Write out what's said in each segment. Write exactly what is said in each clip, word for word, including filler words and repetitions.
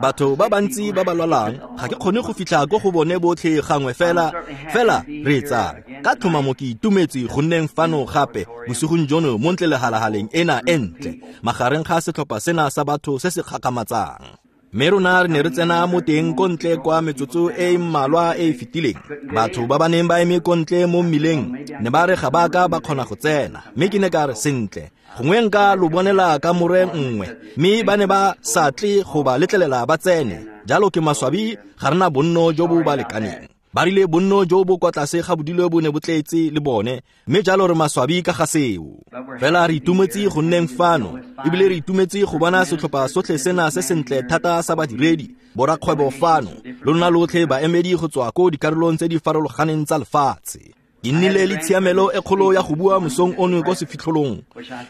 Batho ba bantsi ba ba lwalang, ga ke kgone go fitlha ko go bone botlhe gangwe fela, fela reetsang. Ka tlhomamo ke itumetse go nneng fano gape bosigong jono mo ntle lehalahaleng ena e ntle, magareng ga setlhopha sena sa batho se se kgakgamatsang. Mme rona re ne re tsena mo teng ko ntle kwa metsotso e e mmalwa e e fetileng. Batho ba ba neng ba eme ko ntle mo mmileng ne ba re ga ba ka ba kgona go tsena, mme ke ne ka re sentle, gongwe nka lo bonela kamore nngwe, mme ba ne ba sa tle go ba letlelela ba tsene. Jalo ke maswabi, ga re na bonno jo bo ba lekaneng. Ba rile bonno jo bo kwa tlase ga bodilo bo ne bo tletse le bone, mme jalo re maswabi ka ga seo. Fela re itumetse go nneng fano, ebile re itumetse go bona setlhopha sotlhe sena se sentle thata sa badiredi, borakgwebo fano, lona lotlhe baemedi go tswa ko dikarolong tse di farologaneng tsa lefatshe. Ke nnile le tshiamelo e kgolo ya go bua mosong ono ko sefitlholong,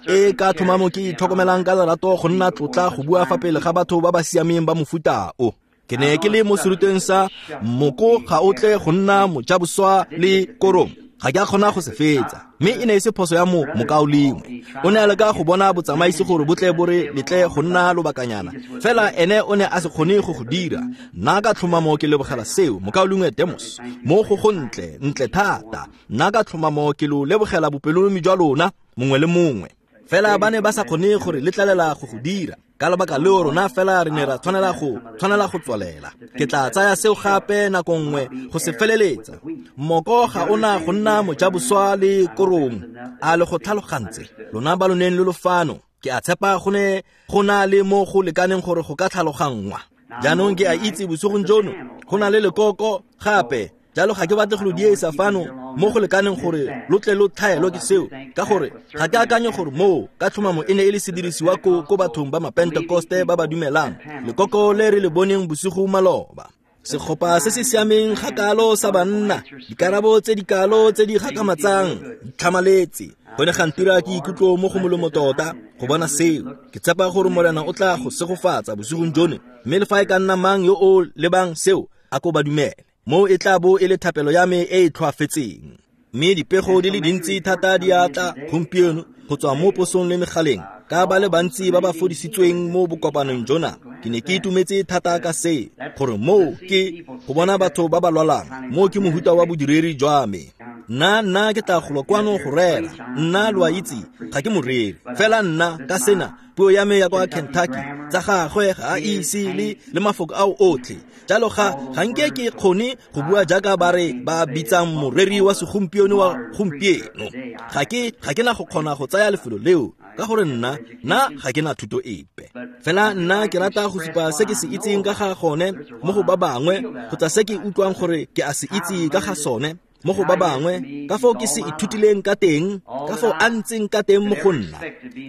e ka tlhomamo ke itlhokomelang ka lerato go nna tlotla go bua fa pele ga batho ba ba siameng ba mofuta o. Ke ne ke le mo serutweng sa moko ga o tle go nna mojaboswa le korong, ga ke a kgona go se fetsa, mme e ne e se phoso ya mo mokaulengwe. O ne a leka go bona botsamaisi gore bo tle bo re letle go nna lobakanyana, fela ene o ne a se kgone go go dira. Nna ka tlhomamo ke lebogela seo, mokaulengwe Demos, mo go go ntle ntle thata. Nna ka tlhomamo ke lo lebogela bopelonomi jwa lona mongwe le mongwe, fela ba ne ba sa kgone gore letlelela go go dira. Ka lebaka leo rona fela re ne ra tshwanela go tshwanela go tswalela. Ke tla tsaya seo gape nako nngwe go se feleletsa. Moko ga ona go nna mojaboswa le korong, a le go tlhalogantse lona ba lo neng le lo fano. Ke a tshepa go ne go na le mo go lekaneng gore go ka tlhaloganngwa. Jaanong ke a itse bosigong jono go na le lekoko gape, jalo ga ke batle go lo diesa fano mo go lekaneng gore lo tle lo tlhaelwe ke seo, ka gore ga ke akanye gore moo ka tlhomamo e ne e le sedirisiwa ko ko bathong ba mapentekoste ba ba dumelang lekoko le re le boneng bosigo maloba. Segopa se se siameng ga kalo sa banna, dikarabo tse di kalo tse di gakgamatsang di tlhamaletse. Go ne ga ntira ke ikutlo mo go molemo tota go bona seo. Ke tshepa gore Morena o tla go segofatsa bosigong jono, mme le fa e ka nna mang yo o lebang seo a ko ba dumele. Mo e tla bo e le thapelo ya me e e tlhoafetseng. Mme dipego di le dintsi thata di a tla gompieno go tswa mo posong le megaleng ka ba le bantsi ba ba fodisitsweng mo bokopanong jona. Ke ne ke itumetse thata ka se, gore moo ke go bona batho ba ba lwalang, moo ke mohuta wa bodiredi jwa me. Nna nna ke tla golo kwano go rera, nna lo a itse ga ke moreri, fela nna ka sena puo ya me ya kwa Kentucky tsa gagwe ga a ise le le mafoko ao otlhe. Jalo ga ga nke ke kgone go bua jaaka ba re ba bitsang moreri wa segompieno wa gompieno. Ga ke ga ke na go kgona go tsaya lefelo leo, ka gore nna nna ga ke na thuto epe. Fela nna ke rata go supa se ke se itseng ka ga gone mo go ba bangwe, kgotsa se ke utlwang gore ke a se itse ka ga sone mo go ba bangwe, ka foo ke se ithutileng ka teng, ka foo a ntseng ka teng mo go nna.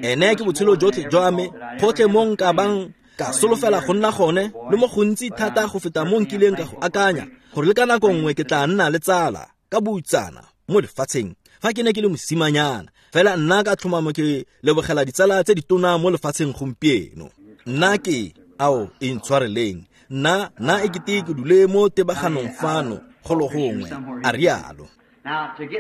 Ene ke botshelo jotlhe jwa me, gotlhe mo nka bang ka solofela go nna gone, le mo gontsi thata go feta mo nkileng ka go akanya, gore le ka nako nngwe ke tla nna le tsala ka boutsana mo lefatsheng fa ke ne ke le mosimanyana. Fela nna ka tlhomamo ke lebogela ditsala tse ditona mo lefatsheng gompieno. Nna ke ao e ntshwareleng, nna nna e kete ke dule mo tebaganong fano go lo gongwe, a rialo.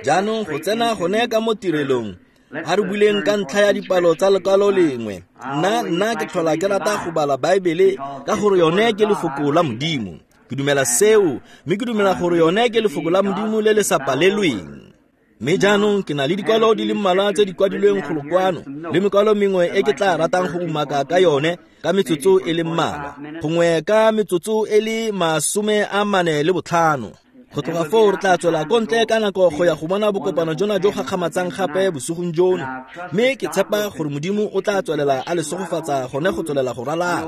Jaanong go tsena gone ka mo tirelong, a re buleng ka ntlha ya dipalo tsa lekwalo lengwe. Nna nna ke tlhola ke rata go bala Baebele ka gore yone ke lefoko la Modimo. Ke dumela seo, mme ke dumela gore yone ke lefoko la Modimo le le sa palelweng. Mme jaanong ke na le dikwalo di le mmalwa tse di kwadilweng golo kwano, le mekwalo mengwe e ke tla ratang go umaka ka yone ka metsotso e le mmalwa, gongwe ka metsotso e le masome a mane le botlhano. Go tloga foo re tla tswela ko ntle ka nako go ya go bona bokopano jona jo gakgamatsang gape bosigong jono, mme ke tshepa gore Modimo o tla tswelela a le segofatsa gone go tswelela go ralala.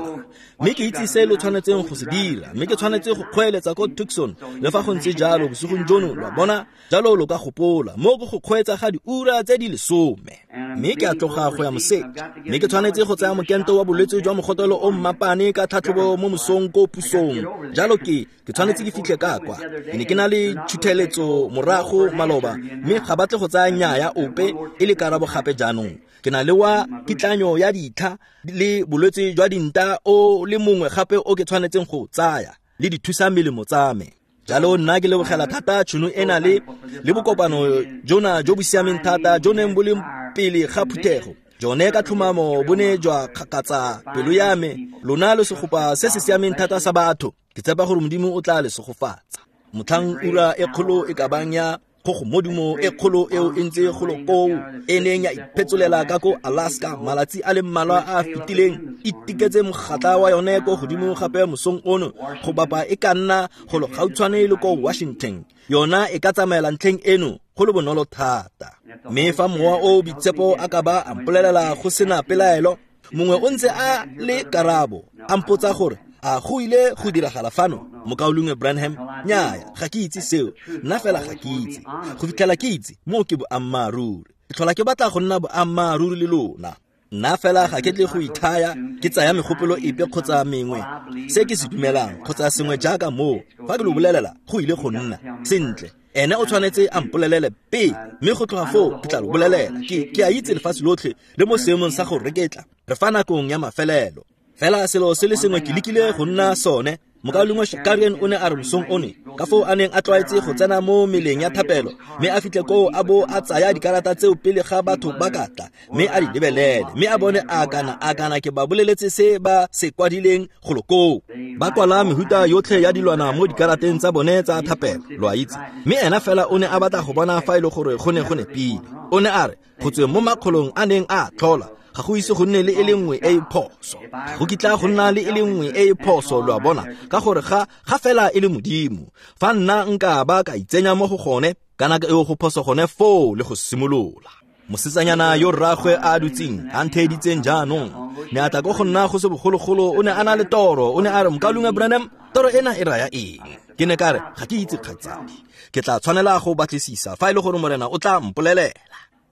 Mme ke itse se lo tshwanetseng go se dira, mme ke tshwanetse go kgweeletsa ko Tucson le fa go ntse jalo bosigong jono, lo a bona. Jalo lo ka gopola mo go go kgweetsa ga diura tse di lesome. Mme ke a tloga go ya moseja, mme ke tshwanetse go tsaya mokento wa bolwetse jwa mogotelo o mmapane ka tlhatlhobo mo mosong ko pusong. Jalo ke ke tshwanetse ke fitlhe ka kwa. Ke ne ke na le thutheletso morago maloba, mme ga batle go tsaya nnyaya ope e le karabo gape jaanong. Ke na le wa kitlanyo ya ditlha le bolwetse jwa dinta o le mongwe gape o ke tshwanetseng go tsaya le dithusa melemo tsa me. Jalo nna ke lebogela thata tšhono ena le le bokopano jona jo bo siameng thata jo neng bo le pele ga phuthego. Jone ka tlhomamo bo ne jwa kgakatsa pelo ya me. Lona lo segopa se se siameng thata sa batho. Ke tshepa gore Modimo o tla le segofatsa. Motlhang ura e kgolo e ka bang ya kgogomodumo e kgolo eo e ntse golo koo e neng ya iphetsolela ka ko Alaska malatsi a le mmalwa a a fetileng, e tiketse mogatla wa yone ko godimo gape mosong ono go bapa e ka nna golo gautshwane le ko Washington. Yona e ka tsamaela ntlheng eno go le bonolo thata. Mme fa mowa o boitshepo a ka ba a mpolelela go sena pelaelo, mongwe o ntse a le karabo a mpotsa gore a go ile go diragala fano, mokaulengwe Branham? Nnyaya, ga ke itse seo, nna fela ga ke itse. Go fitlhela ke itse, moo ke boammaaruri. Ke tlhola ke batla go nna boammaaruri le lona. Nna fela ga ke tle go ithaya ke tsaya megopolo epe kgotsa mengwe, se ke se dumelang kgotsa sengwe jaaka moo. Fa ke lo bolelela, go ile go nna sentle. Ene o tshwanetse a mpolelele pele, mme go tloga foo ke tla lo bolelela. Ke ke a itse lefatshe lotlhe le mo seemong sa go reketla. Re fa nakong ya mafelelo. Fela selo se le sengwe ke lekile go nna sone. Mokaulengwe Shakarian o ne a re mosong one, ka foo a neng a tlwaetse go tsena mo meleng ya thapelo, mme a fitlhe koo a bo a tsaya dikarata tseo pele ga batho ba ka tla, mme a di lebelele, mme a bone a kana a kana ke ba boleletse se ba se kwadileng golo koo. Ba kwala mehuta yotlhe ya dilwana mo dikarateng tsa bone tsa thapelo, lo a itse. Mme ena fela o ne a batla go bona fa e le gore go ne go nepile. O ne a re go tsweng mo makgolong a neng a tlhola, ga go ise go nne le e le nngwe e e phoso. Ga go kitla go nna le e le nngwe e e phoso, lo a bona, ka gore ga ga fela e le Modimo. Fa nna nka ba ka itsenya mo go gone, kana eo go phoso gone foo le go simolola. Mosetsanyana yo rraagwe a dutseng a ntheeditseng jaanong ne a tla ko go nna go se bogologolo, o ne a na le toro. O ne a re, mokaulengwe Branham, toro ena e raya eng? Ke ne ka re, ga ke itse kgaitsadi, ke tla tshwanela go batlisisa fa e le gore Morena o tla mpolelela.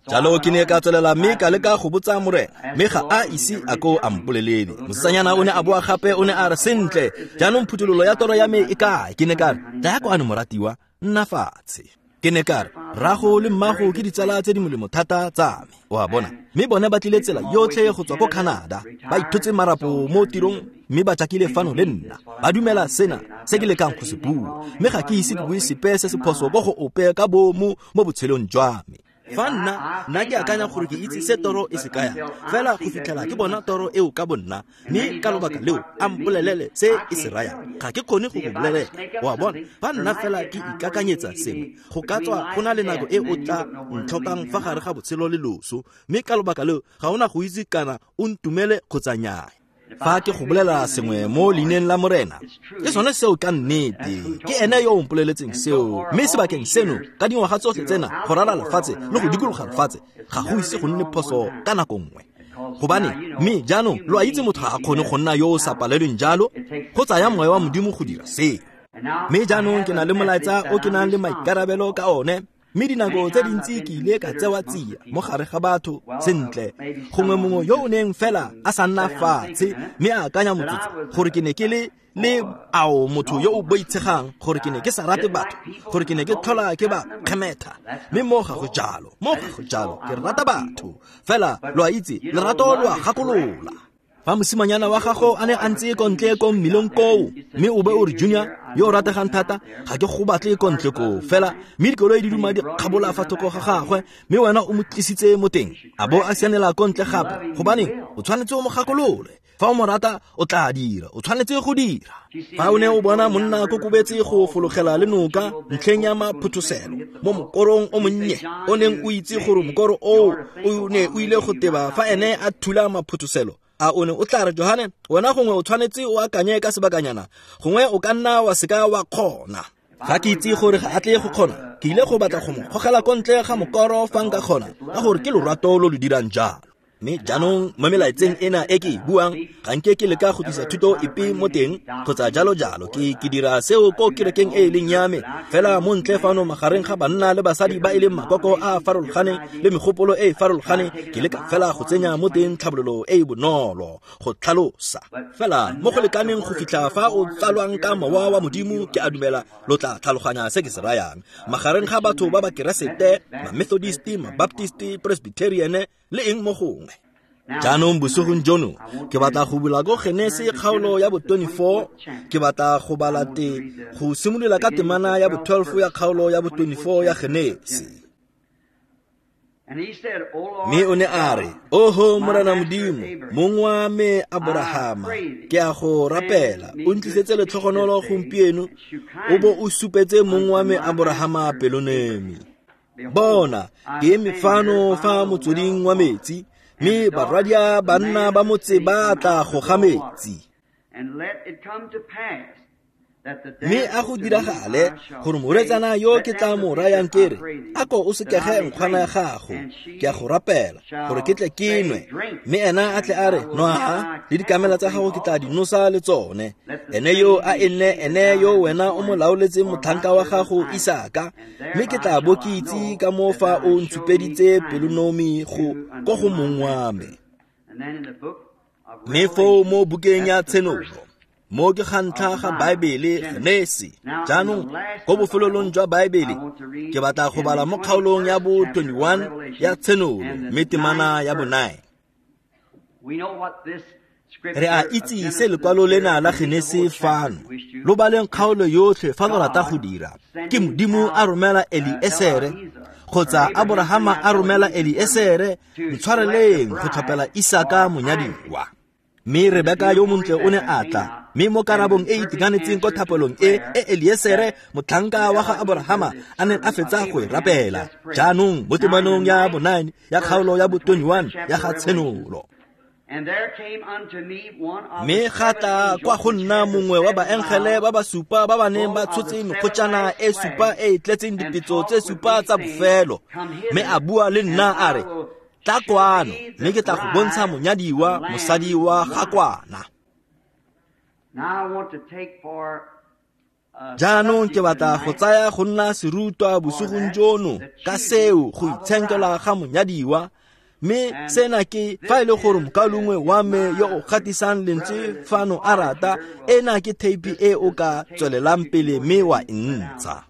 Jalo ke ne ka tswelela mme ka leka go botsa Morena, mme ga a ise a ko a mpolelele. Mosetsanyana o ne a boa gape, o ne a re, sentle, jaanong phuthololo ya toro ya me e kae? Ke ne ka re, tlaya kwano moratiwa, nna fatshe. Ke ne ka re, rrago le mmago ke ditsala tse di molemo thata tsa me, o a bona, mme bone ba tlile tsela yotlhe go tswa ko Canada, ba ithotse marapo mo tirong, mme ba jakile fano le nna. Ba dumela sena se ke lekang go se bua, mme ga ke ise ke bue sepe se se phoso ko go ope ka bomo mo botshelong jwa me. Fa nna nna ke akanya gore ke itse se toro e se kayang, fela go fitlhela ke bona toro eo ka bonna, mme ka lobaka leo a mpolelele se e se rayang, ga ke kgone go go bolelela. O a bona, fa nna fela ke ikakanyetsa sengwe, go ka tswa go na le nako e o tla ntlhokang fa gare ga botshelo le loso, mme ka lobaka leo ga ona go itse kana o ntumele kgotsa nnyaa. Fa ke go bolela sengwe mo leineng la Morena, ke sone seo ka nnete, ke ene yo o mpoleletseng seo. Mme sebakeng seno, ka dingwaga tsotlhe tsena go rala lefatshe le go dikologa lefatshe, ga go ise go nne phoso ka nako nngwe. Gobane mme jaanong lo a itse motho ga a kgone go nna yo o sa palelweng jalo, go tsaya moya wa Modimo go dira seo. Mme jaanong ke na le molaetsa o ke nang le maikarabelo ka one, mme dinako tse dintsi ke ile ka tsewa tsia mo gare ga batho. Sentle, gongwe mongwe yo o neng fela a sa nna fatshe mme a akanya motsotso gore ke ne ke le le ao motho yo o boitshegang, gore ke ne ke sa rate batho, gore ke ne ke tlhola ke ba kgemetha. Mme mo ga go jalo, mo ga go jalo, ke rata batho. Fela lo a itse, lerato lo a gakolola. Fa mosimanyana wa gago a ne a ntse ko ntle ko mmileng koo, mme o be o re, Junior yo o rategang thata, ga ke go batle ko ntle koo fela, mme dikoloi di duma di kgabola fa thoko ga gagwe, mme wena o mo tlisitse mo teng, a bo a sianela ko ntle gape, gobaneng o tshwanetse o mo gakolole. Fa o mo rata, o tla dira, o tshwanetse go dira. Fa o ne o bona monna a kokobetse go fologela le noka ntlheng ya maphuthoselo mo mokorong o monnye, o neng o itse gore mokoro oo o ne o ile go teba fa ene a thula maphuthoselo, a o ne o tla re, Johane, wena gongwe o tshwanetse o akanye ka sebakanyana, gongwe o ka nna wa seka wa kgona. Ga ke itse gore ga a tle go kgona, ke ile go batla go mo gogela ko ntle ga mokoro fa nka kgona, ka gore ke lorato lo lo dirang jalo. Mme jaanong mo melaetseng ena e ke e buang, ga nke ke leka go tlisa thuto epe mo teng kgotsa jalo jalo. Ke ke dira seo ko kerekeng e e leng ya me, fela mo ntle fano magareng ga banna le basadi ba e leng makoko a a farologaneng le megopolo e e farologaneng, ke leka fela go tsenya mo teng tlhabololo e e bonolo go tlhalosa. Fela mo go lekaneng go fitlha fa o tsalwang ka mowa wa Modimo, ke a dumela lo tla tlhaloganya se ke se rayang. Magareng ga batho ba ba Keresete, ma-Methodist, ma-Baptist, Presbyterian le eng mo gongwe. Jaanong bosigong jono ke batla go bula ko Genese kgaolo ya bo twenty-four, ke batla go bala te go simolola ka temana ya bo twelve ya kgaolo ya bo twenty-four ya Genese. Mme o ne a re, Oho Morena Modimo, mong wa me Aborahama, ke a go rapela, o ntlisetse letlhogonolo gompieno, o bo o supetse mong wa me Aborahama pelonemi. Bona, ke eme fano fa motsweding wa metsi, mme barwadia banna ba motse ba tla go ga metsi. Mme a go diragale gore morwetsana yo ke tla mo rayang ke re, a ko o sekege nkgwana ya gago, ke a go rapela gore ke tle ke nwe. Mme ena a tle a re, Nwa, le dikamela tsa gago ke tla di nosa le tsone. Ene yo a e nne ene yo wena o mo laoletseng motlhanka wa gago Isaka, mme ke tla bo ke itse ka moo fa o ntshupeditse pelonomi go ko go mong wa me. Mme foo mo bukeng ya Tshenolo, mo ke ga ntlha ga Baebele Genesi. Jaanong ko bofelelong jwa Baebele ke batla go bala mo kgaolong ya bo twenty-one ya Tshenolo, mme temana ya bonine. Re a itse se lekwalo lena la Genesi fano. Lo baleng kgaolo yotlhe fa lo rata go dira. Ke Modimo a romela Eliesere, kgotsa Aborahama a romela Eliesere, ntshwareleng go tlhopela Isaka monyadiwa. Mme Rebeka yo montle o ne a tla, mme mo karabong e e itekanetseng ko thapelong e e Eliesere motlhanka wa ga Aborahama a neng a fetsa go e rapela. Jaanong mo temanong ya bonine ya kgaolo ya bo twenty-one ya ga Tshenolo. Mme ga tla kwa go nna mongwe wa baengele ba ba supa ba ba neng ba tshotse mekgotjana e supa e e tletseng dipetso tse supa tsa bofelo, mme a bua le nna a re, Tla kwano, mme ke tla go bontsha monyadiwa, mosadi wa ga kwana. Jaanong ke batla go tsaya go nna serutwa bosigong jono ka seo go itshenkela ga monyadiwa. Mme sena ke fa e le gore mokaulengwe wa me yo o gatisang lentswe fano a rata, ena ke theipi e o ka tswelelang pele mme wa e ntsha.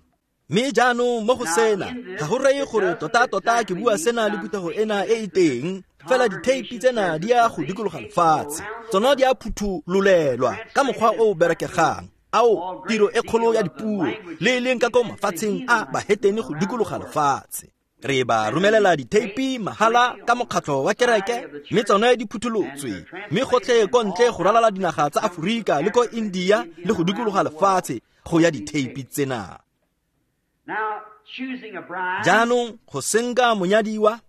Mme jaanong mo go sena, ga go reye gore tota-tota ke bua sena le phuthego ena e e teng, fela ditheipi tsena di ya go dikologa lefatshe. Tsona di a phuthololelwa ka mokgwa o o berekegang. Ao, tiro e kgolo ya dipuo, le e leng ka ko mafatsheng a bahetene go dikologa lefatshe. Re ba romelela ditheipi mahala ka mokgatlho wa kereke, mme tsone di phutholotswe, mme gotlhe ko ntle go ralala dinaga tsa Aforika le ko India le go dikologa lefatshe go ya ditheipi tsena. Jaanong go senka monyadiwa,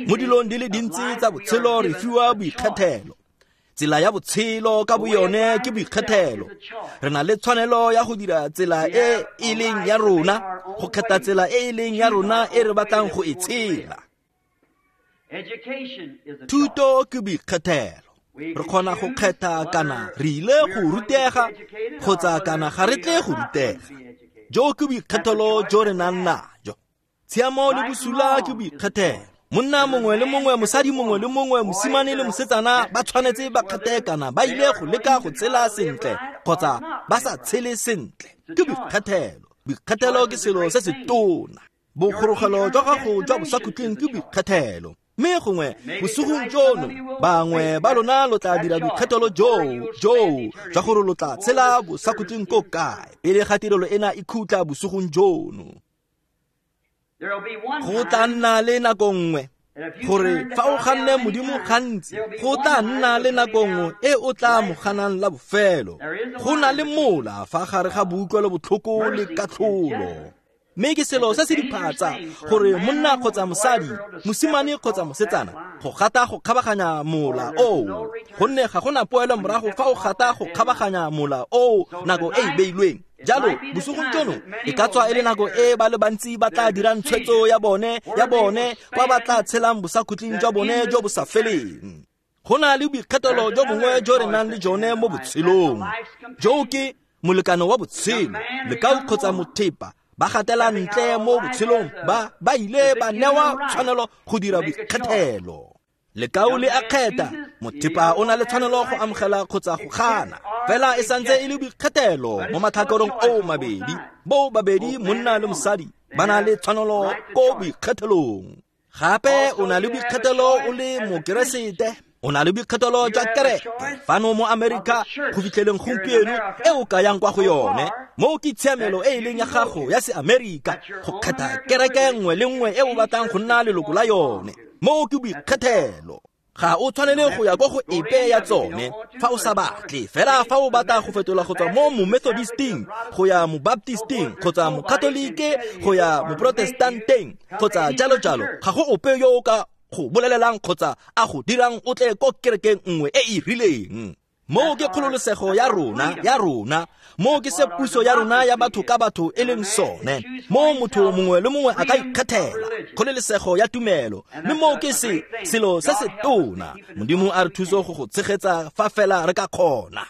mo dilong di le dintsi tsa botshelo re fiwa boikgethelo. Tsela ya botshelo ka boyone ke boikgethelo. Re na le tshwanelo ya go dira tsela e e leng ya rona, go kgetha tsela e e leng ya rona e re batlang go e tshela. Thuto ke boikgethelo. Re kgona go kgetha kana re ile go rutega kgotsa kana ga re tle go rutega. Jo ke boikgethelo jo re nang najo. Tshiamo le bosula ke boikgethelo. Monna mongwe le mongwe, mosadi mongwe le mongwe, mosimane le mosetsana ba tshwanetse ba kgethe kana ba ile go leka go tshela sentle kgotsa ba sa tshele sentle. Ke boikgethelo. Boikgethelo ke selo se se tona. Bogorogelo jwa gago jwa bosakhutleng ke boikgethelo. Mme gongwe bosigong jono bangwe ba lona lo tla dira boikgethelo joo joo jwa gore lo tla tshela bosakhutleng ko kae pele ga tirelo ena e khutla bosigong jono. Go tla nna le nako nngwe gore fa o ganne Modimo gantsi, go tla nna le nako nngwe e o tla mo ganang la bofelo. Go na le mola fa gare ga boutlwelo botlhoko le katlholo. Mme ke selo se se diphatsa gore monna kgotsa mosadi, mosimane kgotsa mosetsana, go gata go kgabaganya mola oo, gonne ga gona poelo morago fa o gata go kgabaganya mola oo nako e e beilweng. Jalo bosigong jono e ka tswa e le nako e ba le bantsi ba tla dirang tshwetso ya bone ya bone kwa ba tla tshelang bosakhutleng jwa bone jo bo sa feleng. Go na le boikgethelo jo bongwe jo re nang le jone mo botshelong. Jo ke molekano wa botshelo, lekau kgotsa mothepa ba gatela ntle mo botshelong ba ba ile ba newa tshwanelo go dira boikgethelo. Lekau le a kgetha, mothepa o na le tshwanelo go amogela kgotsa go gana. Fela e santse e le boikgethelo mo matlhakoreng oo mabedi. Bo babedi monna le mosadi ba na le tshwanelo ko boikgethelong. Gape o na le boikgethelo o le mokeresete. O na le boikgethelo jwa kereke fano mo Amerika go fitlheleng gompieno e o ka yang kwa go yone. Moo ke tshiamelo e e leng ya gago ya se-Amerika go kgetha kereke nngwe le nngwe e o batlang go nna leloko la yone. Moo ke boikgethelo. Ga o tshwanele go ya kwa go epe ya tsone fa o sa batle. Fela fa o batla go fetola go tswa mo mo-Methodisting go ya mo-Baptisting kgotsa mo-Katolike go ya mo-Protestanteng kgotsa jalo jalo, ga go ope yo o ka go bolelelang kgotsa a go dirang o tle ko kerekeng nngwe e e rileng. Moo ke kgololosego ya rona ya rona. Moo ke se puso ya rona ya batho ka batho e leng sone. Moo motho mongwe le mongwe a ka ikgethela kgololosego ya tumelo, mme moo ke se selo se se tona. Modimo a re thuse go go tshegetsa fa fela re ka kgona.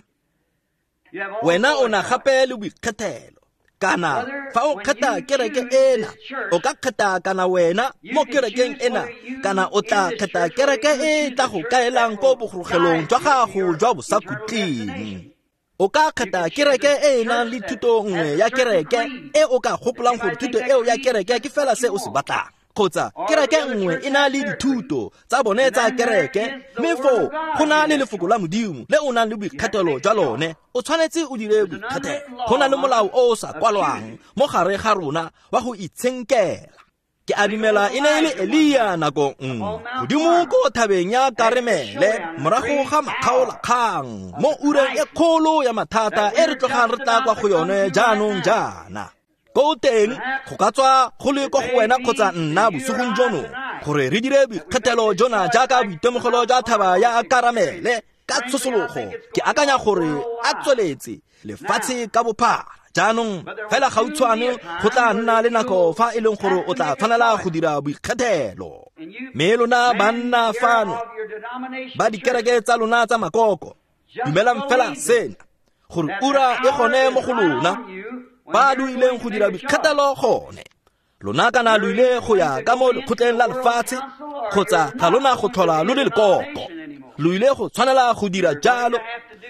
Wena o na gape le boikgethelo. Kana fa o kgetha kereke ena, o ka kgetha kana wena mo kerekeng ena, kana o tla kgetha kereke e tla go kaelang ko bogorogelong jwa gago jwa bosakhutleng. O ka kgetha kereke e e nang le thuto nngwe ya kereke e o ka gopolang gore thuto eo ya kereke ke fela se o se batlang, kgotsa kereke nngwe e na le dithuto tsa bone tsa kereke, mme foo go na le lefoko la Modimo le o nang le boikgethelo jwa lone. O tshwanetse o dire boikgethelo. Go na le molao o o sa kwalwang mo gare ga rona wa go itshenkela. Ke a dumela e ne e le Elia nako nngwe godimo ko thabeng ya Karemele morago ga makgaolakgang mo ureng e kgolo ya mathata e re tlogang re tla kwa go yone jaanong jaana. Ko teng go ka tswa go le ko go wena kgotsa nna bosigong jono gore re dire boikgethelo jona jaaka boitemogelo jwa thaba ya Karamele ka tshosologo. Ke akanya gore a tsweletse lefatshe ka bophara. Jaanong fela gautshwane go tla nna le nako fa e leng gore o tla tshwanela go dira boikgethelo. Mme lona banna fano ba dikereke tsa lona tsa makoko, dumelang fela sena gore ura e gone mo go lona ba lo ileng go dira boikgethelo gone. Lona kana lo ile go ya ka mo lekgotleng la lefatshe kgotsa ga lona go tlhola lo le lekoko. Lo ile go tshwanela go dira jalo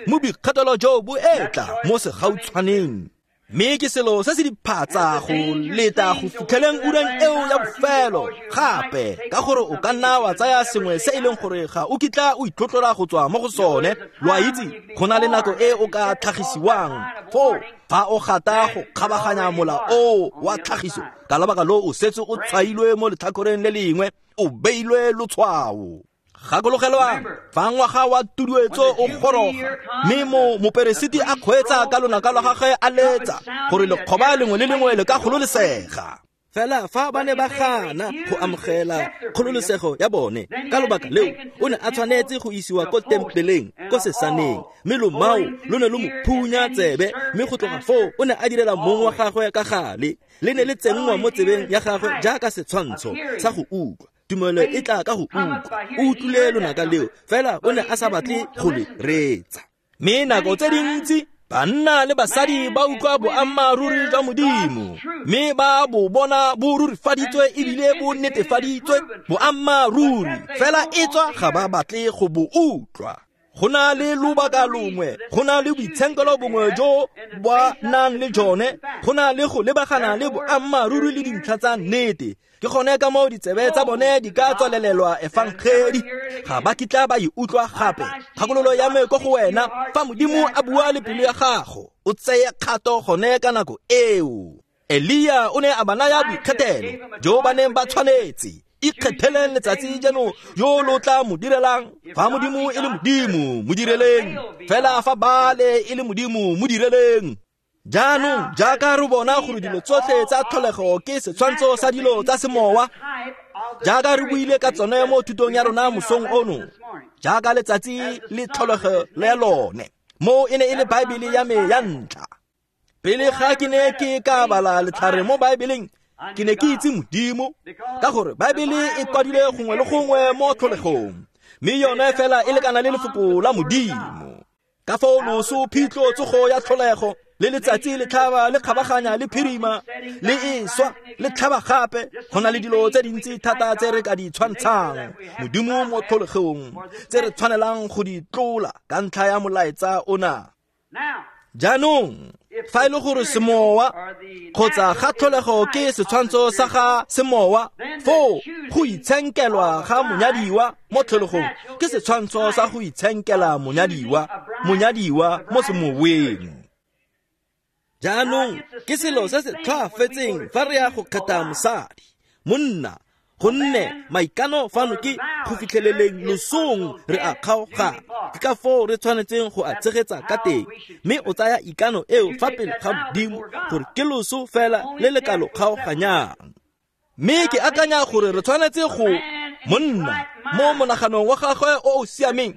mo boikgethelo jo bo etla mo segautshwaneng. Mme ke selo se se diphatsa go leta go fitlheleng ureng eo ya bofelo gape, ka gore o ka nna wa tsaya sengwe se e leng gore ga o kitla o itlotlola go tswa mo go sone. Lo a itse go na le nako e o ka tlhagisiwang foo fa o gata go kgabaganya mola o wa tlhagiso, ka lebaka lo o setse o tshwailwe mo letlhakoreng le lengwe, o beilwe lotshwao. Gakologelwang fa ngwaga wa tuduetso o goroga, mme mo moperesiti a kgweetsa ka lonaka lwa gagwe a letsa gore lekgoba lengwe le lengwe le ka kgololesega. Fela fa ba ne ba gana go amogela kgololesego ya bone, ka lobaka leo o ne a tshwanetse go isiwa ko tempeleng ko sesaneng, mme lomao lo ne lo mo phunya tsebe, mme go tloga foo o ne a direla mong wa gagwe ka gale. Le ne le tsenngwa mo tsebeng ya gagwe jaaka setshwantsho sa go utlwa. Tumelo e tla ka go utlwa. O utlwile lonaka leo, fela o ne a sa batle go le reetsa. Mme nako tse dintsi banna le basadi ba utlwa boammaaruri jwa Modimo, mme ba bo bona bo rurifaditswe ebile bo netefaditswe boammaaruri, fela e tswa ga ba batle go bo utlwa. Go na le lobaka longwe, go na le boitshenkelo bongwe jo ba nang le jone, go na le go lebagana le boammaaruri le dintlha tsa nnete. Ke gone ka moo ditsebe tsa bone di ka tswalelelwa efangedi, ga ba kitla ba e utlwa gape. Kgakololo ya me ko go wena, fa Modimo a bua le pelo ya gago, o tseye kgato gone ka nako eo. Elia o ne a ba naya boikgethelo jo ba neng ba tshwanetse. Ikgetheleng letsatsi jeno yo lo tla mo direlang. Fa Modimo e le Modimo, mo direleng. Fela fa Baale e le Modimo, mo direleng. Jaanong jaaka re bona gore dilo tsotlhe tsa tlholego ke setshwantsho sa dilo tsa semowa, jaaka re buile ka tsone mo thutong ya rona mosong ono, jaaka letsatsi le tlholego le lone, mo e ne e le Baebele ya me ya ntlha. Pele ga ke ne ke ka bala letlhare mo Baebeleng, ke ne ke itse Modimo, ka gore Baebele e kwadile gongwe le gongwe mo tlholegong, mme yone fela e lekana le lefoko la Modimo. Ka foo loso, phitlho, tsogo ya tlholego, le letsatsi le tlhaba le kgabaganya le phirima le e swa le tlhaba gape, go na le dilo tse dintsi thata tse re ka di tshwantshang Modimo mo tlholegong, tse re tshwanelang go di tlola ka ntlha ya molaetsa ona. Jaanong fa e le gore semowa kgotsa ga tlholego ke setshwantsho sa ga semowa, foo go itshenkelwa ga monyadiwa mo tlholegong ke setshwantsho sa go itshenkela monyadiwa, monyadiwa mo semoweng. Jaanong ke selo se se tlhoafetseng fa re ya go kgetha mosadi, monna, gonne maikano fano ke go fitlheleleng losong re a kgaogana. Ke ka foo re tshwanetseng go a tshegetsa ka teng, mme o tsaya ikano eo fa pele ga Modimo gore ke loso fela le le ka lo kgaoganyang. Mme ke akanya gore re tshwanetse go monna mo monaganong wa gagwe o o siameng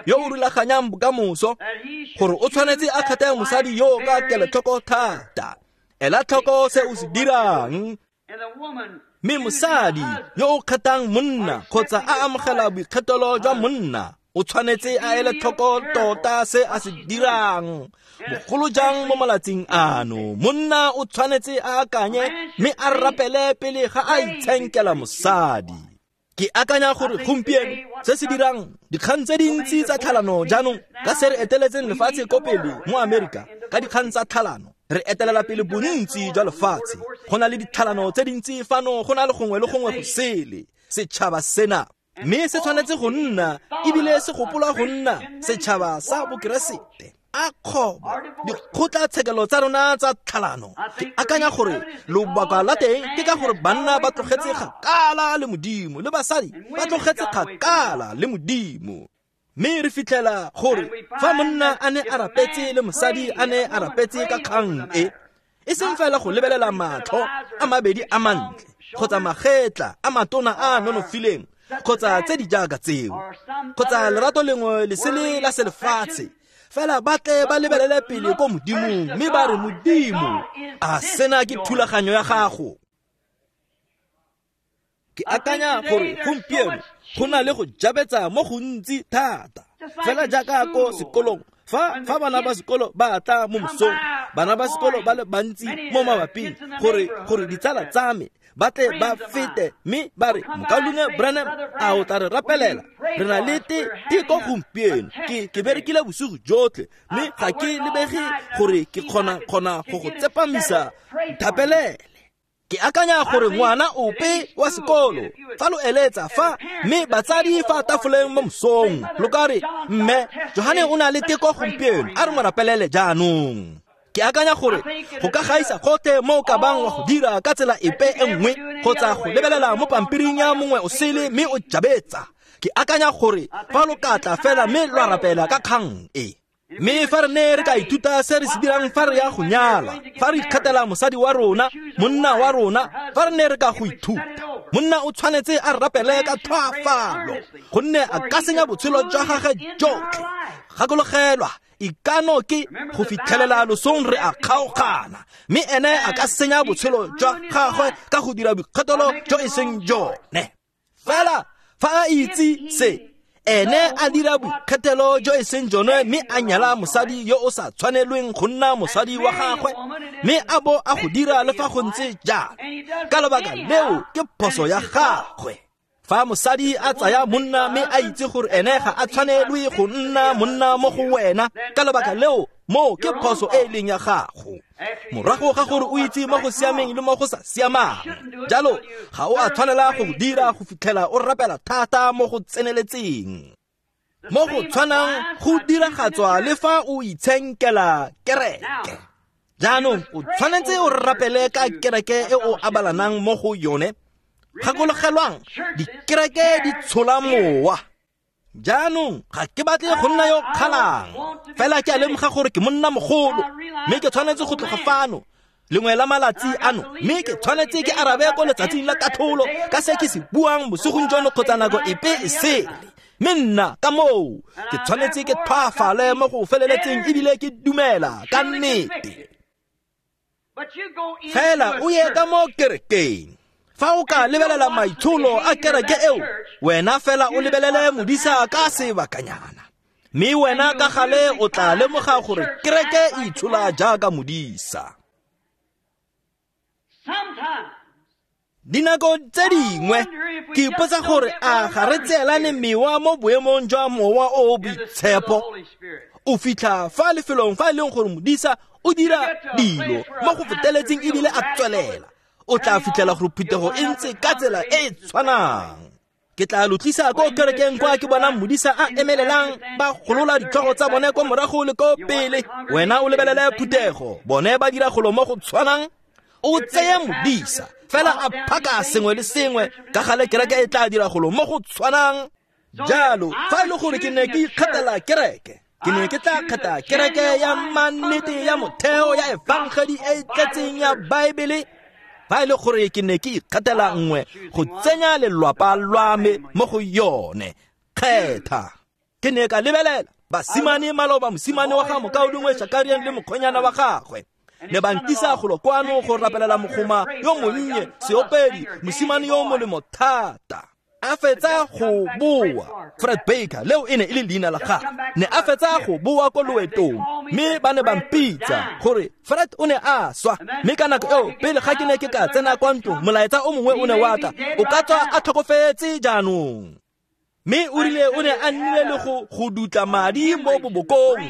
yo o rulaganyang bokamoso gore o tshwanetse a kgethe mosadi yo ka kelotlhoko thata. Ela tlhoko se o se dirang. Mme mosadi yo o kgethang monna kgotsa a amogela boikgethelo jwa monna o tshwanetse a ele tlhoko tota se a se dirang. Bogolo jang mo malatsing ano, monna o tshwanetse a akanye mme a rapele pele ga a itshenkela mosadi. Ke akanya gore gompieno se se dirang dikgang tse dintsi tsa tlhalano jaanong ka se re eteletseng lefatshe ko pele mo Amerika ka dikgang tsa tlhalano, re etelela pele bontsi jwa lefatshe. Go na le ditlhalano tse dintsi fano, go na le gongwe le gongwe go sele setšhaba sena, mme se tshwanetse go nna ebile se gopola go nna setšhaba sa bokeresete. A kgobo dikgotlatshekelo tsa rona tsa tlhalano. Ke akanya gore lobaka la teng ke ka gore banna ba tlogetse kgakala le Modimo le basadi ba tlogetse kgakala le Modimo. Mme re fitlhela gore fa monna a ne a rapetse le mosadi a ne a rapetse ka kgang e, e seng fela go lebelela matlho a mabedi a mantle kgotsa magetla a matona a nonofileng kgotsa tse di jaaka tseo kgotsa lerato lengwe le sele la selefatshe, fela ba tle ba lebelele pele ko Modimong mme ba re, Modimo, a sena ke thulaganyo ya gago. Ke akanya gore gompieno go na le go jabetsa mo gontsi thata, fela jaaka ko sekolong. Fa fa bana ba sekolo ba tla mo mosong, bana ba sekolo ba le bantsi mo mabaping gore gore ditsala tsa me ba tle ba fete mme ba re, Mokaulengwe Branham, a o tla re rapelela? Re na le teko gompieno. Ke ke berekile bosigo jotlhe mme ga ke lebege gore ke kgona kgona go go tsepamisa. Nthapelele. Ke akanya gore ngwana ope wa sekolo fa lo eletsa fa mme batsadi fa tafoleng mo mosong lo ka re, mme Johane o na le teko gompieno, a re mo rapelele jaanong. Ke akanya gore go ka gaisa gotlhe mo o ka bang wa go dira ka tsela epe e nngwe kgotsa go lebelela mo pampiring ya mongwe o sele mme o jabetsa. Ke akanya gore fa lo ka tla fela mme lwa rapela ka kgang e. Mme fa re ne re ka ithuta se re se dirang fa re ya go nyala, fa re ikgethela mosadi wa rona, monna wa rona, fa re ne re ka go ithuta, monna o tshwanetse a rapele ka tlhoafalo gonne a ka senya botshelo jwa gagwe jotlhe. Gakologelwa, ikano ke go fitlhelela losong re a kgaogana, mme ene a ka senya botshelo jwa gagwe ka go dira boikgethelo jo e seng jone. Fela fa a itse se, ene a dira boikgethelo jo e seng jone mme a nyala mosadi yo o sa tshwanelweng go nna mosadi wa gagwe, mme a bo a go dira le fa go ntse jalo, ka lebaka leo ke phoso ya gagwe. Fa mosadi a tsaya monna mme a itse gore ene ga a tshwanelwe go nna monna mo go wena, ka lebaka leo mo ke phoso e e leng ya gago. Morago ga gore o itse mo go siameng le mo go sa siamang, jalo ga o a tshwanela go dira go fitlhela o rapela thata mo go tseneletseng. Mo go tshwanang go diragatswa le fa o itshenkela kereke. Jaanong o tshwanetse o rapele ka kereke e o abalanang mo go yone. Gakologelwang, dikereke di tshola mowa. Jaanong ga ke batle go nna yo kgalang, fela ke a lemoga gore ke monna mogolo mme ke tshwanetse go tloga fano lengwe la malatsi ano, mme ke tshwanetse ke arabe ko letsatsing la katlholo ka se ke se buang bosigong jono kgotsa nako epe e sele. Mme nna ka moo ke tshwanetse ke tlhoafale mo go feleletseng ebile ke dumela ka nnete. Fela o ye ka mo kerekeng. Fa o ka lebelela maitsholo a kereke eo, wena fela o lebelele modisa ka sebakanyana, mme wena ka gale o tla lemoga gore kereke e itshola jaaka modisa. Dinako tse dingwe ke ipotsa gore a ga re tseelane mewa mo boemong jwa mowa o o boitshepo O fitlha fa lefelong fa e leng gore modisa o dira dilo mo go feteletseng ebile a tswelela, o tla fitlhela gore phuthego e ntse ka tsela e e tshwanang. Ke tla lo tlisa ko kerekeng kwa ke bonang modisa a emelelang ba golola ditlhogo tsa bone kwa morago le ko pele. Wena o lebelele phuthego, bone ba dira golo mo go tshwanang. O tseye modisa fela a phaka sengwe le sengwe, ka gale kereke e tla dira golo mo go tshwanang. Jalo fa e le gore ke ne ke ikgethela kereke, ke ne ke tla kgetha kereke ya mannete ya motheo ya efangedi e e tletseng ya Baebele. Fa e le gore ke ne ke ikgethela nngwe go tsenya lelwapa lwa me mo go yone, kgetha. Ke ne ka lebelela basimane maloba, mosimane wa ga mokaulengwe Shakarian le mokgonyana wa gagwe ne ba nkisa golo kwano go rapelela mogoma yo monnye, seopedi, mosimane yo molemo thata. A fetsa go boa, Fred Baker, leo e ne e le leina la gagwe, ne a fetsa go boa ko loetong, mme ba ne ba mpitsa gore Fred o ne a swa. Mme ka nako eo, pele ga ke ne ke ka tsena kwa ntlong, molaetsa o mongwe o ne wa tla, o ka tswa a tlhokofetse jaanong. Mme o rile o ne a nnile le go go dutla madi mo bobokong,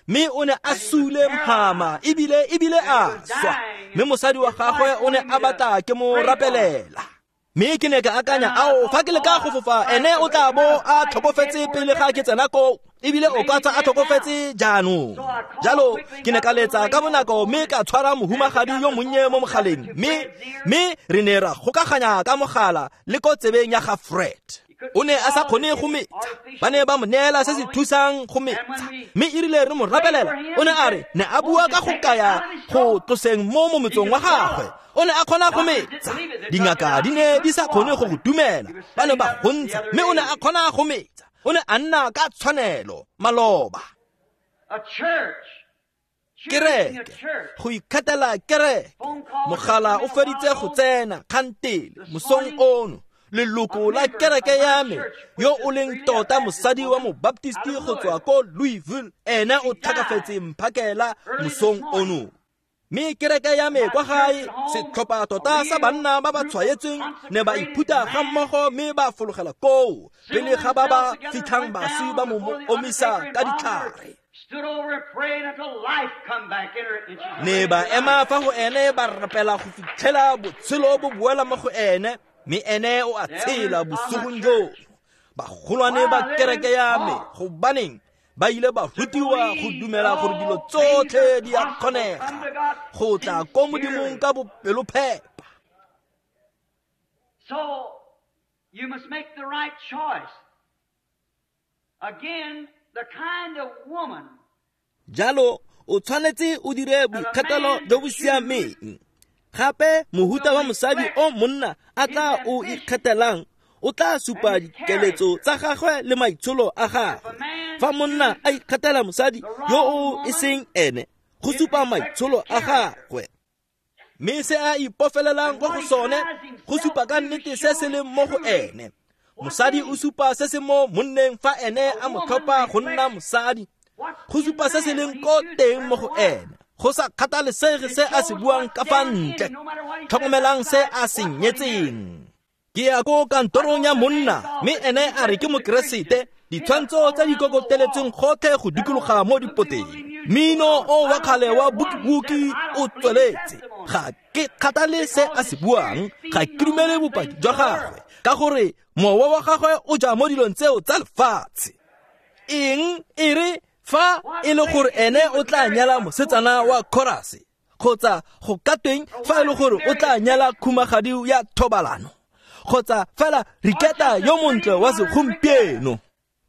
mme o ne a sule mhama ebile ebile a swa. Mme mosadi wa gagwe o ne a batla ke mo rapelela. Mme ke ne ka akanya, ao, fa ke leka go fofa, ene o tla bo a tlhokofetse pele ga ke tsena koo, ebile o ka tswa a tlhokofetse jaanong. Jalo ke ne ka letsa ka bonako mme ka tshwara mohumagadi yo monnye mo mogaleng, mme mme re ne ra gokaganya ka mogala le ko tsebeng ya ga Fred. O ne a sa kgone go metsa, ba ne ba mo neela se se thusang go metsa, mme e rile re mo rapelela, o ne a re ne a bua ka go kaya go tloseng mo mometsong wa gagwe. O ne a kgona go metsa. Dingaka di ne di sa kgone go go dumela, ba ne ba go ntsha, mme o ne a kgona go metsa. O ne a nna ka tshwanelo maloba. Kereke, go ikgethela kereke. Mogala o feditse go tsena kgantele mosong ono. Leloko la kereke ya me, yo o leng tota mosadi wa mobaptisti go tswa ko Louisville, ene o tlhokafetse mphakela mosong ono. Mme kereke ya me kwa gae, setlhopha tota sa banna ba ba tshwaetsweng ne ba iphutha ga mmogo mme ba fologela koo pele ga ba ba fitlhang baswi ba mo omisa ka ditlhare. Ne ba ema fa go ene ba rapela go fitlhela botshelo bo boela mo go ene, mme ene o a tshela bosigong jono. Bagolwane ba kereke ya me, gobaneng ba ile ba rutiwa go dumela gore dilo tsotlhe di a kgonega go tla ko Modimong ka bopelophepa. So you must make the right choice. Again, the kind of woman. Jalo o tshwanetse o dire boikgethelo jo bo siameng. Gape mohuta wa mosadi o monna a tla o ikgethelang o tla supa dikeletso tsa gagwe le maitsholo a gagwe. Fa monna a ikgethela mosadi yo o e seng ene, go supa maitsholo a gagwe. Mme se a ipofelelang kwa go sone go supa ka nnete se se leng mo go ene. Mosadi o supa se se mo monneng fa ene a mo tlhopha go nna mosadi, go supa se se leng ko teng mo go ene, go sa kgathalesege se a se buang ka fa ntle. Tlhokomelang se a se nyetseng. Ke ya ko kantorong ya monna, mme ene a re ke mokeresete, ditshwantsho tse di kokoteletsweng gotlhe go dikologa mo dipoteng. Mmino o wa kgale wa boki-boki o tsweletse. Ga ke kgathale se a se buang, ga ke dumele bopaki jwa gagwe, ka gore mowa wa gagwe o ja mo dilong tseo tsa lefatshe. Eng e re fa e le gore ene o tla nyala mosetsana wa chorus, kgotsa go ka tweng fa e le gore o tla nyala khumagadi ya thobalano, kgotsa fela Riketa yo montle wa segompieno.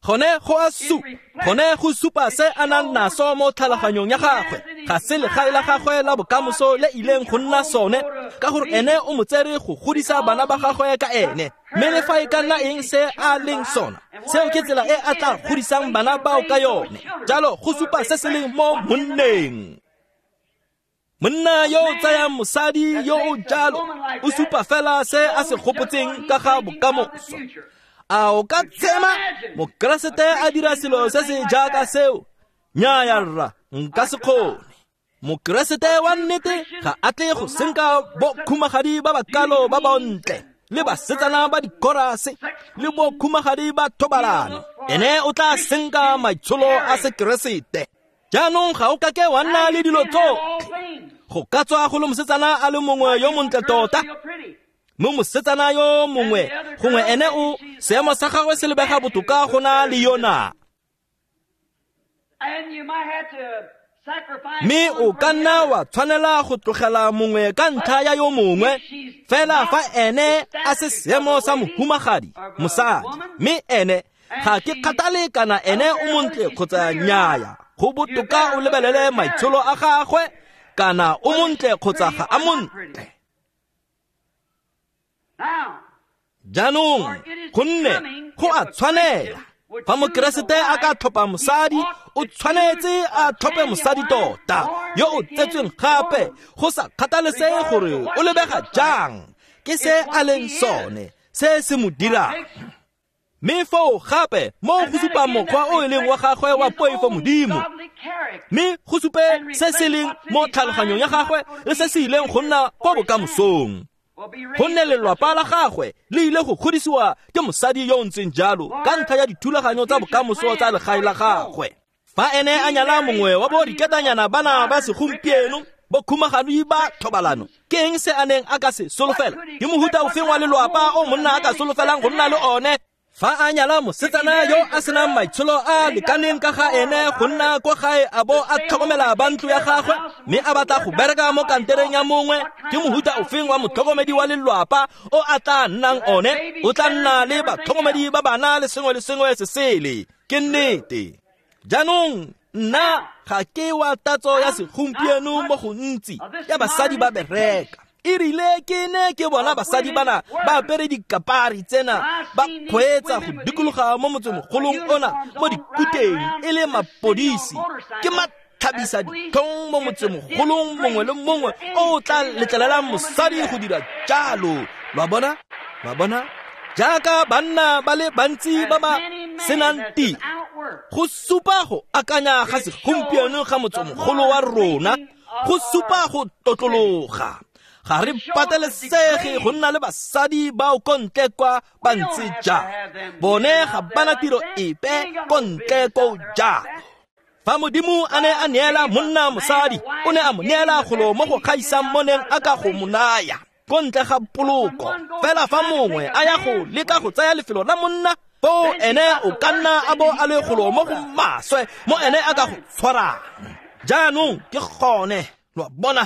Gone go a supa, gone go supa se a nang naso mo tlhaloganyong ya gagwe. Ga se legae la gagwe la bokamoso le ileng go nna sone, ka gore ene o mo tsere go godisa bana ba gagwe ka ene. Mme le fa e ka nna eng se a leng sona, seo ke tsela e a tla godisang bana bao ka yone. Jalo go supa se se leng mo monneng. Monna yo o tsayang mosadi yo o jalo o supa fela se a se gopotseng ka ga bokamoso. A o ka tshema mokeresete a dira selo se se jaaka seo? Nnyaya rra, nka se kgone. Mokeresete wa nnete ga a tle go senka bokhumagadi ba bakalo ba bontle le basetsana ba dikorase le bokhumagadi ba thobalano. Ene o tla senka maitsholo a Sekeresete. Jaanong ga o kake wa nna le dilo tsotlhe. Go ka tswa go le mosetsana a le mongwe yo montle tota, mme mosetsana yo mongwe gongwe ene o seemo sa gagwe se lebega botoka go na le yona. Mme o ka nna wa tshwanela go tlogela mongwe ka ntlha ya yo mongwe, fela fa ene a se seemo sa mohumagadi mosadi, mme ene ga ke kgathale kana ene o montle kgotsa nnyaya, go botoka o lebelele maitsholo a gagwe kana o montle kgotsa ga a montle. Jaanong gonne go a tshwanela fa Mokeresete a ka tlhopha mosadi, o tshwanetse a tlhophe mosadi tota yo o tsetsweng gape, go sa kgathalesege gore o lebega jang, ke se a leng sone se se mo dirang. Mme foo gape mo go supa mokgwa o e leng wa gagwe wa poifo Modimo, mme go supe se se leng mo tlhaloganyong ya gagwe le se se ileng go nna kwa bokamosong. Gonne lelwapa la gagwe le ile go godisiwa ke mosadi yo o ntseng jalo ka ntlha ya dithulaganyo tsa bokamoso tsa legae la gagwe. Fa ene a nyala mongwe wa bo diketanyana bana ba segompieno, bo khumagadi ba thobalano, ke eng se a neng a ka se solofela? Ke mohuta ofeng wa lelwapa o monna a ka solofelang go nna le one? Fa a nyala mosetsana yo a senang maitsholo a lekaneng ka ga ene go nna kwa gae a bo a tlhokomela ba ntlo ya gagwe, mme a batla go bereka mo kantereng ya mongwe, ke mohuta ofeng wa motlhokomedi wa lelwapa o a tla nnang one? O tla nna le batlhokomedi ba bana le sengwe le sengwe se sele. Ke nnete. Jaanong nna ga ke wa tatso ya segompieno mo gontsi ya basadi ba bereka. E rile ke ne ke bona basadi bana ba apere dikapari tsena ba kgweetsa go dikologa mo motsemogolong ona mo dikuteng e le mapodisi, ke mathabisa ditlhong mo motsemogolong mongwe le mongwe o tla letlelelang mosadi go dira jalo. Lo a bona? Lo a bona? Jaaka banna ba le bantsi ba ba senang tiro, go supa go akanya ga segompieno ga motsemogolo wa rona, go supa go totlologa. Ga re patelesege go nna le basadi bao ko ntle kwa ba ntse jang, bone ga bana tiro epe ko ntle ko jalo. Fa Modimo a ne a neela monna mosadi, o ne a mo neela golo mo go gaisang mo neng a ka go mo naya ko ntle ga poloko. Fela fa mongwe a ya go leka go tsaya lefelo la monna, foo ene o ka nna a bo a le golo mo go maswe mo ene a ka go tshwarang. Jaanong ke gone, lo a bona?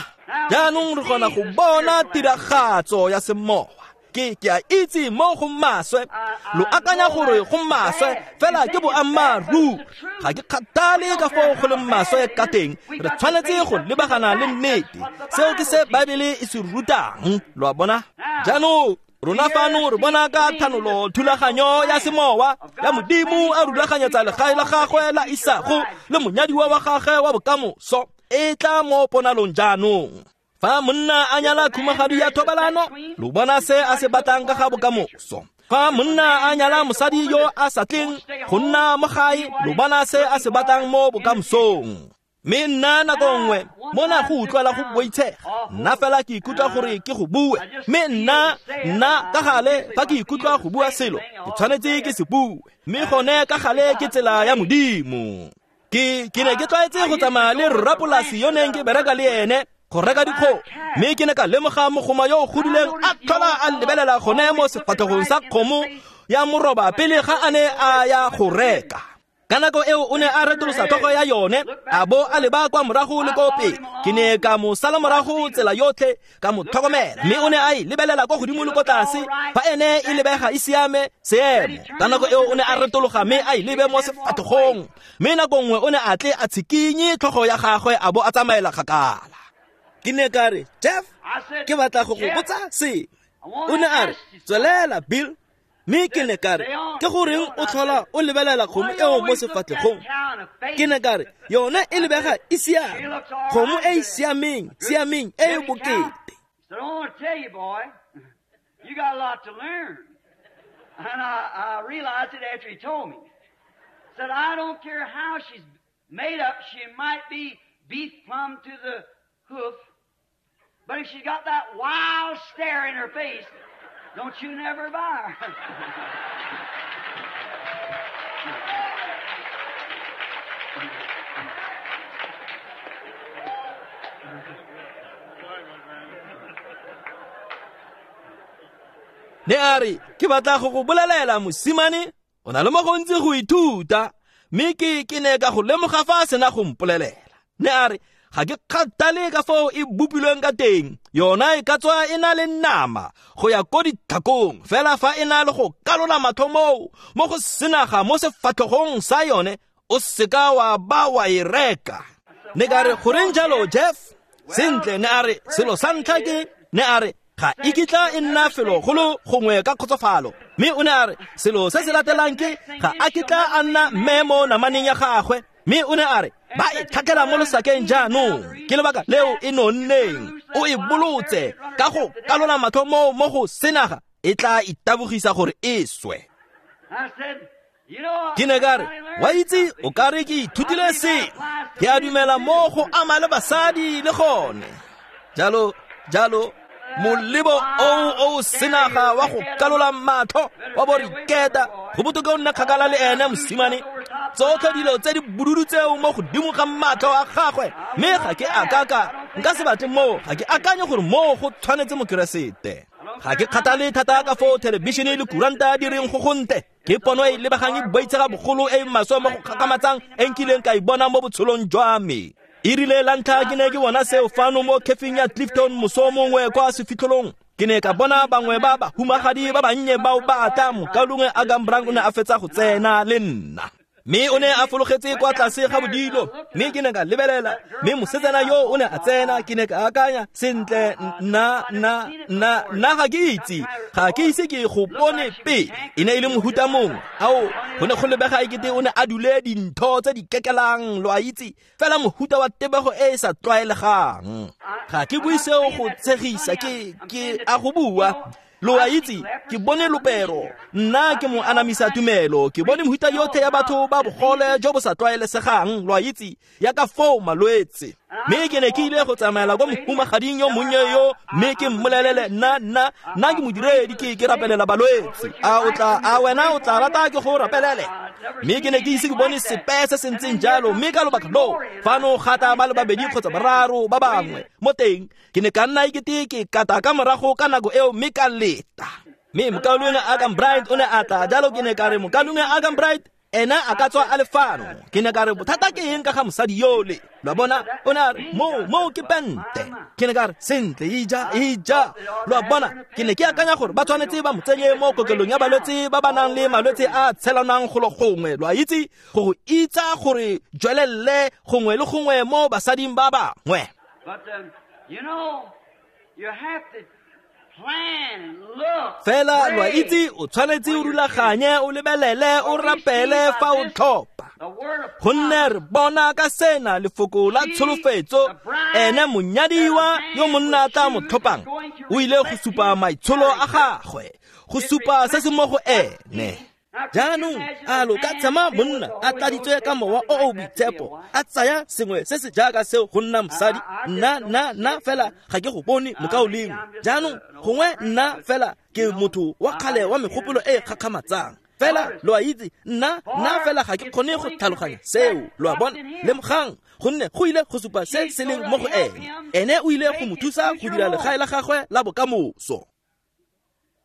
Jaanong re kgona go bona tiragatso ya semowa. Ke ke a itse mo go maswe, lo akanya gore go maswe, fela ke boammaaruri. Ga ke kgathale ka foo go leng maswe ka teng, re tshwanetse go lebagana le nnete. Seo ke se Baebele e se rutang, lo a bona? Jaanong rona fano re bona ka thanolo thulaganyo ya semowa ya Modimo a rulaganyetsa legae la gagwe la isago le monyadiwa wa gagwe wa bokamoso e tla mo ponalong jaanong. Fa monna a nyala khumagadi ya thobalano, lo bona se a se batlang ka ga bokamoso. Fa monna a nyala mosadi yo a sa tleng go nna mo gae, lo bona se a se batlang mo bokamosong. Mme nna nako nngwe mona go utlwala go boitshega, nna fela ke ikutlwa gore ke go bue, mme nna nna ka gale fa ke ikutlwa go bua selo ke tshwanetse ke se bue, mme gone ka gale ke tsela ya Modimo. Ke ke ne ke tlwaetse go tsamaya le rrapolasi yo neng ke bereka le ene go reka dikgomo, mme ke ne ka lemoga mogoma yo o godileng a tlhola a lebelela gone mo sefatlhegong sa kgomo ya moroba pele ga a ne a ya go reka. Ka nako eo o ne a retolosa tlhogo ya yone a bo a leba kwa morago le ko pele. Ke ne ka mo sala morago tsela yotlhe ka mo tlhokomela, mme o ne a e lebelela kwa godimo le ko tlase fa ene e lebega e siame seemo. Ka nako eo o ne a retologa mme a e lebe mo sefatlhegong, mme nako nngwe o ne a tle a tshikinye tlhogo ya gagwe a bo a tsamaela kgakala. Ke ne ka re, Jeff, ke batla go go botsa sengwe. O ne a re, tswelela Bill. Mme ke ne ka re, ke goreng o tlhola o lebelela kgomo eo mo sefatlhegong? Ke ne ka re, yone e lebega e siame, kgomo e e siameng, siameng e e bokete. But if she's got that wild stare in her face, don't you never buy her. Ne a re, ke batla go go bolelela mosimane, o na le mo gontsi go ithuta, mme ke ke ne ka go lemoga fa a sena go mpolelela. Ne a re, ga ke kgathale ka foo e bopilweng ka teng, yona e ka tswa e na le nama go ya ko ditlhakong, fela fa e na le go kalola matlho moo mo go senaga mo sefatlhogong sa yone, o seka wa ba wa e reka. Ne ka re, goreng jalo Jeff? Sentle, ne a re, selo sa ntlha ke, ne a re, ga e kitla e nna felo golo gongwe ka kgotsofalo. Mme o ne a re, selo se se latelang ke, ga a kitla a nna mme mo namaneng ya gagwe. Mme o ne a re, ba e tlhatlhela mo losakeng jaanong, ke lebaka leo e nonneng, o e bolotse ka go kalola matlho moo mo go senaga, e tla itabogisa gore e swe. Ke ne ka re, wa itse o ka re ke ithutile sengwe, ke a dumela mo go ama le basadi le gone. Jalo, jalo, molebo oo o senaga wa go kalola matlho wa bo riketa, go botoka o nna kgakala le ene mosimane. Tsotlhe dilo tse di bodudu tseo mo godimo ga matlho a gagwe, mme ga ke akaka, nka se batle moo, ga ke akanye gore moo go tshwanetse mokeresete. Ga ke kgathale thata ka foo thelebišene le kuranta di reng go gontle, ke pono e lebegang e boitshega bogolo e maswe mo go kgakgamatsang e nkileng ka e bona mo botshelong jwa me. E rile la ntlha ke ne ke bona seo fano mo kefing ya Clifton moso mongwe kwa sefitlholong. Ke ne ka bona bangwe ba bahumagadi ba bannye bao ba tla, mokaulengwe Agambrang o ne a fetsa go tsena le nna. Mme o ne a fologetse kwa tlase ga bodilo, mme ke ne ka lebelela, mme mosetsana yo o ne a tsena, ke ne ka akanya, sentle, nna, nna, nna, nna ga ke itse, ga ke ise ke go bone pele. E ne e le mohuta mongwe, ao, go ne go lebega ekete o ne a dule dintho tse di kekelang, lo a itse, fela mohuta wa tebego e e sa tlwaelegang. Ga ke bue seo go tshegisa, ke, ke a go bua. Lo a itse, ke bone lopero, nna ke mo anamisa tumelo, ke bone mohuta yotlhe ya batho ba bogole jo bo sa tlwaelesegang, lo a itse, ya ka foo malwetse. Mme ke ne ke ile go tsamaela kwa mohumagading yo monnye yo, mme ke mmolelele, nna, nna, nna ke modiredi, ke ke rapelela balwetse. A o tla, a wena o tla rata ke go rapelele? Mme ke ne ke ise ke bone sepe se se ntseng jalo, mme ka lobaka loo, fano gata ba le babedi kgotsa bararo ba bangwe mo teng, ke ne ka nna ekete ke kata ka morago ka nako eo, mme ka leta. Mme mokaulengwe Agambright o ne a tla, jalo ke ne ka re, mokaulengwe Agambright, ena a ka tswa a le fano. Ke ne ka re, bothata ke eng ka ga mosadi yole? Lo a bona, o ne a re, moo, moo ke pente. Ke ne ka re, sentle, ija, ija. Lo a bona, ke ne ke akanya gore ba tshwanetse ba mo tsenye mo kokelong ya balwetse ba ba nang le malwetse a tshelanang golo gongwe, lo a itse, go go itsa gore jwelelle gongwe le gongwe mo basading ba bangwe. But um, you know, you have to plan, look. Fela lo a itse, o tshwanetse o rulaganye, o lebelele, o rapele fa o tlhopha. Gonne re bona ka sena lefoko la tsholofetso, ene monyadiwa yo monna a tla mo tlhophang, o ile go supa maitsholo a gagwe, go supa se se mo go ene. Jaanong a lo ka tshema monna a tladitswe ka mowa o o boitshepo, a tsaya sengwe se se jaaka seo go nna mosadi? Nna, nna, nna fela ga ke go bone mokaulengwe. Jaanong gongwe nna fela ke motho wa kgale wa megopolo e e kgakgamatsang. Fela lo a itse, nna, nna fela ga ke kgone go tlhaloganya seo, lo a bona. Lemogang, gonne go ile go supa se se leng mo go ene. Ene o ile go mo thusa go dira legae la gagwe la bokamoso.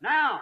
Now,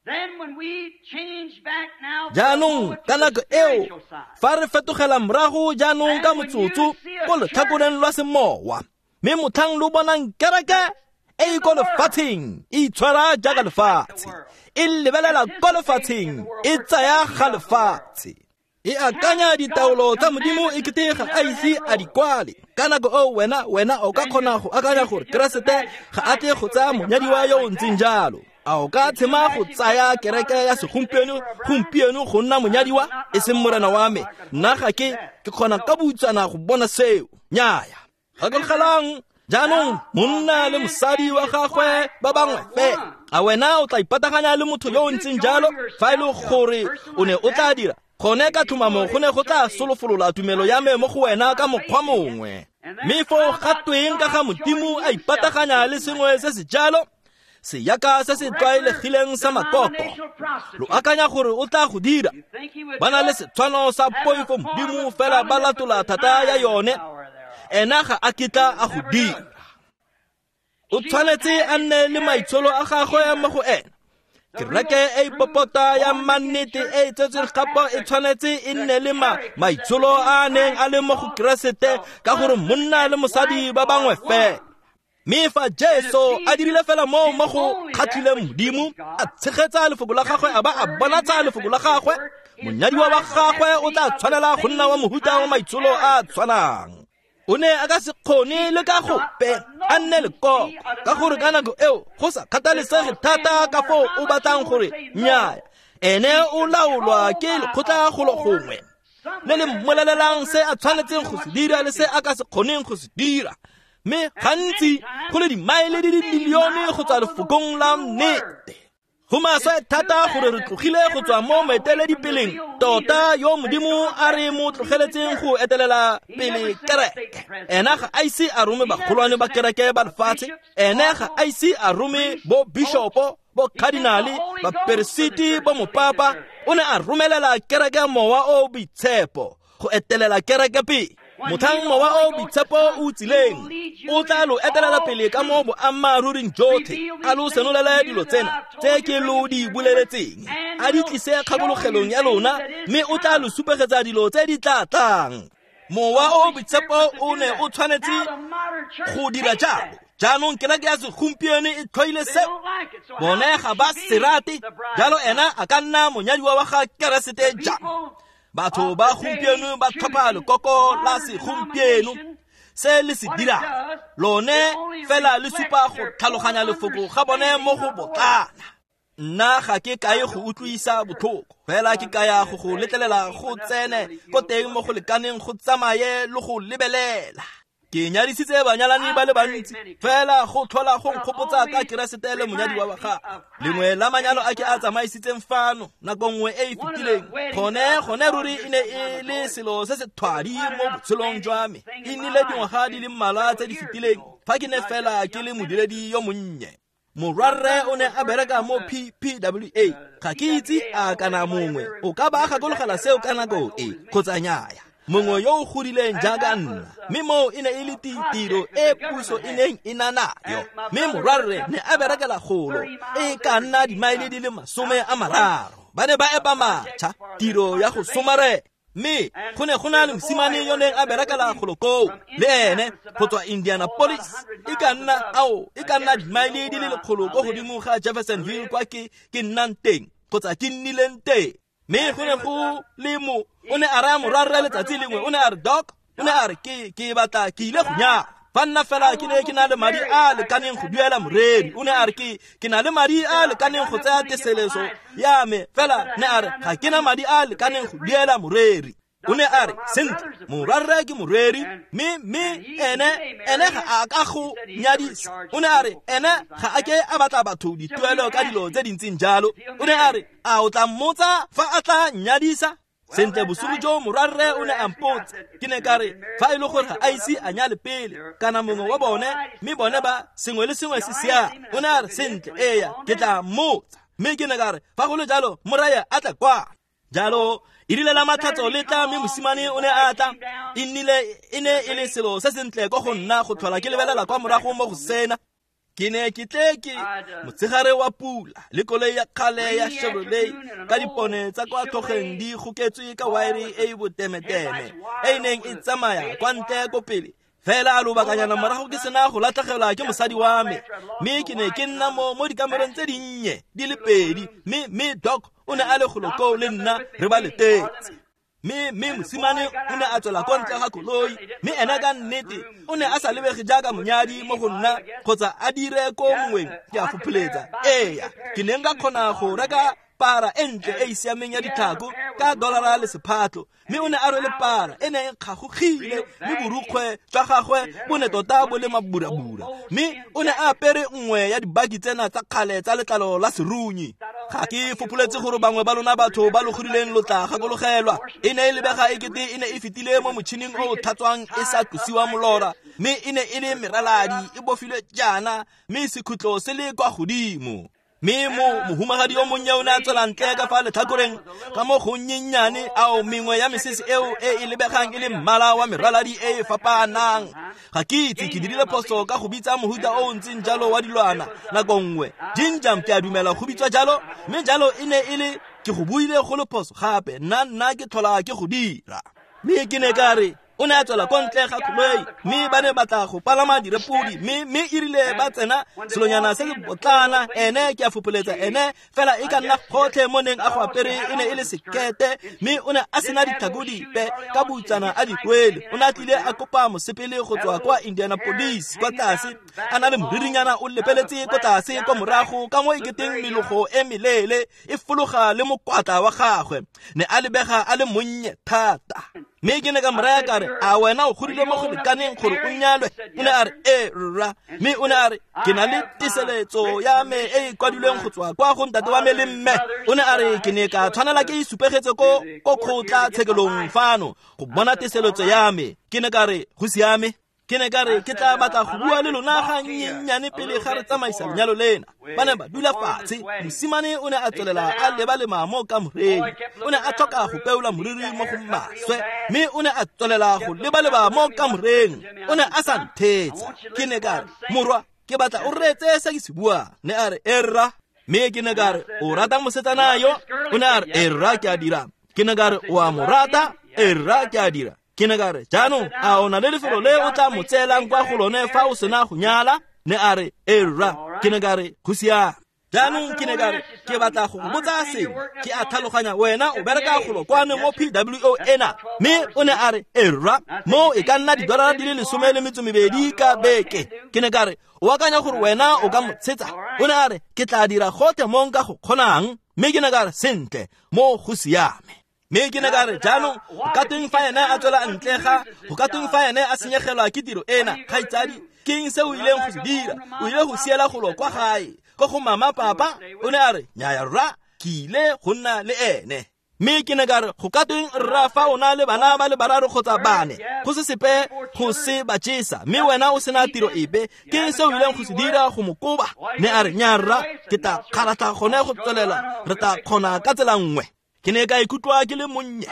then when we change back now, Jaanong ka nako eo, fa re fetogela morago jaanong ka motsotso ko letlhakoreng lwa semowa, mme motlhang lo bonang kereke e e ko lefatsheng e itshwara jaaka lefatshe, e lebelela ko lefatsheng, e tsaya ga lefatshe, e akanya ditaolo tsa Modimo e kete ga a ise a di kwale. Ka nako eo wena, wena o ka kgona go akanya gore Keresete ga a tle go tsaya monyadiwa yo o ntseng jalo. A o ka tshema go tsaya kereke ya segompieno gompieno go nna monyadiwa? E seng morena wa me, nna ga ke ke kgona ka boutsana go bona seo. Nnyaya. Gakologelang, jaanong monna le mosadi wa gagwe ba bangwe fela. A wena o tla ipataganya le motho yo o ntseng jalo? Fa e le gore o ne o tla dira gone ka tlhomamo, go ne go tla solofolola tumelo ya me mo go wena ka mokgwa mongwe. Mme foo ga tweng ka ga Modimo a ipataganya le sengwe se se jalo, seyaka se se tlwaelegileng sa makoko? Lo akanya gore o tla go dira? Ba na le setshwano sa poifo Modimo, fela ba latola thata ya yone. Ena ga a kitla a go dira. O tshwanetse a nne le maitsholo a gagwe mo go ena. Kereke e e popota ya mannete e e tsetsweng gape e tshwanetse e nne le maitsholo a a neng a le mo go Keresete, ka gore monna le mosadi ba bangwe fela. Mme fa Jesu a dirile fela moo mo go kgatlhileng Modimo, a tshegetsa lefoko la gagwe a ba a bonatsa lefoko la gagwe, monyadiwa wa gagwe o tla tshwanela go nna wa mohuta wa maitsholo a a tshwanang. O ne a ka se kgone le ka gope a nne lekoko, ka gore ka nako eo go sa kgathalesege thata ka foo o batlang gore nnyaya, ene o laolwa ke lekgotla golo gongwe le le mmolelelang se a tshwanetseng go se dira le se a ka se kgoneng go se dira. Mme gantsi go le dimaele di le dimilione go tswa lefokong la nnete. Go maswe thata gore re tlogile go tswa mo moeteledipeleng tota yo Modimo a re mo tlogeletseng go etelela pele kereke. Ena ga a ise a rome bagolwane ba kereke ba lefatshe, ene ga a ise a rome bo bishopo, bo cardinale, baperesiti, bo mopapa. O ne a romelela kereke mowa o boitshepo go etelela kereke pele. Motlhang mowa o boitshepo o tsileng o tla lo etelela pele ka mo boammaaruring jotlhe, a lo senolele dilo tsena tse ke lo di boleletseng, a di tlise kgakologelong ya lona, mme o tla lo supegetsa dilo tse di tla tlang. Mowa o boitshepo o ne o tshwanetse go dira jalo. Jaanong kereke ya segompieno e tlhoile seo, bone ga ba se rate. Jalo ena a ka nna monyadiwa wa ga Keresete jang? Batho ba gompieno ba tlhopha lekoko la segompieno. Se le se dirang lone fela le supa go tlhaloganya lefoko ga bone mo go botlana. Nna ga ke kae go utlwisa botlhoko, fela ke kaya go go letlelela go tsene ko teng mo go lekaneng go tsamaye le go lebelela. Ke nyadisitse banyalani ba le bantsi, fela go tlhola go nkgopotsa ka Keresete le monyadiwa wa gagwe. Lengwe la manyalo a ke a tsamaisitseng fano nako nngwe e e fetileng, gone gone ruri e ne e le selo se se thwadi mo botshelong jwa me. E nnile dingwaga di le mmalwa tse di fetileng fa ke ne fela ke le modiredi yo monnye. Morwarre o ne a bereka mo P P W A. Ga ke itse a kana mongwe o ka ba gakologela seo ka nako e kgotsa nnyaya. Mongwe yo o godileng jaaka nna, mme moo e ne e le tiro e puso e neng e na nayo. Mme morwarre ne a berekela golo e ka nna dimaele di le masome a mararo. Ba ne ba epa matšha, tiro ya go somarela. Mme go ne go na le mosimane yo neng a berekela golo koo le ene go tswa Indianapolis, e ka nna ao e ka nna dimaele di le lekgolo ko godimo ga Jeffersonville kwa ke ke nnang teng kgotsa ke nnileng teng. Mme go ne go le mo o ne a raya morwarre letsatsi lengwe, o ne a re, "Doc," o ne a re, ke ke batla ke ile go nyala. Fa nna fela ke ne ke na le madi a lekaneng go duela moreri. O ne a re, ke ke na le madi a lekaneng go tsaya teseleso ya me, fela ne a re ga ke na madi a lekaneng go duela moreri. O ne a re, sentle, morwarre ke moreri, mme mme ene ene ga a ka go nyadisa. O ne a re ene ga a ke a batla batho dituelo ka dilo tse dintseng jalo. O ne a re, a o tla mmotsa fa a tla nyadisa? Sentle, bosigo jo morwarre o ne a mpotsa. Ke ne ka re, fa e le gore ga a ise a nyale pele kana mongwe wa bone, mme bone ba sengwe le sengwe se siame. O ne a re, sentle, eya, ke tla mmotsa. Mme ke ne ka re, fa go le jalo moraya a tla kwa. Jalo e rile la matlhatso le tla, mme mosimane o ne a tla. E nnile e ne e le selo se sentle ko go nna go tlhola ke lebelela kwa morago mo go sena. Ke ne ke tle ke motshegare wa pula le koloi ya kgale ya Chevrolet ka dipone tsa kwa tlhogeng di goketswe ka waere e e botemeteme e e neng e tsamaya kwa ntle ko pele. Fela lobakanyana morago ke sena go latlhegelwa ke mosadi wa me, mme ke ne ke nna mo mo dikamereng tse dinnye di le pedi, mme mme Doc o ne a le golo koo le nna re ba letetse. Mme mme mosimane o ne a tswela ko ntle ga koloi, mme ena ka nnete o ne a sa lebege jaaka monyadi mo go nna kgotsa a dire ko mongweng, ke a fopholetsa. Eya, ke ne nka kgona go reka para e ntle e e siameng ya ditlhako ka dollara le sephatlo, mme o ne a rwele para e ne e kgagogile, mme borukgwe jwa gagwe bo ne tota bo le maburabura, mme o ne a apere nngwe ya dibaki tsena tsa kgale tsa letlalo la serunyi. Ga ke fopholetse gore bangwe ba lona batho ba lo godileng lo tla gakologelwa. E ne e lebega ekete e ne e fetile mo motšhining o o tlhatswang e sa tlosiwa molora, mme e ne e le meraladi e bofilwe jaana, mme sekhutlo se le kwa godimo. Mme mo mohumagadi yo monnye o ne a tswela ntle ka fa letlhakoreng ka mo gonnyennyane ao mengwe ya mesese eo e e lebegang e le mmala wa meraladi e e fapaanang. Ga ke itse ke dirile phoso ka go bitsa mohuta o o ntseng jalo wa dilwana nako nngwe. Ginjam ke a dumela go bitswa jalo, mme jalo e ne e le ke go buile go le phoso gape nna nna ke tlhola ke go dira. Mme ke ne ka re o ne a tswela ko ntle ga koloi mme ba ne batla go palama direpodi mme mme e rile ba tsena selonyana se se botlana ene ke a fopoletsa ene fela e ka nna gotlhe mo neng a go apere e ne e le sekete mme o ne a sena ditlhako dipe ka butsana a di kwele. O ne a tlile a kopa mosepele go tswa kwa Indianapolis kwa tlase a na le moririnyana o lepeletse ko tlase kwa morago ka mo e keteng melogo e meleele e fologa le mokwatla wa gagwe. Ne a lebega a le monnye thata. Mme ke ne ka mo raya ka re a wena o godile mo go lekaneng gore o nyalwe? O ne a re ee rra. Mme o ne a re ke na le teseletso ya me e e kwadilweng go tswa kwa go ntate wa me le mme. O ne a re ke ne ka tshwanela ke e supegetse ko ko kgotla-tshekelong fano go bona teseletso ya me. Ke ne ka re go siame. Ke ne ka re ke tla batla go bua le lona ga nnyennyane pele ga re tsamaisa lenyalo lena. Ba ne ba dula fatshe. Mosimane o ne a tswelela a leba-lema mo kamoreng. O ne a tlhoka go peola moriri mo go maswe mme o ne a tswelela go leba-leba mo kamoreng. O ne a sa nthetsa. Ke ne ka re morwa ke batla o reetse se ke se buang. Ne a re e rra. Mme ke ne ka re o rata mosetsana yo? O ne a re e rra ke a dira. Ke ne ka re o a mo rata? E rra ke a dira. Ke ne ka re jaanong a o na le lefelo le o tla mo tseelang kwa go lone fa o sena go nyala? Ne a re e rra. Ke ne ka re go siame. Jaanong ke ne ka re ke batla go go botsa sengwe. Ke a tlhaloganya wena o bereka golo kwano mo P W O ena. Mme o ne a re e rra mo e ka nna didolara di le lesome le metso mebedi ka beke. Ke ne ka re o akanya gore wena o ka mo tshetsa? O ne a re ke tla dira gotlhe mo nka go kgonang. Mme ke ne ka re sentle mo go siame. Mme ke ne ka re jaanong go ka tweng fa ene a tswela ntle ga go ka tweng fa ene a senyegelwa ke tiro ena kgaitsadi? Ke eng se o ileng go se dira? O ile go siela golo kwa gae ko go mama papa? O ne a re nnyaya rra ke ile go nna le ene. Mme ke ne ka re go ka tweng rra fa o na le bana ba le bararo kgotsa bane go se sepe go se ba jesa mme wena o sena tiro epe, ke eng se o ileng go se dira go mo koba? Ne a re nnyaya rra ke tla kgaratlha gone go tswelela re tla kgona ka tsela nngwe. Ke ne ka ikutlwa ke le monnye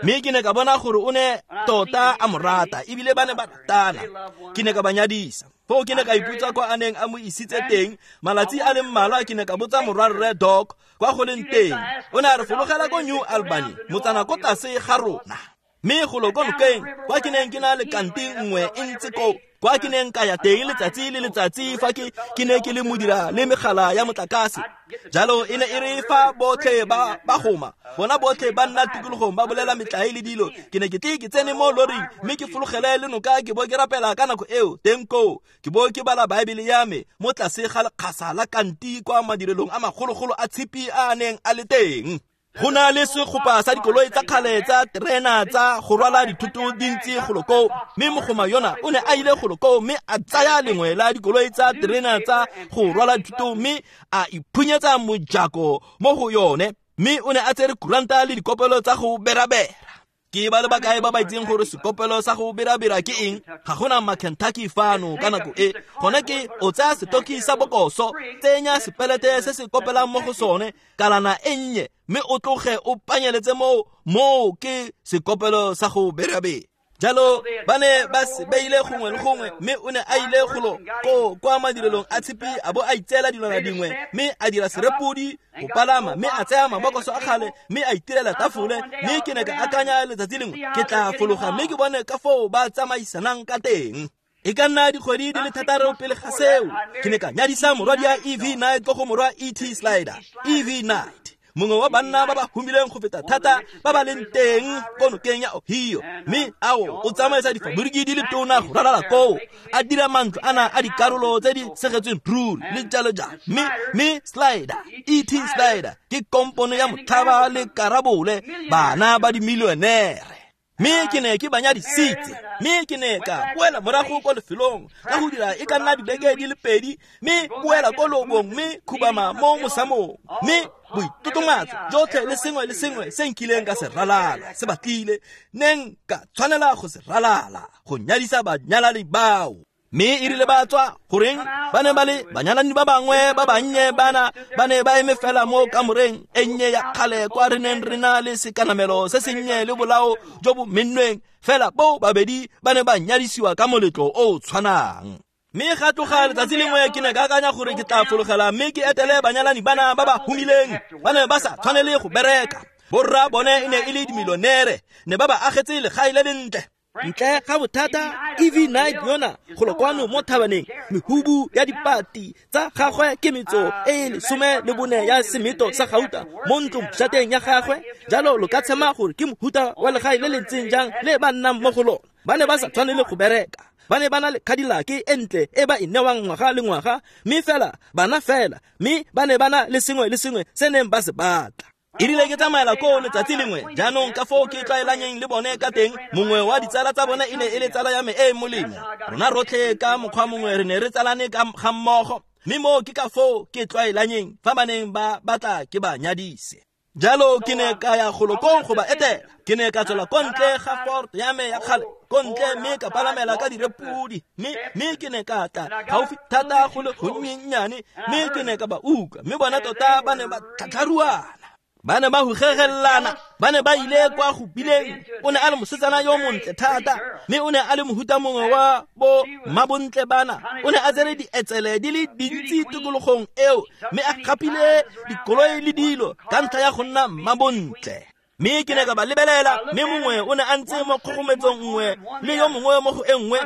mme ke ne ka bona gore o ne tota a mo rata ebile ba ne ba ratana. Ke ne ka ba nyadisa. Foo ke ne ka ipotsa kwa a neng a mo isitse teng. Malatsi a le mmalwa ke ne ka botsa morwarre Doc kwa go leng teng. O ne a re fologela ko New Albany, motsana ko tlase ga rona. Mme golo ko nokeng kwa ke neng ke na le kanti nngwe e ntse ko kwa ke neng ka ya teng letsatsi le letsatsi fa ke ke ne ke le modira le megala ya motlakase. Jalo e ne e re fa botlhe ba ba goma bona botlhe ba nna tikologong ba bolela metlae le dilo. Ke ne ke tle ke tsene mo loring mme ke fologele le noka ke bo ke rapela ka nako eo teng koo ke bo ke bala Baebele ya me mo tlase ga lekgasa la kanti kwa madirelong a magologolo a tshipi a a neng a le teng. Go na le segopa sa dikoloi tsa kgale tsa terena tsa go rwala dithoto dintsi golo koo, mme mogoma yona o ne a ile golo koo mme a tsaya lengwe la dikoloi tsa terena tsa go rwala dithoto mme a iphunyetsa mojako mo go yone, mme o ne a tsere kuranta le dikopelo tsa go berabera. Ke ba le bakae ba ba itseng gore sekopelo sa go berabera ke eng? Ga gona ma-Kentucky fano ka nako e. Gone ke o tsaya setoki sa bokoso, tsenya sepelete se se kopelang mo go sone, kalana e nnye, mme o tloge o panyeletse moo, moo ke sekopelo sa go berabera. Jalo ba ne ba se beile gongwe le gongwe mme o ne a ile golo ko kwa madirelong a tshipi a bo a itseela dilwana dingwe mme a dira serepodi go palama mme a tsaya mabokoso a kgale mme a itirela tafole. Mme ke ne ka akanya letsatsi lengwe ke tla fologa mme ke bone ka foo ba tsamaisanang ka teng. E ka nna dikgwedi di le thataro pele ga seo ke ne ka nyadisa morwadi ya E V Knight ko go morwa E T Slider. E V Knight mongwe wa banna ba ba humileng go feta thata ba ba leng teng ko nokeng ya Ohio, mme ao o tsamaisa difaboriki di le tona go ralala koo a dira mantlo ana a dikarolo tse di segetsweng ruri le jalo jalo. Mme mme Slider E T Slider ke kompone ya motlhaba le karabole bana ba dimilionere. Mme ke ne ke ba nyadisitse, mme ke ne ka boela morago ko lefelong ka go dira e ka nna dibeke di le pedi, mme boela ko lobong mme khubama mo mosamong, mme boitotomatso jotlhe le sengwe le sengwe se nkileng ka se ralala se batlile neng ka tshwanela go se ralala go nyadisa banyalani bao. Mme e rile ba tswa, goreng ba ne ba le banyalani ba bangwe ba bannye bana ba ne ba eme fela mo kamoreng e nnye ya kgale kwa re neng re na le sekanamelo se sennye le bolao jo bo mennweng, fela bo babedi ba ne ba nyadisiwa ka moletlo o o tshwanang. Mme ga tloga letsatsi lengwe ke ne ka akanya gore ke tla fologela mme ke etele banyalani bana ba ba humileng, ba ne ba sa tshwanele go bereka. Borra bone e ne e le dimilionere, ne ba ba agetse legae le lentle. Ntle ga bothata, E V Knight yona golo kwano mo thabaneng, mehubu ya dipati tsa gagwe ke metso e e lesome le bone ya semeto sa gauta mo ntlong shateng ya gagwe. Jalo lo ka tshema gore ke mohuta wa legae le le ntseng jang le ba nnang mo go lona. Ba ne ba sa tshwanele go bereka, ba ne ba na le Cadillac e ntle e ba e newang ngwaga le ngwaga, mme fela bana fela, mme ba ne ba na le sengwe le sengwe se neng ba se batla. E rile ke tsamaela koo letsatsi lengwe, jaanong ka foo ke tlwaelanyeng le bone ka teng, mongwe wa ditsala tsa bone e ne e le tsala ya me e e molemo. Rona rotlhe ka mokgwa mongwe re ne re tsalane ka ga mmogo, mme moo ke ka foo ke tlwaelanyeng fa ba neng ba batla ke ba nyadise. Jalo ke ne ka ya golo koo go ba etela. Ke ne ka tswela ko ntle ga Ford ya me ya kgale, ko ntle mme ka palamela ka direpodi, mme mme ke ne ka tla gaufi thata go le gonnyennyane, mme ke ne ka ba utlwa, mme bona tota ba ne ba tlhatlharuana. Ba ne ba hugegelana, ba ne ba ile kwa go bileng. O ne a le mosetsana yo montle thata, mme o ne a le mohuta mongwe wa bo mmabontle bana. O ne a tsere dietsele di le dintsi tikologong eo, mme a gapile dikoloi le dilo ka ntlha ya go nna mmabontle. Mme ke ne ka ba lebelela, mme mongwe o ne a ntse mo kgogometsong nngwe le yo mongwe mo go e nngwe,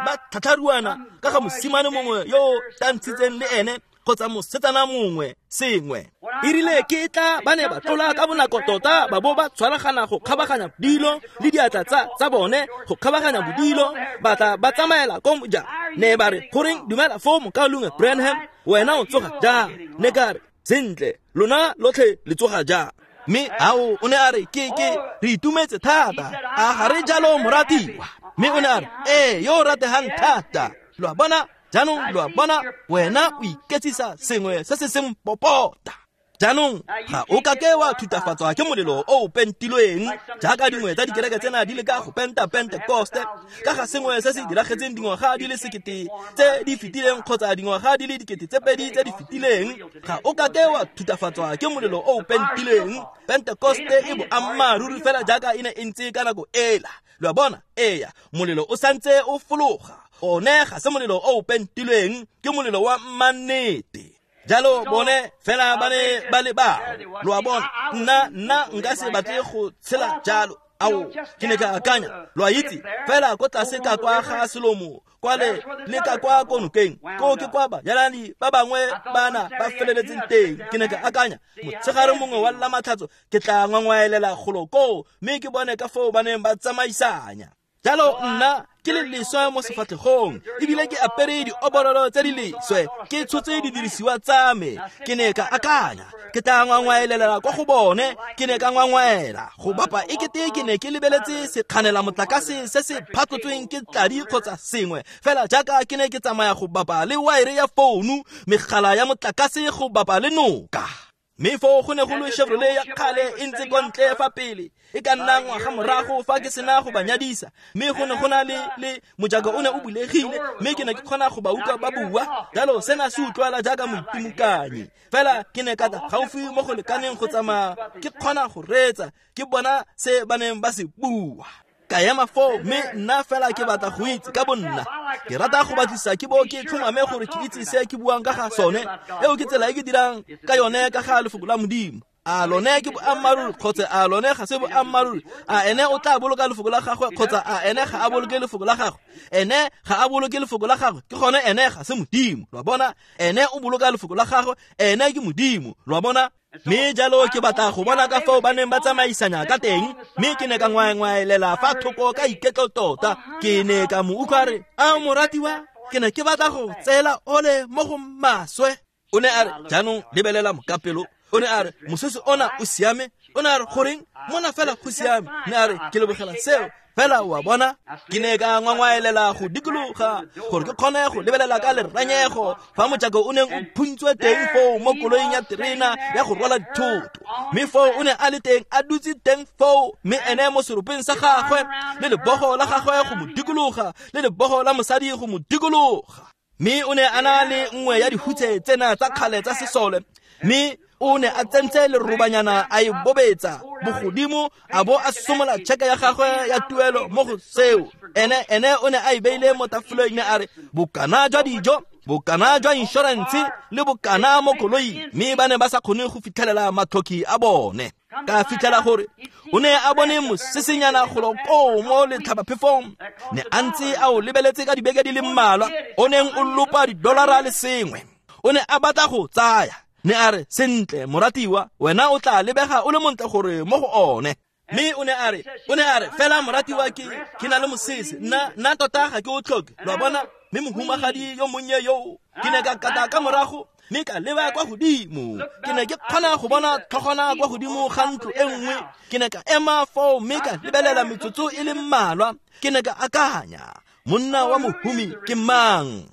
ba tlhatlharuana ka ga mosimane mongwe yo o tantshitseng le ene kgotsa mosetsana mongwe sengwe. E rile ke tla ba ne ba tlola ka bonako tota, ba bo ba tshwaragana go kgabaganya bodilo le diatla tsa tsa bone go kgabaganya bodilo, ba tla ba tsamaela ko moja. Ne ba re, goreng dumela foo mokaulengwe Branham, wena o tsoga jang? Ne ka re, sentle, lona lotlhe le tsoga jang? Mme ao o ne a re, ke ke re itumetse thata, a ga re jalo moratiwa? Mme o ne a re, ee, yo o rategang thata. Lo a bona? Jaanong lo a bona, wena o iketsisa sengwe se se seng popota. Jaanong ga o ka ke wa thutafatswa ke molelo o o pentilweng jaaka dingwe tsa dikereke tsena di leka go penta Pentekoste ka ga sengwe se se diragetseng dingwaga di le sekete tse di fetileng kgotsa dingwaga di le dikete tse pedi tse di fetileng. Ga o ka ke wa thutafatswa ke molelo o o pentilweng. Pentekoste e boammaaruri fela jaaka e ne e ntse ka nako ela. Lo a bona? Eya, molelo o santse o fologa. One ga se molelo o o pentilweng, ke molelo wa mmannete. Jalo bone fela ba ne ba le bao. Lo a bona? Nna nna nka se batle go tshela jalo. Ao, ke ne ka akanya, lo a itse, fela ko tlase ka kwa ga Selomo, kwa le le ka kwa ko nokeng, ko ke kwa banyalani ba bangwe bana ba feleletseng teng. Ke ne ka akanya, motshegare mongwe wa Lamatlhatso ke tla ngwangwaelela golo koo, mme ke bone ka foo ba neng ba tsamaisanya. Jalo nna ke le leswe mo sefatlhegong, ebile ke apere dioborolo tse di leswe, ke tshotse didirisiwa tsa me. Ke ne ka akanya, ke tla ngwangwaelela kwa go bone. Ke ne ka ngwangwaela go bapa ekete ke ne ke lebeletse sekganela motlakase se se phatlotsweng ke tladi kgotsa sengwe, fela jaaka ke ne ke tsamaya go bapa le waere ya founu, megala ya motlakase go bapa le noka. Mme foo go ne go le Chevrolet ya kgale e ntse kwa ntle fa pele, e ka nna ngwaga morago fa ke sena go ba nyadisa. Mme go ne go na le le mojako o ne o bulegile, mme ke ne ke kgona go ba utlwa ba bua. Jalo sena se utlwala jaaka moitimokanyi, fela ke ne ka tla gaufi mo go lekaneng go tsamaya ke kgona go reetsa, ke bona se ba neng ba se bua. Ka ema foo, mme nna fela ke batla go itse ka bonna. Ke rata go batlisa ke bo ke tlhomame gore ke itse se ke buang ka ga sone. Eo ke tsela e ke dirang ka yone ka ga lefoko la Modimo. A lone ke boammaaruri kgotsa a lone ga se boammaaruri? A ene o tla boloka lefoko la gagwe kgotsa a ene ga a boloke lefoko la gagwe? Ene ga a boloke lefoko la gagwe, ke gone ene ga se Modimo. Lo a bona? Ene o boloka lefoko la gagwe, ene ke Modimo. Lo a bona? Mme jalo ke batla go bona ka foo ba neng ba tsamaisanya ka teng, mme ke ne ka ngwaengwaelela fa thoko ka iketlo tota. Ke ne ka mo utlwa re, a moratiwa, ke ne ke batla go tseela ole mo go maswe. O ne a re, jaanong lebelela mokapelo. O ne a re, mosese ona o siame. O ne a re, goreng mona fela go siame. Ne a re, ke lebogela seo. Fela o a bona, ke ne ka ngwangwaelela go dikologa gore ke kgone go lebelela ka leranyego fa mojako o neng o phuntswe teng foo mo koloing ya terena ya go rwala dithoto. Mme foo o ne a le teng a dutse teng foo, mme ene mo seropeng sa gagwe le lebogo la gagwe go mo dikologa le lebogo la mosadi go mo dikologa. Mme o ne a na le nngwe ya dihutse tsena tsa kgale tsa sesole, mme o ne a tsentse lerobanyana a e bobetsa bogodimo a bo a somola tšheke ya gagwe ya tuelo mo go seo. Ene ene o ne a e beile mo tafoleng, ne a re bokana jwa dijo, bokana jwa inšorense le bokana mo koloing, mme ba ne ba sa kgone go fitlhelela matlhoki a bone. Ka fitlhela gore o ne a bone mosesenyana golo koo mo letlhabaphefong, ne a ntse a o lebeletse ka dibeke di le mmalwa, o neng o lopa didolara le sengwe. O ne a batla go tsaya, ne a re sentle moratiwa, wena o tla lebega o le montle gore mo go one. Mme o ne a re, o ne a re fela moratiwa ke ke na le mosese, nna nna tota ga ke o tlhoke, lo a bona. Mme mohumagadi yo monnye yo ke ne ka kata ka morago mme ka leba kwa godimo, ke ne ke kgona go bona tlhogwana kwa godimo ga ntlo e nngwe. Ke ne ka ema foo mme ka lebelela metsotso e le mmalwa. Ke ne ka akanya, monna wa mohumi ke mang?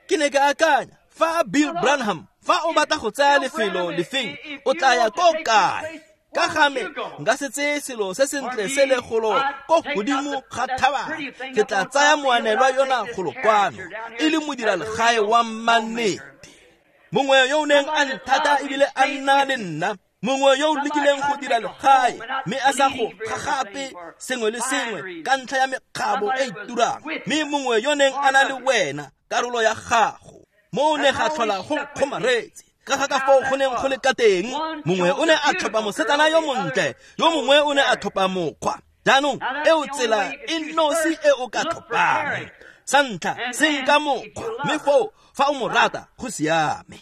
Ke ne ka akanya, fa Bill Branham, fa o batla go tsaya lefelo lefeng, o tla ya ko kae? Ka ga me nka se tseye selo se sentle se le golo ko godimo ga thaba, ke tla tsaya moanelwa yona golo kwano e le modiralegae wa mannete, mongwe yo o neng a nthata ebile a nna le nna, mongwe yo o lekileng go dira legae mme a sa go gagape sengwe le sengwe ka ntlha ya mekgabo e e turang, mme mongwe yo neng a na le wena karolo ya gago. Mo ne ga tlhola go nkgomaretse ka ga ka foo go neng go le ka teng. Mongwe o ne a tlhopha mosetsana yo montle, yo mongwe o ne a tlhopha mokgwa. Jaanong eo tsela e nosi e o ka tlhophang. Sa ntlha, senka mokgwa, mme foo fa o mo rata go siame.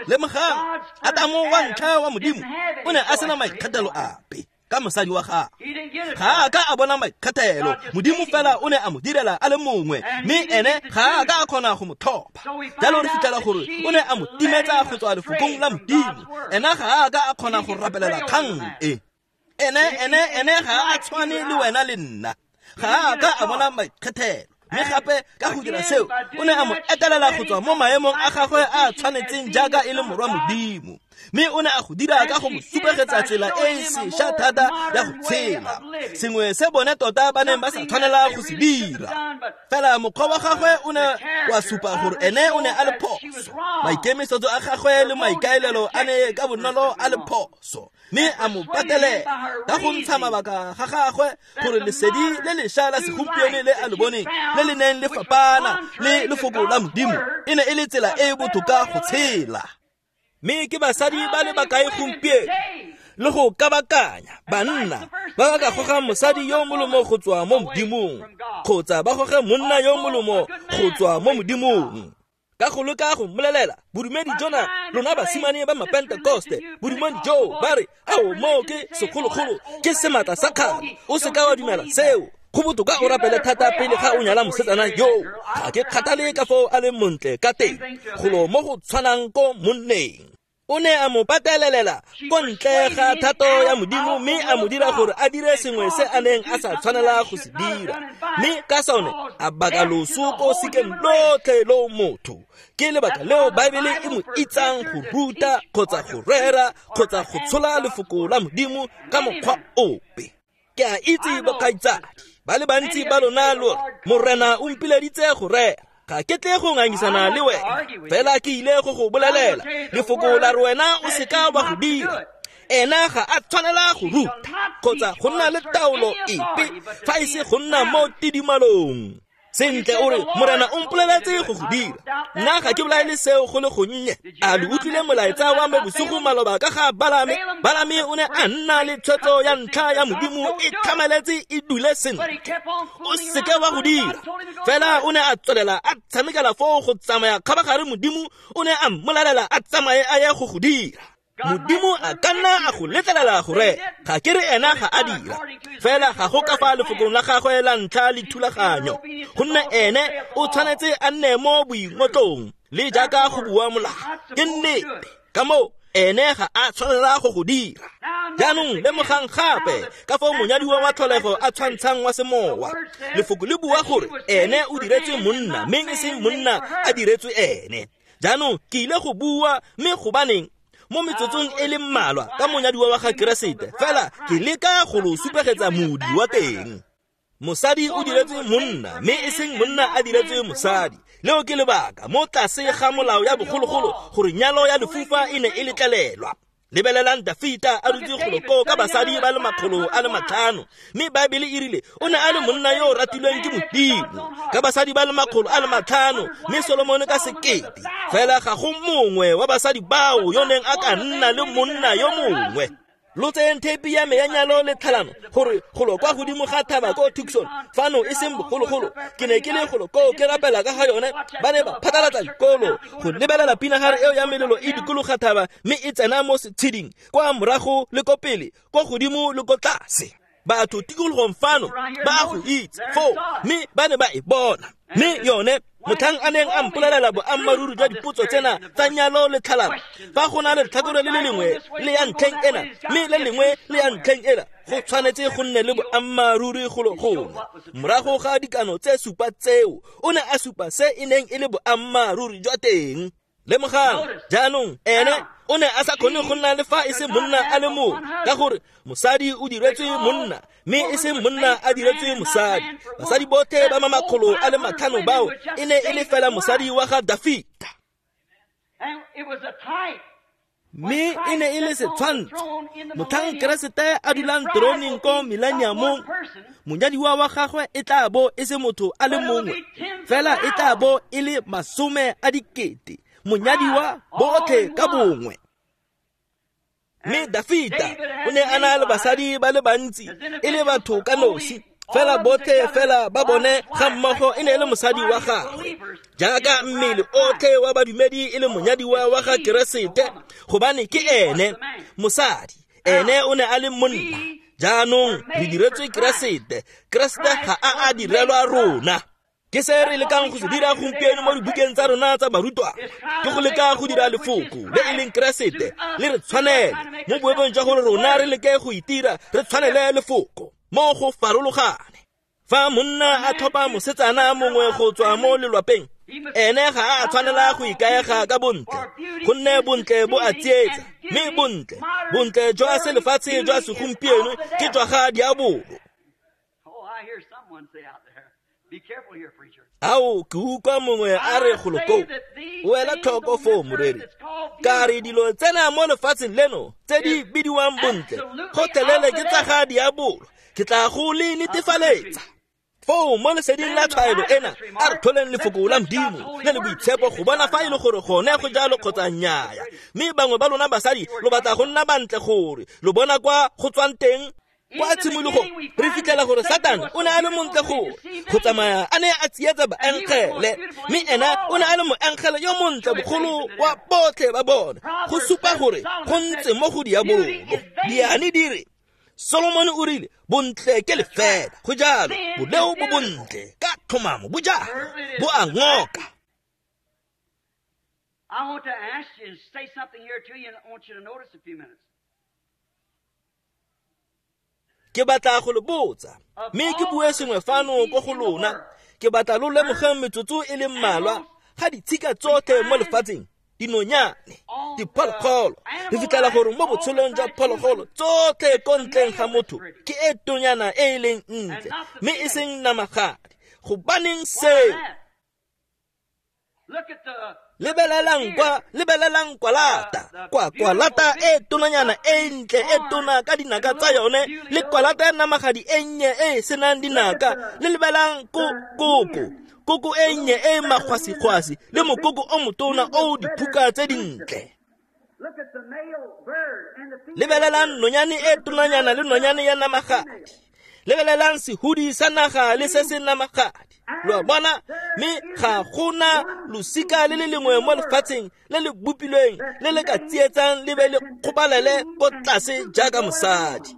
Lemogang, Adamo wa ntlha wa Modimo o ne a sena maikgethelo ape ka mosadi wa gagwe. Ga a ka a bona maikgethelo, Modimo fela o ne a mo direla a le mongwe, mme ene ga a ka a kgona go mo tlhopha. Jalo re fitlhela gore o ne a mo timetsa go tswa lefokong la Modimo. Ena ga a ka a kgona go rapelela kgang e. Ene ene ene ga a tshwane le wena le nna. Ga a ka a bona maikgethelo. Mme gape ka go dira seo, o ne a mo etelela go tswa mo maemong a gagwe a tshwanetseng jaaka e le morwa Modimo. Mme o ne a go dira ka go mo supegetsa tsela e e sešwa thata ya go tshela, sengwe se bone tota ba neng ba sa tshwanela go se dira. Fela mokgwa wa gagwe o ne wa supa gore ene o ne a le phoso, maikemisetso a gagwe le maikaelelo a ne ka bonolo a le phoso, mme a mo patelela ka go ntsha mabaka ga gagwe gore lesedi le lešwa la segompieno le a le boneng le le neng le fapana le lefoko la Modimo e ne e le tsela e e botoka go tshela. Mme ke basadi ba le bakae gompieno le go kabakanya banna ba ba ka goga mosadi yo molomo go tswa mo Modimong, kgotsa ba goge monna yo molomo go tswa mo Modimong. Ka go leka go mmolelela bodumedi jona lona basimane ba mapentekoste, bodumedi joo ba re ao moo ke segologolo, ke sematla sa kgale, o seka wa dumela seo. Go botoka o rapele thata pele ga o nyala mosetsana yo. Ga ke kgathale ka foo a leng montle ka teng, golo mo go tshwanang ko monneng. O ne a mo patelelela ko ntle ga thato ya Modimo, mme a mo dira gore a dire sengwe se a neng a sa tshwanela go se dira, mme ka sone a baka loso ko sikeng lotlhe lo motho. Ke lebaka leo Baebele e mo itsang go ruta kgotsa go rera kgotsa go tshola lefoko la Modimo ka mokgwa ope. Ke a itse bokgaitsadi ba le bantsi ba lona lo re, Morena o mpileditse go rera, ga ke tle go ngangisana le wena, fela ke ile go go bolelela lefoko la re wena o seka wa go dira. Ena ga a tshwanela go ruta kgotsa go nna le taolo epe fa e se go nna mo tidimalong. Sentle o re, Morena o mpoleletse go go dira, nna ga ke bolaele seo go le gonnye. A le utlwile molaetsa wa me bosigo maloba ka ga Balame? Balame o ne a nna le tshwetso ya ntlha ya Modimo e tlhamaletse e dule sentle. O seke wa go dira. Fela o ne a tswelela a tshamekela foo go tsamaya kgabagare, Modimo o ne a mmolelela a tsamaye a ye go go dira. Modimo a ka nna a go letlelela gore ga ke re ena ga a dira, fela ga go ka fa lefokong la gagwe la ntlha le thulaganyo, gonne ene o tshwanetse a nne mo boingotlong le jaaka go bua molao. Ke nnete. Ka moo Ene ga a tshwanela go go dira. Jaanong lemogang gape ka foo monyadiwa wa tlholego a tshwantshang wa semowa. Lefoko le bua gore ene o diretswe monna, mme e seng monna a diretswe ene. Jaanong ke ile go bua mme gobaneng mo metsotsong e le mmalwa ka monyadiwa wa ga Keresete, fela ke leka go lo supegetsa modi wa teng. Mosadi o diretswe monna, mme e seng monna a diretswe mosadi. Leo ke lebaka mo tlase ga molao ya bogologolo gore nyalo ya lefufa e ne e letlelelwa. Lebelelang Dafita a dutse golo koo ka basadi ba le makgolo a le matlhano, mme Baebele e rile o ne a le monna yo o ratilweng ke Modimo ka basadi ba le makgolo a le matlhano, mme Solomone ka sekete. Fela ga go mongwe wa basadi bao yo neng a ka nna le monna yo mongwe. Lo tseyeng theipi ya me ya nyalo le tlhalano gore golo kwa godimo ga thaba ko Tucson fano e seng bogologolo, ke ne ke le golo koo ke rapela ka ga yone. Ba ne ba phatlalatsa dikolo go lebelela pinagare eo ya melelo e dikologa thaba, mme e tsena mo setsheding kwa morago le ko pele, ko godimo le ko tlase. Batho tikologong fano ba go itse foo, mme ba ne ba e bona. Mme yone motlhang a neng a mpolelela boammaaruri jwa dipotso tsena tsa nyalo le tlhalano, fa go na le letlhakore le le lengwe le ya ntlheng ena mme le lengwe le ya ntlheng ena, go tshwanetse go nne le boammaaruri golo gongwe. Morago ga dikano tse supa tseo, o ne a supa se e neng e le boammaaruri jwa teng. Lemogang jaanong ene o ne a sa kgone go nna le fa e se monna a le mongwe, ka gore mosadi o diretswe monna, mme e se monna a diretswe mosadi. Basadi botlhe ba makgolo a le matlhano bao e ne e le fela mosadi wa ga Dafita, mme e ne e le setshwantsho. Motlhang Keresete a dulang teroneng ko millenniumong, monyadiwa wa gagwe e tla bo e se motho a le mongwe, fela e tla bo e le masome a dikete, monyadiwa botlhe ka bongwe. Mme Dafita o ne a na le basadi ba le bantsi e le batho ka nosi, fela botlhe fela ba bone ga mmogo e ne e le mosadi wa gagwe, jaaka mmele otlhe wa badumedi e le monyadiwa wa ga Keresete, gobane ke ene mosadi, ene o ne a le monna. Jaanong re diretswe Keresete, Keresete ga a a direlwa rona. Ke se re lekang go se dira gompieno mo dibukeng tsa rona tsa barutwana, ke go leka go dira lefoko le e leng Keresete le re tshwanele, mo boemong jwa gore rona re leke go itira re tshwanele lefoko mo go farologane. Fa monna a tlhopha mosetsana mongwe go tswa mo lelwapeng, ene ga a tshwanela go ikaega ka bontle, gonne bontle bo a tsietsa, mme bontle bontle jwa selefatshe jwa segompieno ke jwa ga diabolo. Ao, ke utlwa mongwe a re golo koo, o ela tlhoko foo moreri, ka re dilo tsena mo lefatsheng leno tse di bidiwang bontle gotlhelele ke tsa ga diabolo, ke tla go le netefaletsa. Foo mo leseding la tshwaelo ena, a re tlholeng lefoko la Modimo le le boitshepo go bona fa e le gore gone go jalo kgotsa nnyaya. Mme bangwe ba lona basadi lo batla go nna bantle gore lo bona kwa go tswang teng. Kwa tshimologong re fitlhela gore Satane o ne a le montle gore go tsamaya a ne a tsietsa baengele, mme ena o ne a le moengele yo montle bogolo wa botlhe ba bone, go supa gore go ntse mo go diabolo. Diane di re Solomone o rile bontle ke lefela, go jalo boleo bo bontle ka tlhomamo bo jalo bo a ngoka. I want to ask you and say something here to you, and I want you to notice a few minutes. Ke batla go le botsa, mme ke bue sengwe fano ko go lona. Ke batla lo lemogeng metsotso e le mmalwa ga ditshika tsotlhe mo lefatsheng, dinonyane, diphologolo. Re fitlhela gore mo botshelong jwa phologolo tsotlhe ko ntleng ga motho ke e tonyana e e leng ntle, mme e seng namagadi. Gobaneng seo? Lebelelang kwa, lebelelang kwalata, kwa kwalata e tonanyana e ntle e tona ka dinaka tsa yone, le kwalata ya namagadi e nnye e senang dinaka. Le lebelang ko koko, koko e nnye e magwasigwasi, le mokoko o motona o diphuka tse dintle. Lebelelang nonyane e tonanyana le nonyane ya namagadi. Lebelelang sehudi sa naga le se se namagadi. Lo a bona, mme ga gona losika le le lengwe mo lefatsheng le le bopilweng le le ka tsietsang le be le kgopalele ko tlase jaaka mosadi.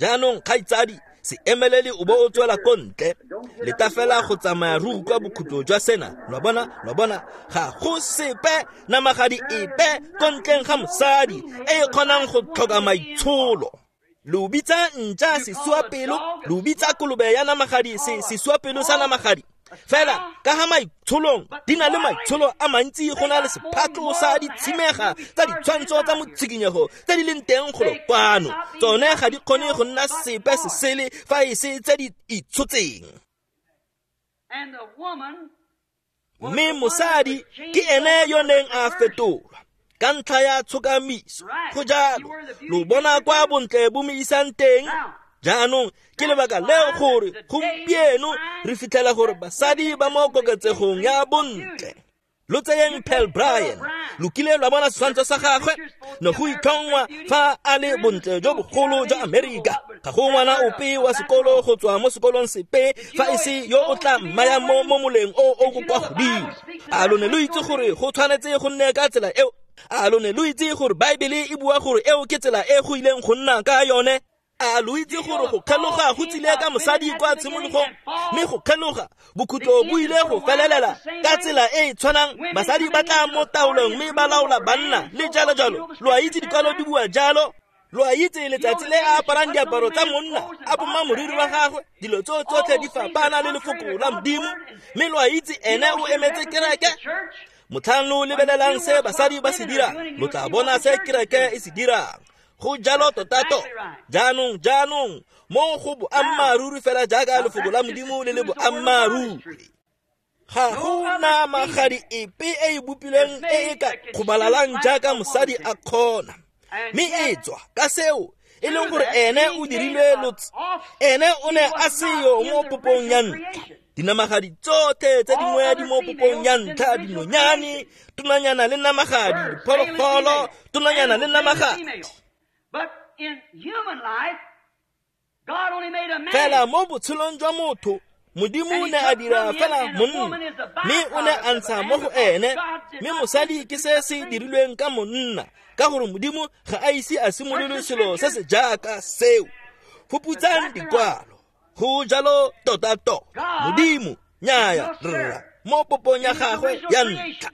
Jaanong kgaitsadi, Se emelele o bo o tswela ko ntle. Leta fela go tsamaya re utlwa bokhutlo jwa sena. Lo a bona, lo a bona, ga go sepe namagadi epe ko ntleng ga mosadi e e kgonang go tlhoka maitsholo. Lo bitsa ntša sesuapelo, lo bitsa kolobe ya namagadi se sesuapelo sa namagadi. Fela ka ga maitsholong di na le maitsholo a mantsi go na le sephatlo sa ditshimega tsa ditshwantsho tsa motshikinyego tse di leng teng golo kwano. Tsone ga di kgone go nna sepe se sele fa e se tse di itshotseng. Mme mosadi ke ene yo neng a fetolwa ka ntlha ya tshokamiso. Go jalo, lo bona kwa bontle bo mo isang teng. Jaanong ke lebaka leo gore gompieno re fitlhela gore basadi ba mo koketsegong ya bontle. Lo tseyeng Pearl Bryan, lo kile lwa bona setshwantsho sa gagwe, ne go itlhongwa fa a le bontle jo bogolo jwa Amerika. Ga go ngwana ope wa sekolo go tswa mo sekolong sepe fa e se yo o tla mmayang mo mo moleng o o kwa godimo. A lo ne lo itse gore go tshwanetse go nne ka tsela eo? A lo ne lo itse gore Baebele e bua gore eo ke tsela e go ileng go nna ka yone? A lo itse gore go kgeloga go tsile ka mosadi kwa tshimologong, mme go kgeloga bokhutlo bo ile go felelela ka tsela e e tshwanang. Basadi ba tla mo taolong mme ba laola banna le jalo jalo. Lo a itse dikwalo di bua jalo. Lo a itse letsatsi le a aparang diaparo tsa monna, a poma moriri wa gagwe, dilo tso tsotlhe di fapana le lefoko la Modimo. Mme lo a itse ene o emetse kereke. Motlhang lo lebelelang se basadi ba se dirang, lo tla bona se kereke e se dirang. Go jalo tota-tota. Jaanong, jaanong, mo go boammaaruri fela jaaka lefoko la Modimo le le boammaaruri. Ga go na magadi epe e e bopilweng e e ka kgobalalang jaaka mosadi a kgona. Mme e tswa ka seo e leng gore ene o dirilwe lotse, ene o ne a seyo mo popong ya ntlha. Dinamagadi tsotlhe tse dingwe di mo popong ya ntlha, dinonyane, tonanyana le namagadi, diphologolo, tonanyana le namagadi. But in human life, God only made a man. Fela mo botshelong jwa motho, Modimo o ne a dira fela monna, mme o ne a ntsha mo go ene, mme mosadi ke se se dirilweng ka monna, ka gore Modimo ga a ise a simolole selo se se jaaka seo. Fuputsang dikwalo. Go jalo tota-tota. Modimo, nnyaya, rra, mo popong ya gagwe ya ntlha.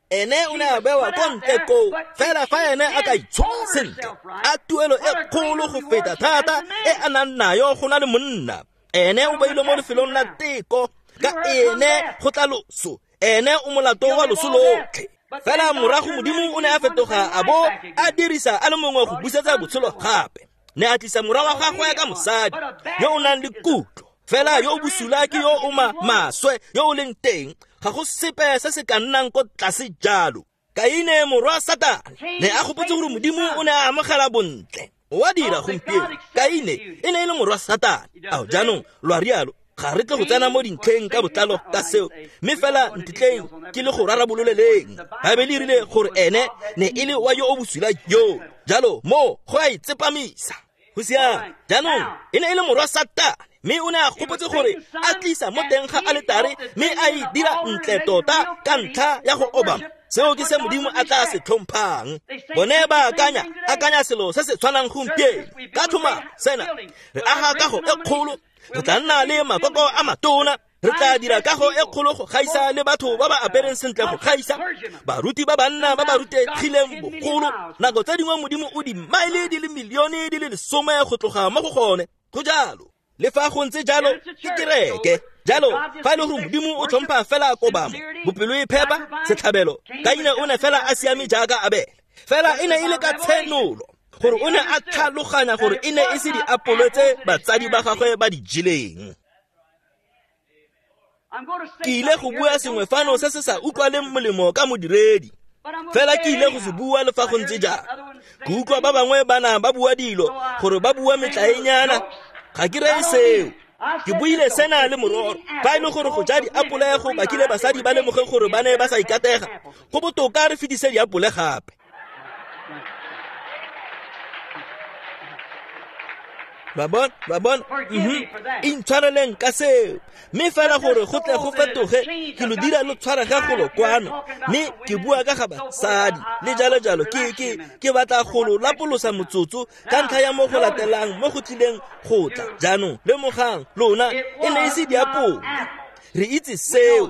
Ene o ne a bewa ko ntle koo, fela fa ene a ka itshola sentle, a tuelo e kgolo go feta thata e a nang nayo go na le monna. Ene o beilwe mo lefelong la teko, ka ene go tla loso, ene o molato wa loso lotlhe. Fela morago Modimo o ne a fetoga a bo a dirisa a le mongwe go busetsa botshelo gape. Ne a tlisa morwa wa gagwe ka mosadi yo o nang le kutlo, fela yo o bosula ke yo o maswe yo o leng teng. Ga go sepe se se ka nnang ko tlase jalo. Kaine morwa Satane ne a gopotse gore Modimo o ne a amogela bontle. O a dira gompieno. Kaine e ne e le morwa Satane. Ao jaanong lo a rialo, ga re tle go tsena mo dintlheng ka botlalo ka seo, mme fela ntitleng ke le go rarabololeleng. Baebele e rile gore ene ne e le wa yo o bosula yo. Jalo mo go a itsepamisa. Go siame. Jaanong e ne e le morwa Satane, mme o ne a gopotse gore a tlisa mo teng ga aletare mme a e dira ntle tota ka ntlha ya go obama. Seo ke se Modimo a tla se tlhomphang. Bone ba akanya, akanya selo se se tshwanang gompieno. Ka tlhoma sena, re aga kago e kgolo, re tla nna le makoko a matona, re tla dira kago e kgolo go gaisa le batho ba ba apereng sentle go gaisa, baruti ba banna ba ba rutegileng bogolo. Nako tse dingwe Modimo o dimaele di le milione di le lesome go tloga mo go gone. Go jalo. Le fa go ntse jalo, ke kereke. Jalo, fa e le gore Modimo o tlhompha fela kobamo, bopelo e phepa, setlhabelo, Kaine o ne fela a siame jaaka Abele. Fela e ne e le ka tshenolo gore o ne a tlhaloganya gore e ne e se diapole tse batsadi ba gagwe ba di jeleng. Ke ile go bua sengwe fano se se sa utlwaleng molemo ka modiredi, fela ke ile go se bua le fa go ntse jalo. Ke utlwa ba bangwe ba na ba bua dilo gore ba bua metlaenyana. Ga ke reye seo. Ke buile sena le mororo. Fa e le gore go ja diapole go bakile basadi ba lemoge gore ba ne ba sa ikatega, go botoka re fetise diapole gape. Lo a bona, lo a bona? Intshwareleng ka seo. Mme fela gore go tle go fetoge, ke lo dira lo tshwarege golo kwano. Mme ke bua ka ga basadi le jalo jalo. Ke ke ke batla go lo lapolosa motsotso ka ntlha ya mo go latelang mo go tlileng go tla. Jaanong lemogang lona e ne e se diapole. Re itse seo.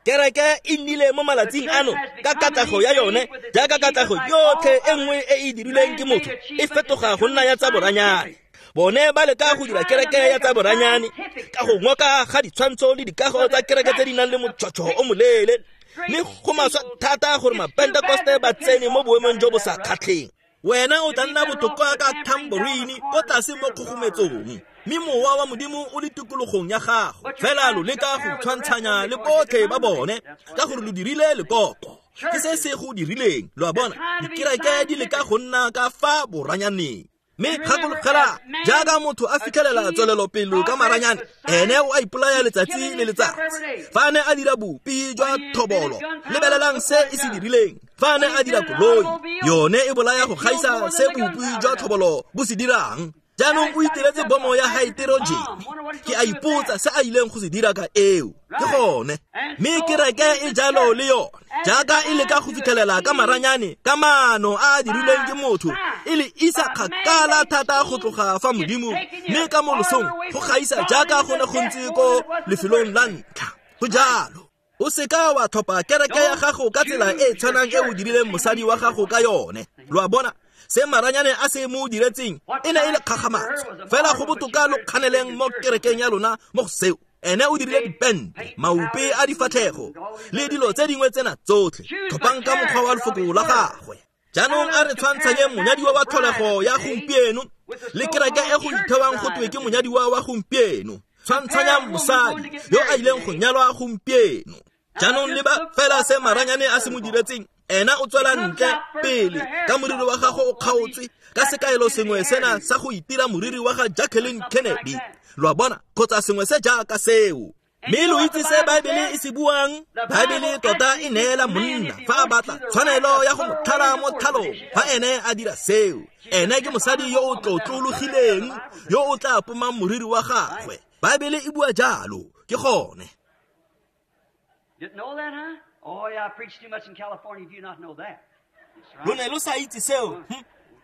Kereke e nnile mo malatsing ano ka katlego ya yone, jaaka katlego yotlhe e nngwe e e dirilweng ke motho e fetoga go nna ya tsa boranyane. Bone ba leka go dira kereke ya tsa boranyane ka go ngoka ga ditshwantsho le dikago tsa kereke tse di nang le motšhotšho o moleele, mme go maswa thata gore mapentekoste ba tsene mo boemong jo bo sa kgatlheng. Wena o tla nna botoka ka tambourine ko tlase mo kgogometsong, mme mowa wa Modimo o le tikologong ya gago. Fela lo leka go tshwantshanya le botlhe ba bone ka gore lo dirile lekoko. Ke se se go dirileng, lo a bona. Dikereke di leka go nna ka fa boranyaneng. Mme gakologela, jaaka motho a fitlhelela tswelelopele ka maranyane, ene o a ipolaya letsatsi le letsatsi. Fa a ne a dira bopi jwa thobolo, lebelelang se e se dirileng. Fa a ne a dira koloi, yone e bolaya go gaisa se bopi jwa thobolo bo se dirang. Jaanong o itiretse bomo ya haeterojene. Ke a ipotsa se a ileng go se dira ka eo. Ke gone. Mme kereke e jalo le yone, jaaka e leka go fitlhelela ka maranyane, ka maano a a dirilweng ke motho, e le isa kgakala thata go tloga fa Modimo, mme ka mo losong go gaisa jaaka go ne go ntse ko lefelong la ntlha. Go jalo. O seka wa tlhopha kereke ya gago ka tsela e e tshwanang e o dirileng mosadi wa gago ka yone. Lo a bona? Se maranyane a se mo diretseng e ne e le kgakgamatso. Fela go botoka lo kganeleng mo kerekeng ya lona mo go seo. Ene o dirile dipente, maupe a difatlhego le dilo tse dingwe tsena tsotlhe. Tlhophang ka mokgwa wa lefoko la gagwe. Jaanong a re tshwantshanye monyadiwa wa tlholego ya gompieno le kereke e go ithewang go twe ke monyadiwa wa gompieno. Tshwantshanya mosadi yo a ileng go nyalwa gompieno. Jaanong leba fela se maranyane a se mo diretseng. Ena o tswela ntle pele ka moriri wa gago o kgaotswe ka sekaelo sengwe sena sa go itira moriri wa ga Jacqueline Kennedy. Lo a bona, kgotsa sengwe se jaaka seo. Mme lo itse se Baebele e se buang? Baebele tota e neela monna fa a batla tshwanelo ya go mo tlhala mo tlhalong fa ene a dira seo. Ene ke mosadi yo o tlotlologileng yo o tla pomang moriri wa gagwe. Baebele e bua jalo. Ke gone. Didn't know that, huh? Oh, yeah, I preached too much in California. Do you not know that? Lo ne lo sa itse seo?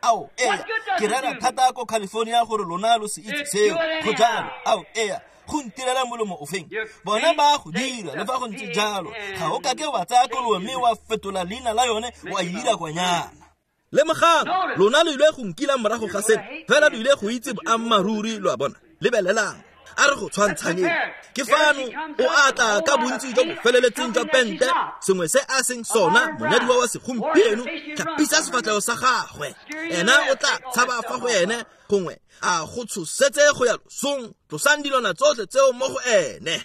Ao, ea, ke rera thata ko California gore lona lo se itse seo. Go jalo. Ao, ea, go ntirela molomo ofeng? Bona ba go dira le fa go ntse jalo. Ga o ka ke wa tsaya kolobe mme wa fetola leina la yone wa e dira kwanyana. Lemogang, lona lo ile go nkila morago ga seno, fela lo ile go itse boammaaruri, lo a bona. Lebelelang. A re go tshwantshanyeng. Ke fano o atla ka bontsi jo bo feleletseng jwa pente, sengwe se a seng sona monyadiwa wa segompieno, tlhapisa sefatlhego sa gagwe. Ena o tla tshaba fa go ene, gongwe a go tshosetse go ya losong. Tlosang dilwana tsotlhe tseo mo go ene.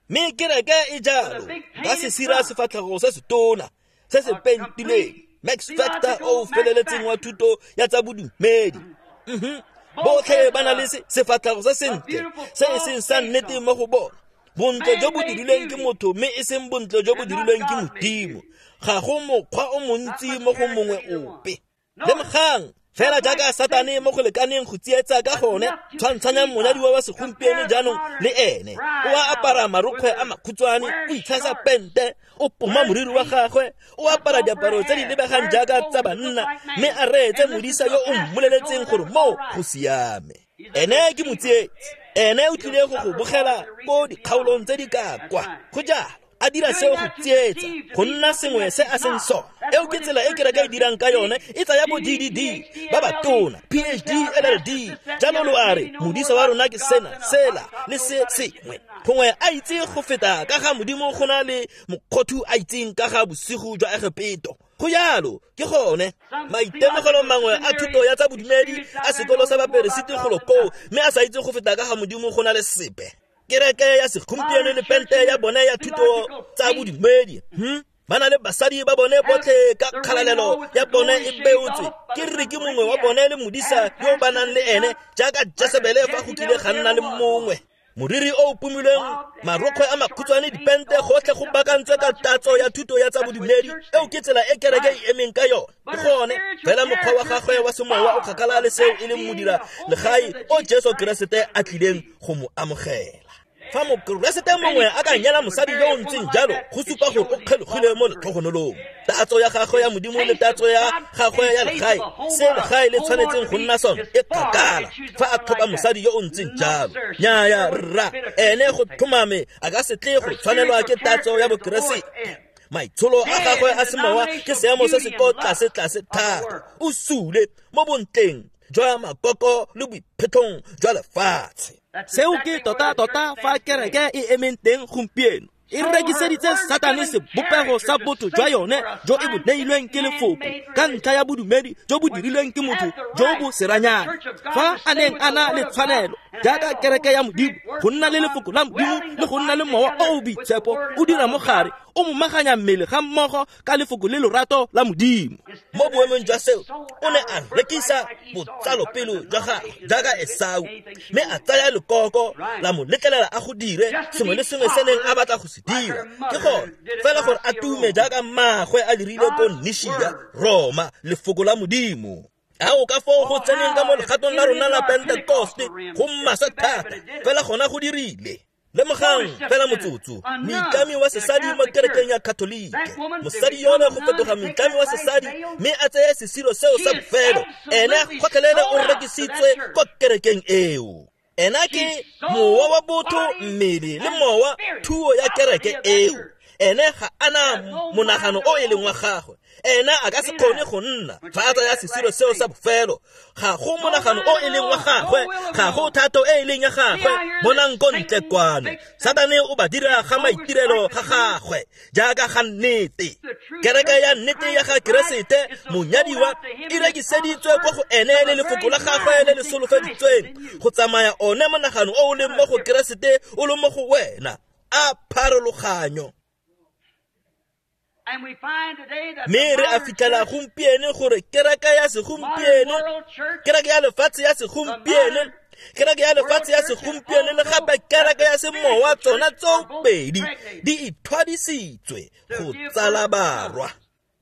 Mme kereke e jalo ka se sira sefatlhego se se tona se se pentileng, Max Factor o feleletseng wa thuto ya tsa bodumedi. Mhm. Botlhe ba na le sefatlhego se sentle se e seng sa nnete mo go bona. Bontle jo bo dirilweng ke motho mme e seng bontle jo bo dirilweng ke Modimo. Ga go mokgwa o montsi mo go mongwe ope. Lemogang, fela jaaka Satane mo go lekaneng go tsietsa ka gone, tshwantshanyang monyadiwa wa segompieno jaanong le ene. O a apara marokgwe a makhutshwane, o itshasa pente, o poma moriri wa gagwe, o apara diaparo tse di lebegang jaaka tsa banna, mme a reetse modisa yo o mmoleletseng gore moo go siame. Ene ke motsietsi. Ene o tlile go go bogela ko dikgaolong tse di ka kwa. Go jalo. A dira seo go tsietsa, go nna sengwe se a seng sona. Eo ke tsela e kereke e dirang ka yone, e tsaya bo D D D, ba ba tona, P H D, L L D. Jalo lo a re, modisa wa rona ke sena, sela, le se sengwe. Gongwe a itse go feta ka ga Modimo go na le mokgothu a itseng ka ga bosigo jwa Egepeto. Go jalo, ke gone. Maitemogelo mangwe a thuto ya tsa bodumedi a sekolo sa baperesiti golo koo, mme a sa itse go feta ka ga Modimo go na le sepe. Kereke ya segompieno le pente ya bone ya thuto tsa bodumedi. Hm? Ba na le basadi ba bone botlhe ka kgalalelo ya bone e beotswe. Ke re ke mongwe wa bone le modisa yo ba nang le ene, jaaka Jesebele fa go kile ga nna le mongwe. Moriri o o pomilweng, marokgwe a makhutshwane, dipente gotlhe go bakantswe ka tatso ya thuto ya tsa bodumedi, eo ke tsela e kereke e emeng ka yone. Ke gone fela mokgwa wa gagwe wa semowa o kgakala le seo e leng modira legae o Jesu Keresete a tlileng go mo amogela. Fa mokeresete mongwe a ka nyala mosadi yo o ntseng jalo, go supa gore o kgelogile mo letlhogonolong. Tatso ya gagwe ya Modimo le tatso ya gagwe ya legae, se legae le tshwanetseng go nna sone, e kgakala fa a tlhopha mosadi yo o ntseng jalo. Nnyaya rra, ene go tlhomame a ka se tle go tshwanelwa ke tatso ya bokeresete. Maitsholo a gagwe a semowa ke seemo se se ko tlase-tlase thata. O sule mo bontleng jwa makoko le boiphetlhong jwa lefatshe. Seo ke tota-tota fa kereke e emeng teng gompieno. E rekiseditse Satane sebopego sa botho jwa yone jo e bo neilweng ke lefoko ka ntlha ya bodumedi jo bo dirilweng ke motho jo bo seranyana. Fa a neng a na le tshwanelo jaaka kereke ya Modimo go nna le lefoko la Modimo le go nna le mowa o o boitshepo o dira mo gare, o momaganya mmele ga mmogo ka lefoko le lorato la Modimo. Mo boemong jwa seo, o ne a rekisa botsalopelo jwa gagwe jaaka Esau, mme a tsaya lekoko la mo letlelela a go dire sengwe le sengwe se neng a batla go se dira. Ke gone fela gore a tume jaaka mmaagwe a dirile ko Nishia, Roma, lefoko la Modimo. Ao ka foo go tseneng ka mo legatong la rona la Pentekoste go maswe thata, fela gona go dirile. Lemogang fela motsotso, moitlami wa sesadi mo kerekeng ya Katolike, mosadi yone go fetoga moitlami wa sesadi mme a tseye sesiro seo sa bofelo, ene gotlhelele o rekisitswe ko kerekeng eo. Ena ke mowa wa botho, mmele le mowa, thuo ya kereke eo. Ene ga ana monagano o e leng wa gagwe. Ena a ka se kgone go nna fa a tsaya sesiro seo sa bofelo. Ga go monagano o e leng wa gagwe, ga go thato e e leng ya gagwe. Bonang ko ntle kwano, Satane o ba dira ga maitirelo ga gagwe jaaka ga nnete. Kereke ya nnete ya ga Keresete monyadiwa e rekiseditswe ko go ene le lefoko la gagwe le le solofeditsweng go tsamaya one monagano o o leng mo go Keresete o le mo go wena. A pharologanyo. Mme re a fitlhela gompieno gore kereke ya segompieno, kereke ya lefatshe ya segompieno, kereke ya lefatshe ya segompieno le gape kereke ya semowa, tsona tsoopedi di ithwadisitswe go tsala barwa.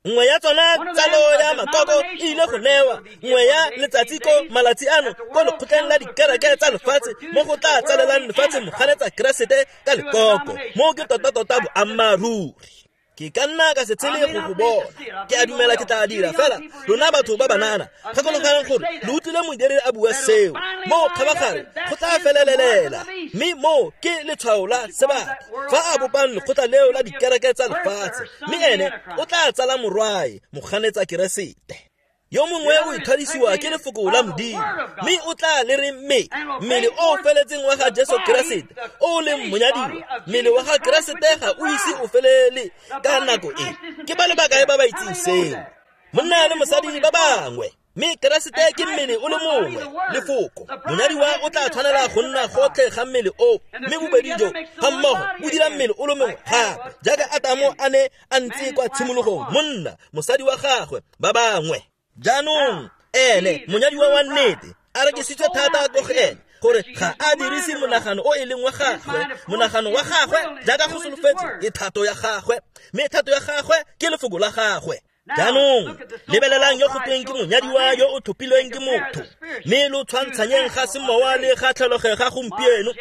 Nngwe ya tsona tsalo ya makoko e ile go newa, nngwe ya letsatsi ko malatsi ano ko lekgotleng la dikereke tsa lefatshe mo go tla tsalelang lefatshe moganetsa Keresete ka lekoko. Mo ke tota-tota boammaaruri. Ke ka nna ka se tshele go go bona. Ke a dumela ke tla dira fela lona batho ba banana, gakologelang gore lo utlwile modiredi a bua seo. Mo kgabagare go tla felelelela, mme mo ke letshwao la sebaka fa a bopang lekgotla leo la dikereke tsa lefatshe, mme ene o tla tsala morwae moganetsa Keresete. Yo mongwe o ithadisiwa ke lefoko la Modimo, mme o tla le re mme mmele o feletseng wa ga Jesu Keresete o leng monyadiwa. Mmele wa ga Keresete ga o ise o felele ka nako e. Ke ba le bakae ba ba itseng seo? Monna le mosadi ba bangwe, mme Keresete ke mmele o le mongwe, lefoko. Monyadiwa o tla tshwanela go nna gotlhe ga mmele o, mme bobedi jo ga mmogo bo dira mmele o le mongwe gape, jaaka Atamo a ne a ntse kwa tshimologong, monna, mosadi wa gagwe, ba bangwe. Jaanong ene monyadiwa wa nnete a rekisitswe thata ko go ene gore ga a dirise monagano o e leng wa gagwe. Monagano wa gagwe jaaka go solofetse ke thato ya gagwe, mme thato ya gagwe ke lefoko la gagwe. Jaanong lebelelang yo go tweng ke monyadiwa yo o tlhophilweng ke motho, mme lo tshwantshanyeng ga semowa le ga tlholego ga gompieno.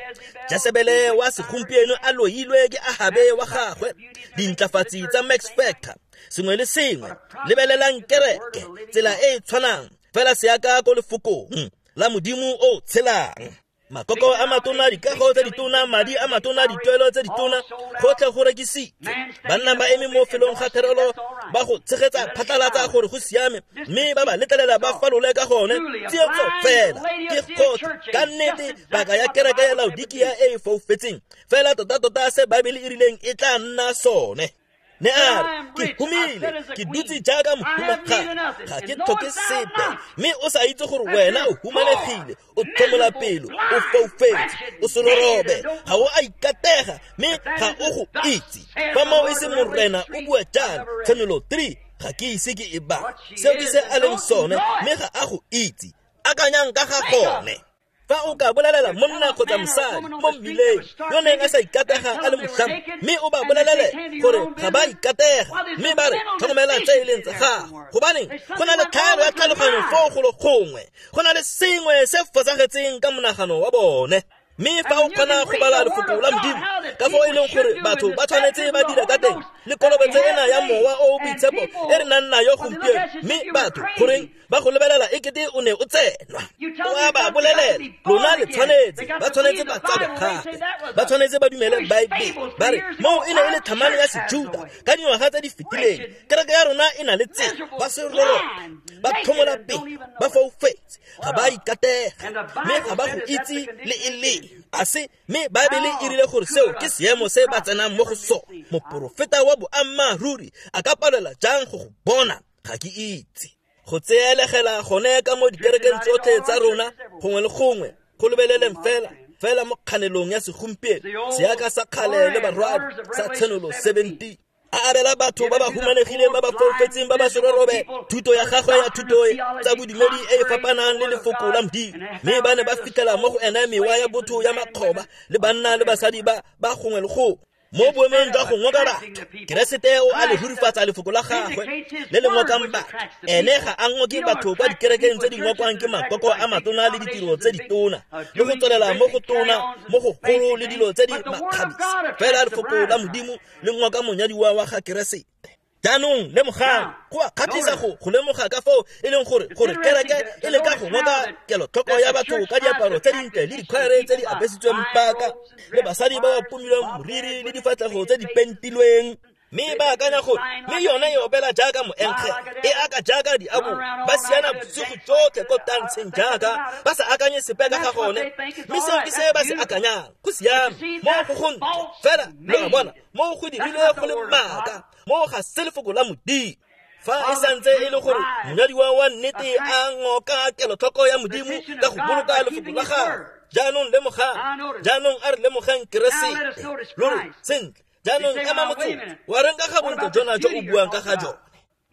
Jesebele wa segompieno a loilwe ke Ahabe wa gagwe, dintlafatsi tsa Max Factor, sengwe le sengwe. Lebelelang kereke tsela e e tshwanang fela seaka ko lefokong la Modimo o tshelang. Makoko a matona, dikago tse ditona, madi a matona, dituelo tse ditona, gotlhe go rekisitswe. Banna ba eme mo felong ga therelo ba go tshegetsa phatlalatsa gore go siame, mme ba ba letlelela ba falole ka gone. Tsietso fela ke gotlhe ka nnete paka ya kereke ya Laodikia e e foufetseng fela tota-tota se Baebele e rileng e tla nna sone. Ne a re, ke humile, ke dutse jaaka mohumagadi, ga ke tlhoke sepe. Mme o sa itse gore wena o humanegile, o tlhomola pelo, o foufetse, o serorobe, ga o a ikatega, mme ga o go itse. Fa moo e se Morena o bua jang, Tshenolo three, ga ke ise ke e bale. Seo ke se a leng sone, mme ga a go itse. Akanyang ka ga gone. Fa o ka bolelela monna kgotsa mosadi mo mmileng yo neng a sa ikatega a le motlhami, mme o ba bolelele gore ga ba ikatega, mme ba re tlhokomela tse e leng tsa gago, gobaneng go na le tlhaelo ya tlhaloganyo foo golo gongwe, go na le sengwe se fosagetseng ka monagano wa bone. Mme fa o kgona go bala lefoko la Modimo ka foo e leng gore batho ba tshwanetse ba dira ka teng, le kolobetso ena ya mowa o o boitshepo e re nang nayo gompieno, mme batho goreng ba go lebelela e kete o ne o tsenwa. O a ba bolelela, lona le tshwanetse, ba tshwanetse ba tsalwe gape, ba tshwanetse ba dumele Baebele. Ba re moo e ne e le tlhamane ya Sejuta ka dingwaga tse di fetileng, kereke ya rona e na le tsela, ba serololo, ba tlhomola pele, ba foufetse, ga ba ikatega, mme ga ba go itse le e leng. A se, mme Baebele e rile gore seo ke seemo se ba tsenang mo go sone. Moporofeta wa boammaaruri a ka palela jang go go bona? Ga ke itse. Go tseelegela gone ka mo dikerekeng tsotlhe tsa rona, gongwe le gongwe, go lebeleleng fela fela mo kganelong ya segompieno, seaka sa kgale le barwadi sa Tshenolo seventeen. A abela batho ba ba humanegileng, ba ba foufetseng, ba ba serorobe thuto ya gagwe ya thuto tsa bodumedi e e fapanang le lefoko la Modimo, mme ba ne ba fitlhela mo go ena mewa ya botho ya makgoba le banna le basadi ba ba gongwe le gongwe. Mo boemong jwa go ngoka batho, Keresete o a le hurifatsa lefoko la gagwe le le ngokang batho. Ene ga a ngoke batho kwa dikerekeng tse di ngokwang ke makoko a matona le ditiro tse ditona, le go tswelela mo go tona, mo go golo le dilo tse di makgabisa. Fela lefoko la Modimo le ngoka monyadiwa wa ga Keresete. Jaanong lemogang, go a kgatlhisa go go lemoga ka foo e leng gore gore kereke e leka go ngoka kelotlhoko ya batho ka diaparo tse dintle le dikhwaere tse di apesitsweng paka, le basadi ba ba pomilweng moriri le difatlhego tse di pentilweng, mme ba akanya gore mme yone e opela jaaka moenkge, e aka jaaka diabo, ba siana bosigo tsotlhe ko tantsheng jaaka ba sa akanye sepe ka ga gone, mme seo ke se ba se akanyang. Go siame mo go gontle, fela lo a bona mo go dirile go le maaka, mo ga se lefoko la Modimo. Fa e santse e le gore monyadiwa wa nnete a ngoka kelotlhoko ya Modimo ka go boloka lefoko la gagwe. Jaanong lemogang, jaanong a re lemogang Keresete. Lo re sentle, jaanong ema motsotso, wa reng ka ga bontle jona jo o buang ka ga jone?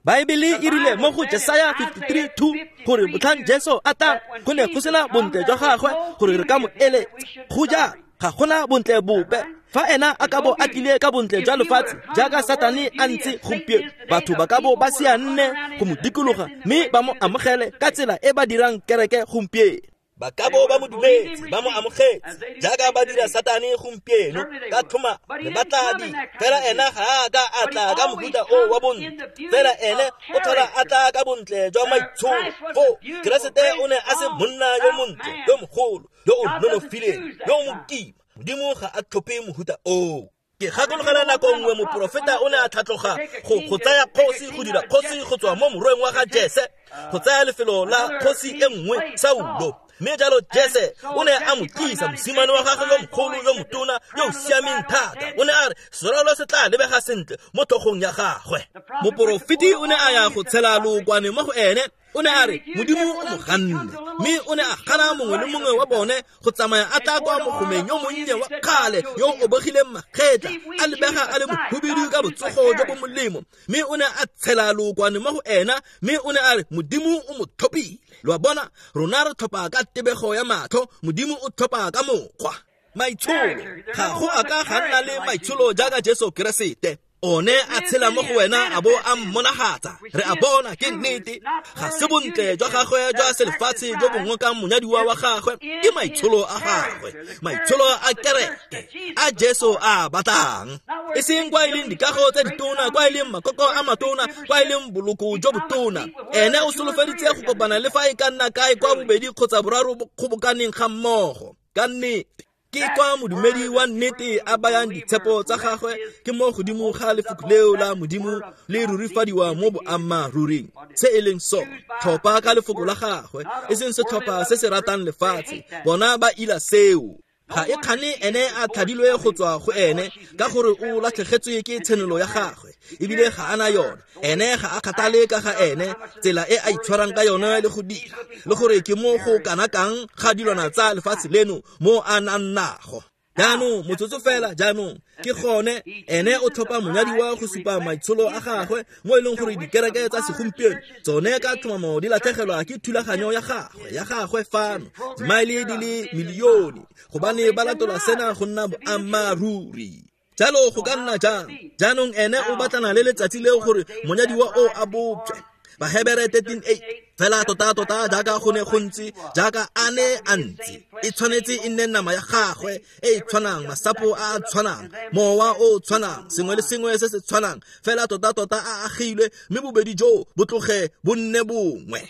Baebele e rile mo go Jesaya fifty-three two gore motlhang Jesu a tlang go ne go sena bontle jwa gagwe gore re ka mo eletsa. Go jang? Ga gona bontle bope. Fa ena a ka bo a tlile ka bontle jwa lefatshe jaaka Satane a ntse gompieno, batho ba ka bo ba sianne go mo dikologa mme ba mo amogele ka tsela e ba dirang kereke gompieno. Ba ka bo ba mo dumetse, ba mo amogetse jaaka ba dira Satane gompieno ka tlhoma le ba tla di. Fela ena ga a ka a tla ka mohuta o wa bontle, fela ene o tlhola a tla ka bontle jwa maitsholo. Foo Keresete o ne a se monna yo montle, yo mogolo, yo o nonofileng, yo o mokima. Modimo ga a tlhophe mohuta oo. Ke gakologela nako nngwe moporofeta o ne a tlhatloga go go tsaya kgosi, go dira kgosi go tswa mo morweng wa ga Jese, go tsaya lefelo la kgosi e nngwe Saulo. Mme jalo Jese o ne a mo tlisa mosimane wa gagwe yo mogolo, yo motona, yo o siameng thata. O ne a re serwalo se tla lebega sentle mo tlhogong ya gagwe. Moporofeti o ne a ya go tshela lookwane mo go ene. O ne a re Modimo o mo ganne, mme o ne a gana mongwe le mongwe wa bone go tsamaya a tla kwa mogomeng yo monnye wa kgale yo o obogileng magetla, a lebega a le mohubidu ka botsogo jo bo molemo. Mme o ne a tshela lookwane mo go ena, mme o ne a re Modimo o mo tlhophile. Lo a bona, rona re tlhopha ka tebego ya matlho, Modimo o tlhopha ka mokgwa. Maitsholo, ga go a ka ga nna le maitsholo jaaka Jesu Keresete. One a tshela mo go wena a bo a mmonagatsa. Re a bona ke nnete, ga se bontle jwa gagwe jwa selefatshe jo bo ngokang monyadiwa wa gagwe, ke maitsholo a gagwe, maitsholo a kereke a Jesu a batlang. E seng kwa e leng dikago tse ditona, kwa e leng makoko a matona, kwa e leng boloko jo botona. Ene o solofeditse go kopana le fa e ka nna kae kwa bobedi kgotsa boraro bo kgobokaneng ga mmogo. Ka nnete ke kwa modumedi wa nnete a bayang ditshepo tsa gagwe ke mo godimo ga lefoko leo la Modimo le rurifadiwa mo boammaaruring. Se e leng sone, tlhopha ka lefoko la gagwe, e seng setlhopha se se ratang lefatshe. Bona ba ila seo. Ga e kgane ene a tlhadilwe go tswa go ene ka gore o latlhegetswe ke tshenolo ya gagwe, ebile ga ana yone. Ene ga a kgathale ka ga ene, tsela e a itshwarang ka yone le go dira, le gore ke mo go kana kang ga dilwana tsa lefatshe leno mo a nang nago. Jaanong motsotso fela jaanong ke gone ene o tlhopha monyadiwa go supa maitsholo a gagwe mo e leng gore dikereke tsa segompieno tsone ka tlhomamo di latlhegelwa ke thulaganyo ya gagwe ya gagwe fano dimaele di le milione gobane ba latola sena go nna boammaaruri. Jalo go ka nna jang? Jaanong ene o batlana le letsatsi leo gore monyadiwa o a bopjwe. Bahebere thirteen eight fela tota tota jaaka go ne go ntse jaaka a ne a ntse e tshwanetse e nne nama ya gagwe e e tshwanang, masapo a a tshwanang, mowa o o tshwanang, sengwe le sengwe se se tshwanang fela tota tota a agilwe mme bobedi jo bo tloge bo nne bongwe.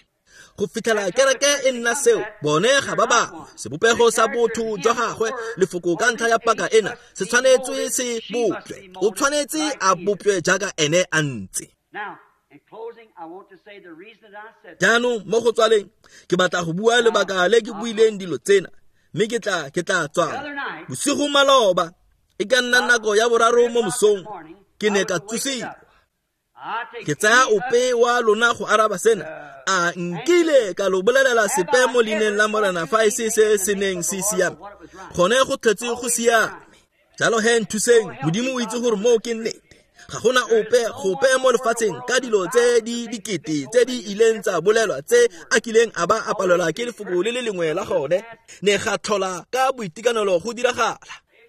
Go fitlhela kereke e nna seo, bone ga ba bangwe. Sebopego sa botho jwa gagwe lefoko ka ntlha ya paka ena se tshwanetswe se bopjwe. O tshwanetse a bopjwe jaaka ene a ntse. Jaanong mo go tswaleng ke batla go bua lebaka le ke buileng dilo tsena mme ke tla ke tla tswala. Bosigo maloba e ka nna nako ya boraro mo mosong ke ne ka tsosiwa. Ke tsaya ope wa lona go araba sena. A nkile ka lo bolelela sepe mo leineng la Morena fa e se se se neng se siame. Gone go tletse go siame. Jalo he nthuseng, Modimo o itse gore moo ke nnete. Ga gona ope gope mo lefatsheng ka dilo tse di dikete tse di ileng tsa bolelwa tse a kileng a ba a palelwa ke lefoko le le lengwe la gone ne ga tlhola ka boitekanelo go diragala.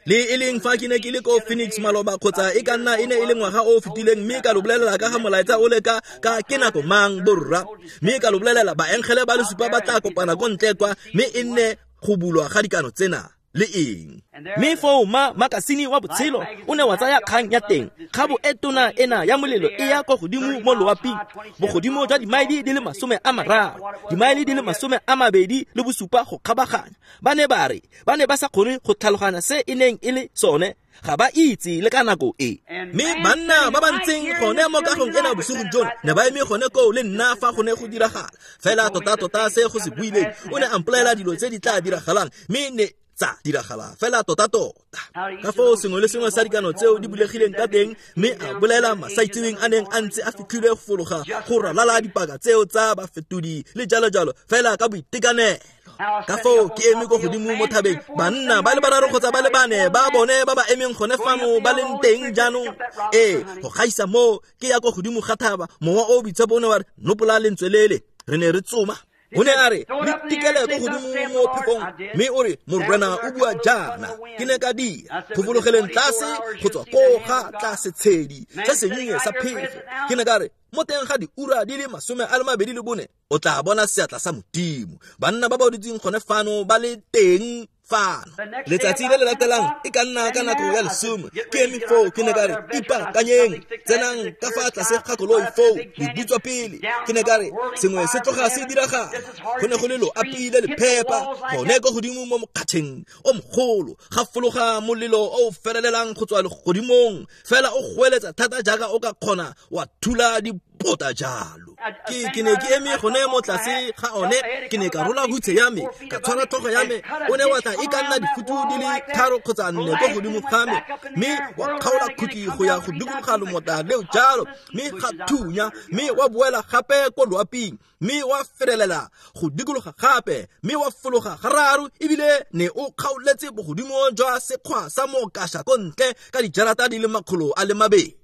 Le e leng fa ke ne ke le ko Phoenix maloba kgotsa e ka nna e ne e le ngwaga o o fetileng mme ka lo bolelela ka ga molaetsa o le ka ka ke nako mang borra mme ka lo bolelela baengele ba le supa ba tla kopana ko ntle kwa mme e nne go bulwa ga dikano tsena le eng. Mme foo ma makasine wa botshelo o ne wa tsaya kgang ya teng kgabo e tona ena ya molelo e ya kwa godimo mo loaping bogodimo jwa dimaele di le masome a mararo dimaele di le masome a mabedi le bosupa go kgabaganya. Ba ne ba re ba ne ba sa kgone go tlhaloganya se e neng e le sone, ga ba itse le ka nako e. Mme banna ba ba ntseng gone mo kagong ena bosigo jono ne ba eme gone koo le nna fa go ne go diragala fela tota tota se go se buileng. O ne a mpolelela dilo tse di tla diragalang mme ne tsa diragala fela tota tota. Ka foo sengwe le sengwe sa dikano tseo di bulegileng ka teng mme a bolela masaitseweng a neng a ntse a fitlhilwe go fologa go ralala dipaka tseo tsa bafetodi le jalo jalo fela ka boitekanelo. Ka foo ke eme ko godimo mo thabeng banna ba le bararo kgotsa ba le bane ba bone ba ba emeng gone fano ba leng teng jaanong. Ee, go gaisa moo ke ya ko godimo ga thaba mowa o boitshepo o ne wa re nopola lentswe lele re ne re tsoma. O ne a re le tikele ko godimo mo phefong mme o re Morena o bua jaana. Ke ne ka dira go fologeleng tlase go tswa ko ga tlase tshedi se sennye sa phefo. Ke ne ka re mo teng ga diura di le masome a le mabedi le bone o tla bona seatla sa Modimo. Banna ba ba dutseng gone fano ba le teng fano. Letsatsi le le latelang e ka nna ka nako ya lesome ke eme foo ke ne ka re ipaakanyeng tsenang ka fa tlase ga koloi foo le butswa pele. Ke ne ka re sengwe se tloga se diragala. Go ne go le loapi le le phepa gone ko godimo mo mokgatšheng o mogolo ga fologa molelo o o felelelang go tswa legodimong fela o goeletsa thata jaaka o ka kgona wa thula dipota jalo. Ke ke ne ke eme gone mo tlase ga one ke ne ka rola hutshe ya me ka tshwara tlhogo ya me o ne wa tla e ka nna difutu di le tharo kgotsa nne ko godimo ga me mme wa kgaola khutli go ya go dikologa lomota leo jalo mme ga thunya mme wa boela gape ko loaping mme wa ferelela go dikologa gape mme wa fologa gararo ebile ne o kgaoletse bogodimo jwa sekgwa sa mokasha ko ntle ka dijarata di le makgolo a le mabedi.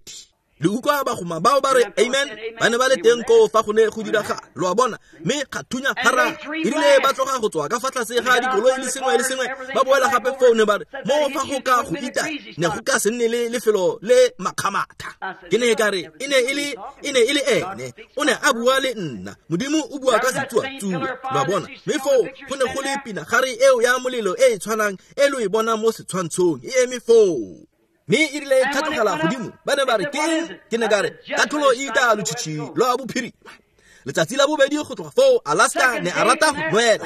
Le utlwa bagoma bao ba re amen ba ne ba le teng koo fa go ne go diragala lo a bona mme ga thunya gararo. Erile ba tloga go tswa ka fa tlase ga dikoloi le sengwe le sengwe ba boela gape foo ne ba re mo fa go ka go ita ne go ka se nne le lefelo le makgamatha. Ke ne ka re e ne e le e ne e le ene o ne a bua le nna. Modimo o bua ka setsuatsue lo a bona. Mme foo go ne go le pinagare eo ya molelo e e tshwanang e lo e bona mo setshwantshong e eme foo. Mme e rile e tlhatlogela godimo ba ne ba re ke eng? Ke ne ka re katlholo e itaya lotšhitšhi lwa bophirima. Letsatsi la bobedi go tloga foo Alaska ne a rata go nwela.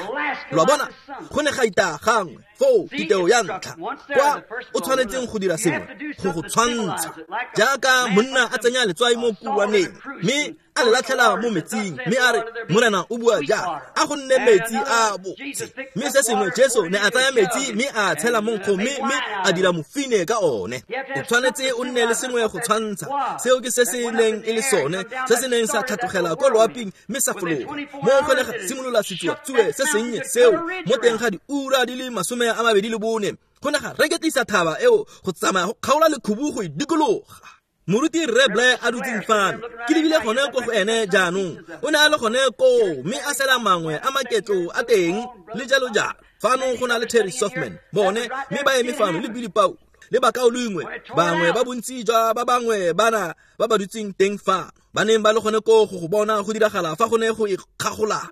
Lo a bona go ne ga itaya gangwe foo titeo ya ntlha kwa o tshwanetseng go dira sengwe go go tshwantsha jaaka monna a tsenya letswai mo kuwaneng mme a le latlhela mo metsing mme a re Morena o bua jaana a go nne metsi a botse. Mme se sengwe Jesu ne a tsaya metsi mme a tshela mo nkgong mme mme a dira mofine ka one. O tshwanetse o nne le sengwe go tshwantsha seo ke se se neng e le sone se se neng sa tlhatlogela ko loaping mme sa fologa mo go ne ga simolola setsuatsue se sennye seo mo teng ga diura di le masome a mabedi le bone go ne ga reketlisa thaba eo go tsamaya go kgaola lekhubu go e dikologa. Moruti Rre Blair a dutseng fano ke lebile gone ko go ene jaanong o ne a le gone koo mme a sela mangwe a maketlo a teng le jalo jalo. Fano go na le Terry Softman bone mme ba eme fano le Billy Paul le bakaulengwe bangwe ba bontsi jwa ba bangwe bana ba ba dutseng teng fano ba neng ba le gone koo go go bona go diragala fa go ne go ikgagolaka.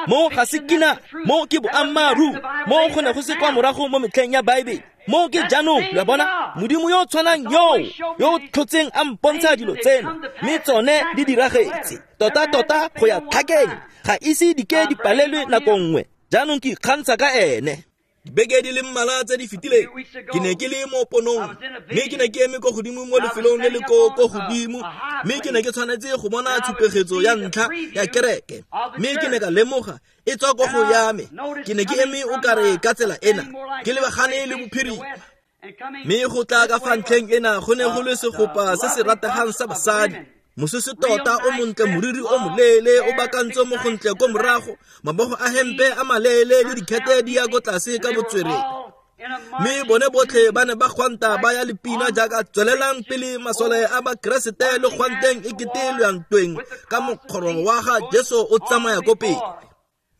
Mo ga se kina, mo ke boammaaruri, mo go ne go se kwa morago mo metlheng ya Baebele, mo ke jaanong. Lo a bona, Modimo yo o tshwanang yoo yo o tlhotseng a mpontsha dilo tseno mme tsone di diragetse tota-tota go ya tlhakeng, ga ise di ke di palelwe nako nngwe. Jaanong ke ikgantsha ka ene. Dibeke di le mmalwa tse di fetileng ke ne ke le mo ponong mme ke ne ke eme ko godimo mo lefelong le le ko ko godimo mme ke ne ke tshwanetse go bona tshupegetso ya ntlha ya kereke mme ke ne ka lemoga e tswa ko go ya me. Ke ne ke eme o kare ka tsela ena ke lebagane le bophirima mme go tla ka fa ntlheng ena go ne go le segopa se se rategang sa basadi. Mosese tota o montle, moriri o moleele o bakantswe mo gontle ko morago, mabogo a hempe a maleele le dikhete di ya ko tlase ka botswerere. Mme bone botlhe ba ne ba gwanta ba ya lepina jaaka tswelelang pele masole a bakeresete le gwanteng e kete lo yang ntweng ka mokgoro wa ga Jesu o tsamaya ko pele.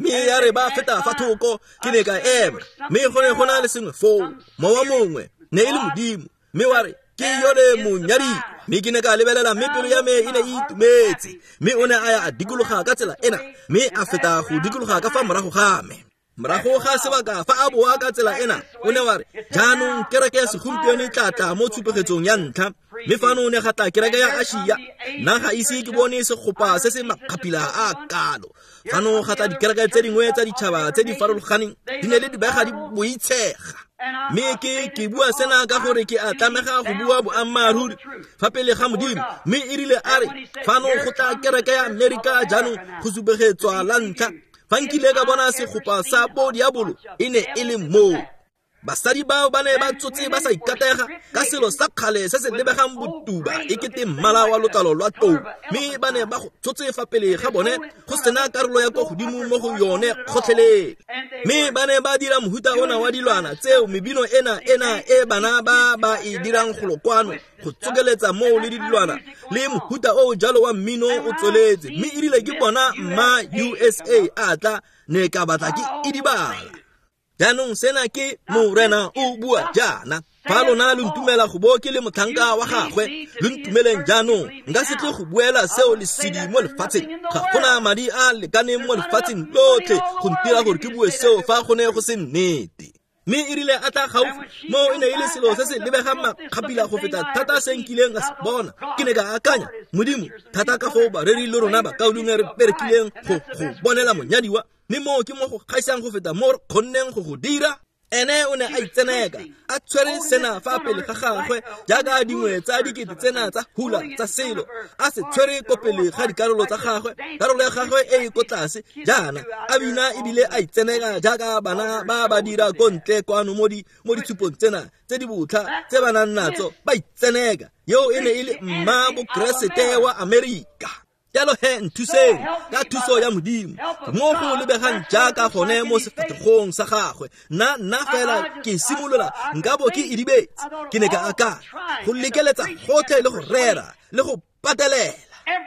Mme ya re ba feta fa thoko ke ne ka ema mme go ne go na le sengwe foo, mowa mongwe ne e le Modimo mme wa re ke yone monyadi. Mme ke ne ka lebelela mme pelo ya me e ne e itumetse mme o ne a ya a dikologa ka tsela ena mme a feta go dikologa ka fa morago ga me. Morago ga sebaka fa a boa ka tsela ena o ne wa re jaanong kereke ya segompieno e tla tla mo tshupegetsong ya ntlha mme fano o ne ga tla kereke ya Asia. Nna ga ise ke bone segopa se se makgapila a kalo. Fano ga tla dikereke tse dingwe tsa ditšhaba tse di farologaneng di ne le dibega di boitshega. Mme ke ke bua sena ka gore ke a tlamega go bua boammaaruri fa pele ga Modimo. Mme e rile a re fano go tla kereke ya Amerika jaanong go supegetswa la ntlha. Fa nkile ka bona segopa sa bo diabolo e ne e le moo. Basadi bao ba ne ba tsotse ba sa ikatega ka selo sa kgale se se lebegang botuba e kete mmala wa letlalo lwa tlou mme ba ne ba go tsotse fa pele ga bone go sena karolo ya ko godimo mo go yone kgotlhelele. Mme ba ne ba dira mohuta ona wa dilwana tseo mebino ena ena e bana ba ba e dirang golo kwano go tsokeletsa moo le dilwana le mohuta o jalo wa mmino o tsweletse. Mme e rile ke bona mma U S A a tla ne ka batla ke idibala. Jaanong sena ke Morena o bua jaana. Fa lona lo ntumela go bo ke le motlhanka wa gagwe, lo ntumeleng jaanong. Nka se tle go buela seo lesedi mo lefatsheng. Ga gona madi a lekaneng mo lefatsheng lotlhe go ntira gore ke bue seo fa go ne go se nnete. Mme e rile a tla gaufi mo e ne e le selo se se lebegang makgapila go feta thata se nkileng ka se bona. Ke ne ka akanya, Modimo, thata ka foo bareri le rona bakaulengwe re berekileng go go bonela monyadiwa mme moo ke mo go gaisang go feta mo re kgonneng go go dira. Ene o ne a itseneka a tshwere sena fa pele ga gagwe jaaka dingwe tsa dikete tsena tsa hula tsa selo a se tshwere ko pele ga dikarolo tsa gagwe, karolo ya gagwe e e ko tlase jaana a bina ebile a itseneka jaaka bana ba ba dira ko ntle kwano mo di mo ditshupong tsena tse di botlha tse ba nang natso ba itseneka. Yo e ne e le mma bokeresete wa Amerika. Jalo he nthuseng ka thuso ya Modimo mo go lebegang jaaka gone mo sefatlhegong sa gagwe. Nna nna fela ke simolola nka bo ke idibetse. Ke ne ka akanya go lekeletsa gotlhe le go rera le go patelela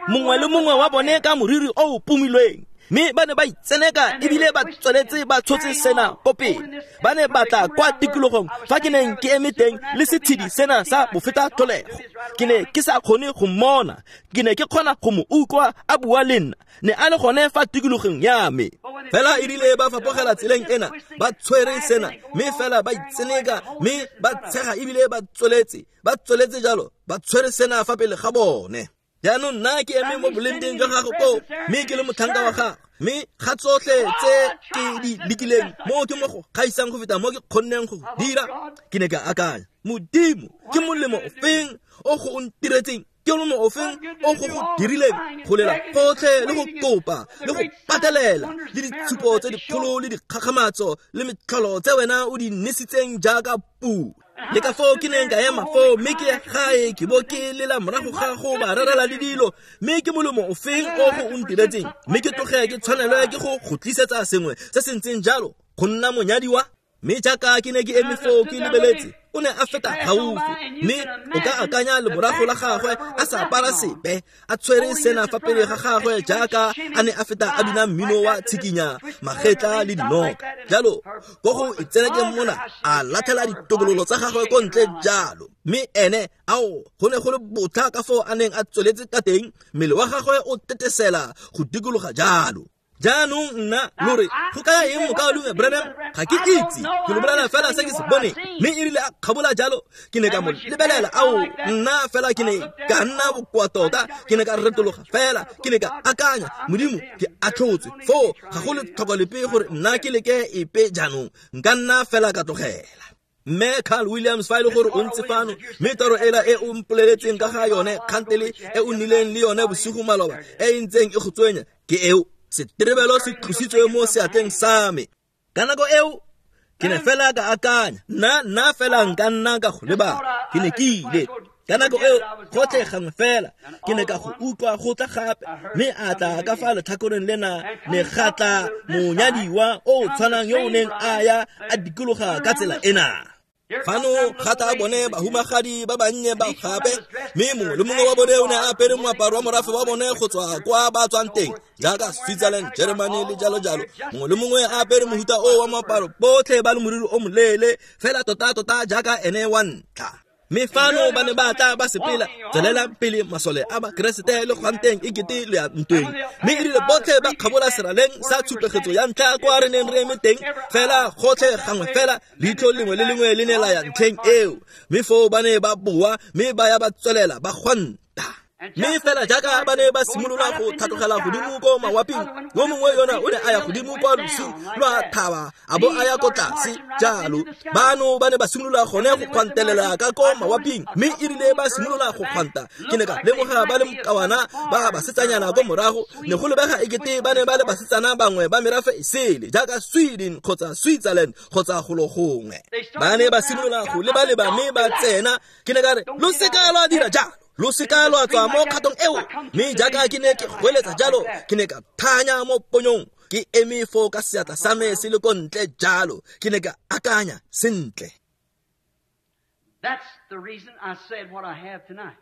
mongwe le mongwe wa bone ka moriri o o pomilweng. Mme ba ne ba itseneka ebile ba tsweletse ba tshotse sena ko pele. Ba ne ba tla kwa tikologong fa ke neng ke eme teng le setshedi sena sa bofeta tlholego. Ke ne ke sa kgone go mmona, ke ne ke kgona go mo utlwa a bua le nna. Ne a le gone fa tikologong ya me. Fela e rile ba fapogela tseleng ena ba tshwere sena mme fela ba itseneka mme ba tshega ebile ba tsweletse ba tsweletse jalo ba tshwere sena fa pele ga bone. Jaanong nna ke eme mo bolengteng jwa gago koo mme ke le motlhanka wa gago mme ga tsotlhe tse ke di lekileng mo ke mo go gaisang go feta mo ke kgonneng go dira. Ke ne ka akanya, Modimo, ke molemo ofeng o go o ntiretseng? Ke molemo ofeng o go go dirileng go lela gotlhe le go kopa le go patelela le ditshupo tse dikgolo le dikgakgamatso le metlholo tse wena o di nesitseng jaaka pula? Le ka foo ke neng ka ema foo mme ke gae ke bo ke lela morago ga go ba rerela le dilo mme ke molemo ofeng o go o ntiretseng? Mme ke tloge ke tshwanelwe ke go go tlisetsa sengwe se se ntseng jalo go nna monyadiwa? Mme jaaka ke ne ke eme foo ke lebeletse, o ne a feta gaufi, mme o ka akanya lemorago la gagwe a sa apara sepe, a tshwere sena fa pele ga gagwe jaaka a ne a feta a bina mmino wa tshikinya, magetla le dinoka. Jalo, ko go itsenekeng mona, a latlhela ditokololo tsa gagwe ko ntle jalo. Mme ene, ao, go ne go le botlha ka foo a neng a tsweletse ka teng, mmele wa gagwe o tetesela go dikologa jalo. Jaanong nna lo re go kaya eng mokaulengwe Branham? Ga ke itse, ke lo bolela fela se ke se boneng. Mme e rile a kgabola jalo, ke ne ka mo lebelela. Ao, nna fela ke ne ka nna bokoa tota, ke ne ka retologa fela, ke ne ka akanya, Modimo, ke atlhotswe foo, ga go letlhoko lepe gore nna ke leke epe jaanong, nka nna fela ka tlogela. Mme Carl Williams fa e le gore o ntse fano, mme toro ela e o mpoleletseng ka ga yone, kgantele e o nnileng le yone bosigo maloba, e e ntseng e go tswenya, ke eo. Seterebelo se tlositswe mo seatleng sa me. Ka nako eo, ke ne fela ka akanya, nna nna fela nka nna ka go lebala, ke ne ke ile. Ka nako eo, gotlhe gangwe fela, ke ne ka go utlwa go tla gape, mme a tla ka fa letlhakoreng lena, ne ga tla monyadiwa o tshwanang yo o neng a ya a dikologa ka tsela ena. Fano ga tla bone bahumagadi ba bannye ba gape, mme mongwe le mongwe wa bone o ne a apere moaparo wa morafe wa bone go tswa kwa ba tswang teng, jaaka Switzerland, Germany le jalo jalo. Mongwe le mongwe a apere mohuta o wa moaparo, botlhe ba le moriri o moleele, fela tota tota jaaka ene wa ntlha. Mme fano ba ne ba tla ba sepela, tswelelang pele masole a Bakeresete le gwanteng e kete le ya ntweng. Mme e rile botlhe ba kgabola seraleng sa tshupegetso ya ntlha kwa re neng re eme teng, fela gotlhe gangwe fela leitlho lengwe le lengwe le ne la ya ntlheng eo. Mme foo ba ne ba boa, mme ba ya ba tswelela ba gwanta. Mme fela jaaka ba ne ba simolola go tlhatlogela godimo ko mawaping, yo mongwe yona o ne a ya godimo kwa losing lwa thaba, a bo a ya ko tlase jalo. Bano ba ne ba simolola gone go kgwantelela ka ko mawaping, mme e rile ba simolola go kgwanta, ke ne ka lemoga ba le mokawana ba basetsanyana ko morago, ne go lebega ekete ba ne ba le basetsana bangwe ba merafe e sele, jaaka Sweden kgotsa Switzerland kgotsa golo gongwe. Ba ne ba simolola go leba-leba mme ba tsena, ke ne ka re, lo seka lwa dira jalo, lo seka lwa tswa mo kgatong eo. Mme jaaka ke ne ke goeletsa jalo, ke ne ka thanya mo ponyong, ke eme foo ka seatla sa me se le ko ntle jalo, ke ne ka akanya sentle. That's the reason I said what I have tonight.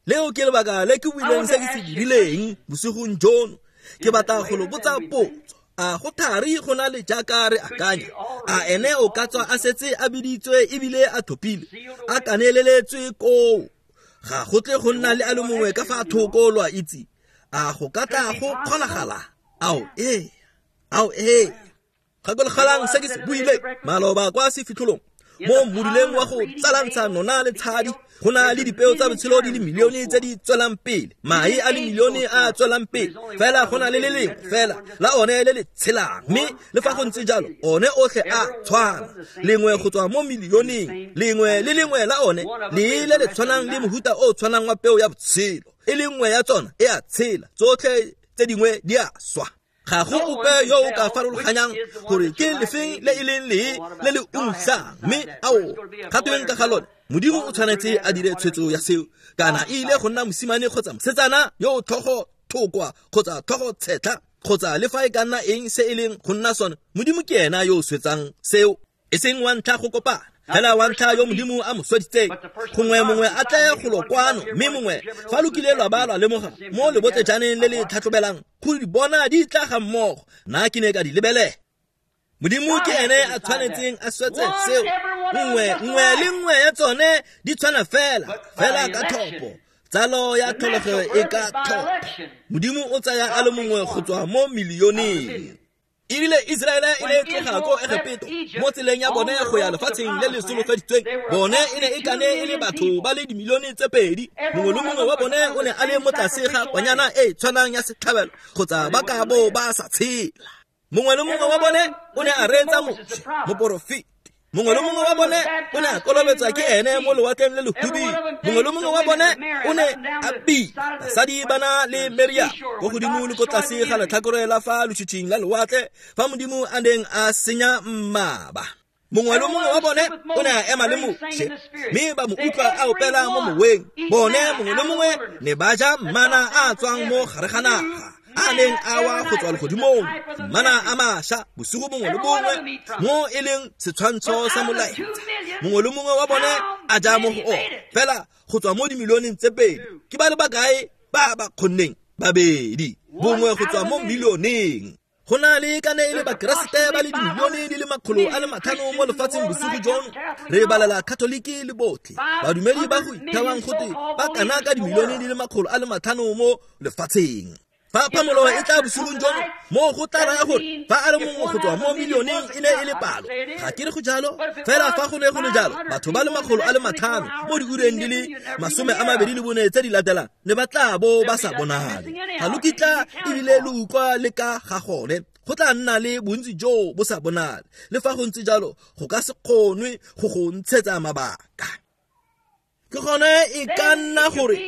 Leo ke lebaka le ke buileng se ke se dirileng bosigong jono. Ke batla go lo botsa potso. A go thari go na le jaaka re akanya? A ene o ka tswa a setse a biditswe ebile a thopile, a kaneleletswe koo? Ga go tle go nna le a le mongwe ka fa thoko, lo a itse. A go ka tla go kgonagala? Ao ee, ao ee. Gakologelang se ke se buileng maloba kwa sefitlholong, mo moduleng wa go tsalantsha nona le tshadi, go na le dipeo tsa botshelo di le milione tse di tswelang pele, mae a le milione a tswelang pele, fela go na le le lengwe fela la one le le tshelang. Mme le fa go ntse jalo, one otlhe a tshwana, lengwe go tswa mo milioneng, lengwe le lengwe la one le le le tshwanang le mohuta o tshwanang wa peo ya botshelo. E le nngwe ya tsona e a tshela, tsotlhe tse dingwe di a swa. Ga go ope yo o ka farologanyang gore ke lefeng le e leng lee le le ungwang. Mme ao, ga tweng ka ga lone, Modimo o tshwanetse a dire tshwetso ya seo, kana e ile go nna mosimane kgotsa mosetsana yo o tlhogo thokwa kgotsa tlhogo tshetlha kgotsa le fa e ka nna eng se e leng go nna sone. Modimo ke ena yo o swetsang seo, e seng wa ntlha go kopana, fela wa ntlha yo Modimo a mo sweditseng. Gongwe mongwe a tle golo kwano, mme mongwe fa lo kile lwa ba lwa lemoga mo lebotlejaneng le le tlhatlhobelang go di bona di tla ga mmogo, nna ke ne ka di lebelela. Modimo ke ene a tshwanetseng a swetse seo. Nngwe nngwe le nngwe ya tsone di tshwana fela, fela ka thopo. Tsalo ya tlholego e ka thopo. Modimo o tsaya a le mongwe go tswa mo milioneng. E rile Iseraele e ne e tloga ko Egepeto mo tseleng ya bone go ya lefatsheng le le solofeditsweng, bone e ne e kane e le batho ba le dimilione tse pedi. Mongwe le mongwe wa bone o ne a le mo tlase ga kwanyana e tshwanang ya setlhabelo, kgotsa ba ka bo ba sa tshela. Mongwe le mongwe wa bone o ne a reetsa Moshe, moporofeti. Mongwe le mongwe wa bone o ne a kolobetswa ke ene mo lewatleng le lehubidu. Mongwe le mongwe wa bone o ne a bina basadi ba na le Miriam ko godimo le ko tlase ga letlhakore la fa lotshitshing la lewatle, fa Modimo a neng a senya mmaba. Mongwe le mongwe wa bone o ne a ema le Moshe, mme ba mo utlwa a opela mo moweng. Bone mongwe le mongwe ne ba ja mana a tswang mo gare ga naga. a neng a wa go tswa legodimong, mana a mašwa bosigo bongwe le bongwe mo e leng setshwantsho sa molaetsa. Mongwe le mongwe wa bone a ja mo go ona, fela go tswa mo dimilioneng tse pedi ke ba le bakae ba ba kgonneng? Babedi, bongwe go tswa mo milioneng. Go na le ka ne e le bakeresete ba le dimilione di le makgolo a le matlhano mo lefatsheng bosigo jono. Re balela Katoliki le botlhe badumedi ba go ithewang gote ba kana ka dimilione di le makgolo a le matlhano mo lefatsheng. Fa phamolo e tla bosigong jono, mo go tla raya gore fa a le mongwe go tswa mo milioneng e ne e le palo. Ga ke re go jalo, fela fa go ne go le jalo, batho ba le makgolo a le matlhano mo diureng di le masome a mabedi le bone tse di latelang ne ba tla bo ba sa bonale. Ga lo kitla ebile lo utlwa le ka ga gone. Go tla nna le bontsi jo bo sa bonale. Le fa go ntse jalo, go ka se kgonwe go go ntshetsa mabaka. Ke gone e ka nna gore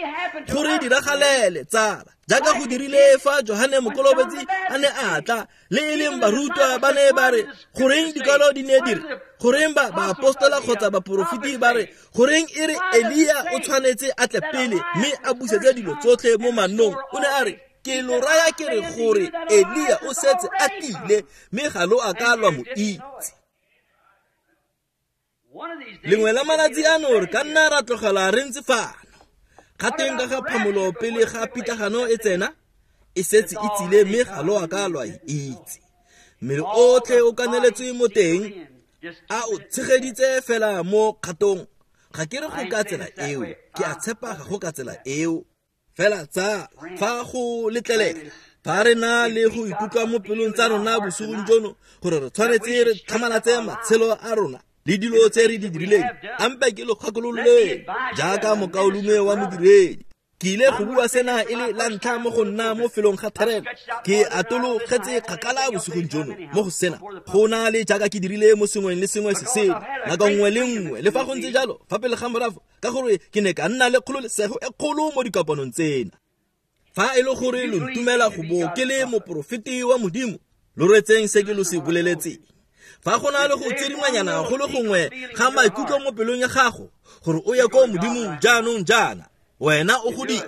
gore diragalele tsala, jaaka go dirile fa Johane Mokolobetsi a ne a tla, le e leng barutwa ba ne ba re goreng dikwalo di ne di re, goreng ba baapostola kgotsa baporofeti ba re, goreng e re Elia o tshwanetse a tle pele mme a busetse dilo tsotlhe mo mannong. O ne a re, ke lo raya ke re gore Elia o setse a tlile mme ga lo a ka lwa mo itse. Lengwe la malatsi ano re ka nna ra tlogela re ntse fano. Gateng ka ga phamolo pele ga pitlagano e tsena, e setse e tsile mme ga lo a ka lwa e itse. Mmele otlhe o kaneletswe mo teng, a o tshegeditse fela mo kgatong. Ga ke re go ka tsela eo, ke a tshepa ga go ka tsela eo. Fela tsa fa go letlelela, fa re na le go ikutlwa mo pelong tsa rona bosigong jono gore re tshwanetse re tlhamalatse matshelo a rona le dilo tse re di dirileng, ampe ke lo kgakololeng jaaka mokaulengwe wa modiredi. Ke ile go bua sena e le la ntlha mo go nna mo felong ga therelo. Ke atologetse kgakala bosigong jono mo go sena, go na le jaaka ke dirile mo sengweng le sengwe se sele nako nngwe le nngwe. Le fa go ntse jalo, fa pele ga morago, ka gore ke ne ka nna le kgololesego e kgolo mo dikopanong tsena. Fa e le gore lo ntumela go bo ke le moporofeti wa Modimo, lo retseng se ke lo se boleletseng. Fa go na le go tsedingwanyana go le gongwe ga maikutlo mo pelong ya gago gore o ye ko Modimong jaanong jaana, wena o go dire.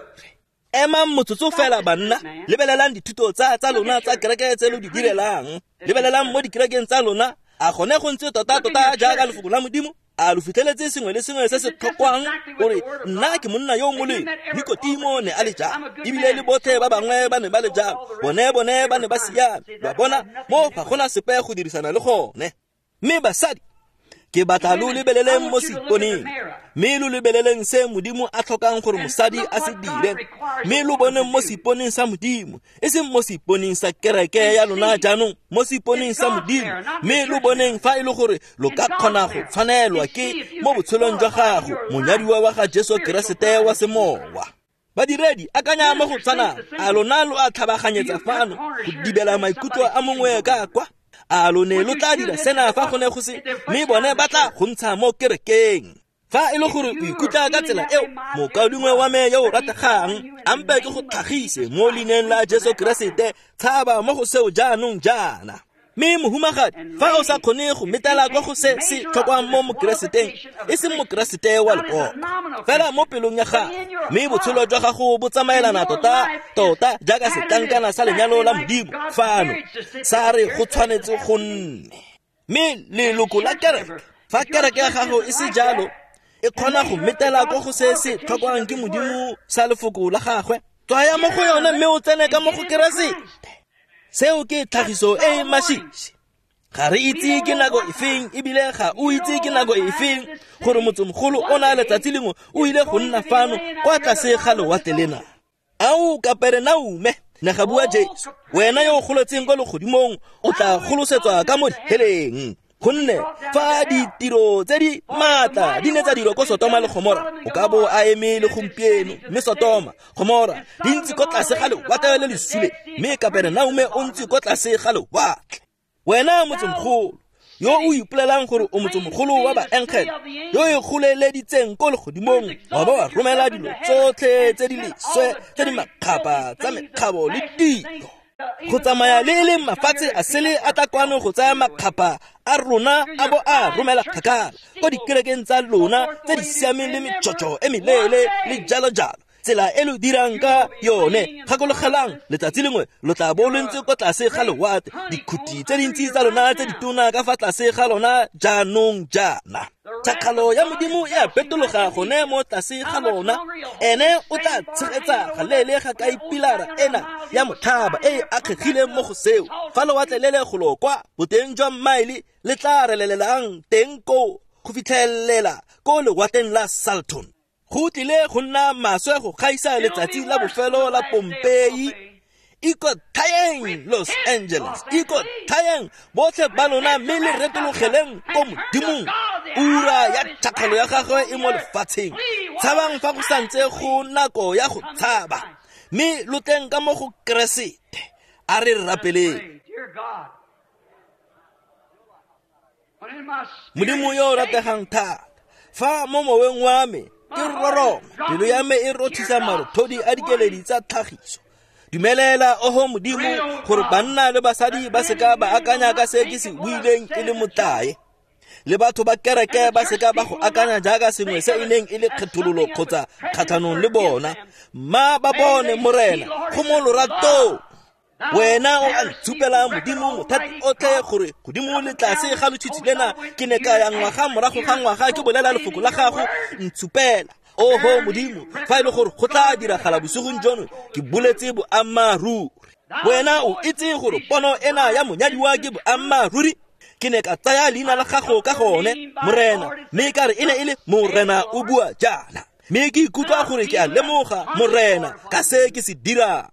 Emang motsotso fela banna, lebelelang dithuto tsa tsa lona tsa kereke tse lo di direlang, lebelelang mo dikerekeng tsa lona. A gone go ntse tota-tota jaaka lefoko la Modimo? A lo fitlheletse sengwe le sengwe se se tlhokwang gore nna ke monna yo o molemo? Nikotimo ne a le jalo, ebile le botlhe ba bangwe ba ne ba le jalo. Bone bone ba ne ba siame. Ba bona mo ga gona sepe go dirisana le gone. Mme basadi, ke batla lo lebeleleng mo seiponeng, mme lo lebeleleng se Modimo a tlhokang gore mosadi a se dire, mme lo boneng mo seiponeng sa Modimo, e seng mo seiponeng sa kereke ya lona jaanong, mo seiponeng sa Modimo, mme lo boneng fa e le gore lo ka kgona go tshwanelwa ke mo botshelong jwa gago monyadiwa wa ga Jesu Keresete wa semowa. Badiredi, akanya mo go tshwanang. A lona lo a tlhabaganyetsa fano go dibela maikutlo a mongwe ka kwa? A lo ne lo tla dira sena fa go ne go se, mme bone ba tla go ntsha mo kerekeng. Fa e le gore o ikutlwa ka tsela eo, mokaulengwe wa me yo o rategang, ampe ke go tlhagise mo leineng la Jesu Keresete, tshaba mo go seo jaanong jaana. Mme mohumagadi, fa o sa kgone go metela kwa go se se tlhokwang mo mokereseteng, e seng mokeresete wa lekoko, fela mo pelong ya gago, mme botshelo jwa gago bo tsamaelana tota tota jaaka setlankana sa lenyalo la Modimo fano, sa re go tshwanetse go nne. Mme leloko la kereke, fa kereke ya gago e se jalo, e kgona go metela kwa go se se tlhokwang ke Modimo sa lefoko la gagwe, tswaya mo go yone mme o tsene ka mo go Keresete. Seo ke tlhagiso e e masisi. Ga re itse ke nako efeng, ebile ga o itse ke nako efeng gore motsemogolo o na letsatsi lengwe o ile go nna fano kwa tlase ga lewatle lena. Ao Kaperenaume, ne ga bua Jesu, wena yo o goletseng kwa legodimong o tla golosetswa ka mo diheleng. Gonne fa ditiro tse di maatla di ne tsa dirwa ko Sotoma le Gomora, o ka bo a eme le gompieno. Mme Sotoma, Gomora di ntse ko tlase ga lewatle le le sule, mme Kaperenaume o ntse ko tlase ga lewatle. Wena motsemogolo yo o ipolelang gore o motsemogolo wa baengele, yo o goleleditseng ko legodimong, wa ba wa romela dilo tsotlhe tse di leswe tse di makgapa tsa mekgabo le dilo go tsamaya le e leng mafatshe a sele a tla kwano go tsaya makgapa a rona a bo a romela kgakala ko dikerekeng tsa lona tse di siameng le metšhotšho e meleele le jalo jalo. Tsela e lo dirang ka yone, gakologelang letsatsi lengwe lo tla bo lo ntse ko tlase ga lewatle, dikhuti tse dintsi tsa lona tse ditona ka fa tlase ga lona jaanong jaana. Tšhakgalo ya Modimo e a petologa gone mo tlase ga lona. Ene o tla tshegetsa galeele ga kae pilara ena ya motlhaba e e akgegileng mo go seo. Fa lewatle le le golo kwa boteng jwa maele le tla relelelang teng koo go fitlhelela ko lewatleng la Salton. Go tlile go nna maswe go gaisa letsatsi la bofelo la Pompeii. Ikotlhaeng Los Angeles, ikotlhaeng botlhe ba lona mme le retologeleng ko Modimong. Ura ya tšhakgalo ya gagwe e mo lefatsheng. Tshabang fa go santse go nako ya go tshaba, mme lo tleng ka mo go Keresete. A re rapeleng. Modimo yo o rategang thata, fa mo moweng wa me ke roroma, pelo ya me e rothisa marothodi a dikeledi tsa tlhagiso. Dumelela oho Modimo gore banna le basadi ba seka ba akanya ka se ke se buileng e le motlae, le batho ba kereke ba seka ba go akanya jaaka sengwe se e neng e le kgethololo kgotsa kgatlhanong le bona. Mma ba bone Morena go mo loratong. Wena o a ntshupela Modimo mothati otlhe gore godimo le tlase ga lotshitshi lena ke ne ka ya ngwaga morago ga ngwaga ke bolela lefoko la gago. Ntshupela oho Modimo fa e le gore go tla diragala bosigong jono, ke boletse boammaaruri. Wena o itse gore pono ena ya monyadiwa ke boammaaruri. Ke ne ka tsaya leina la gago ka gone Morena, mme ka re e ne e le Morena o bua jaana, mme ke ikutlwa gore ke a lemoga Morena ka se ke se dirang.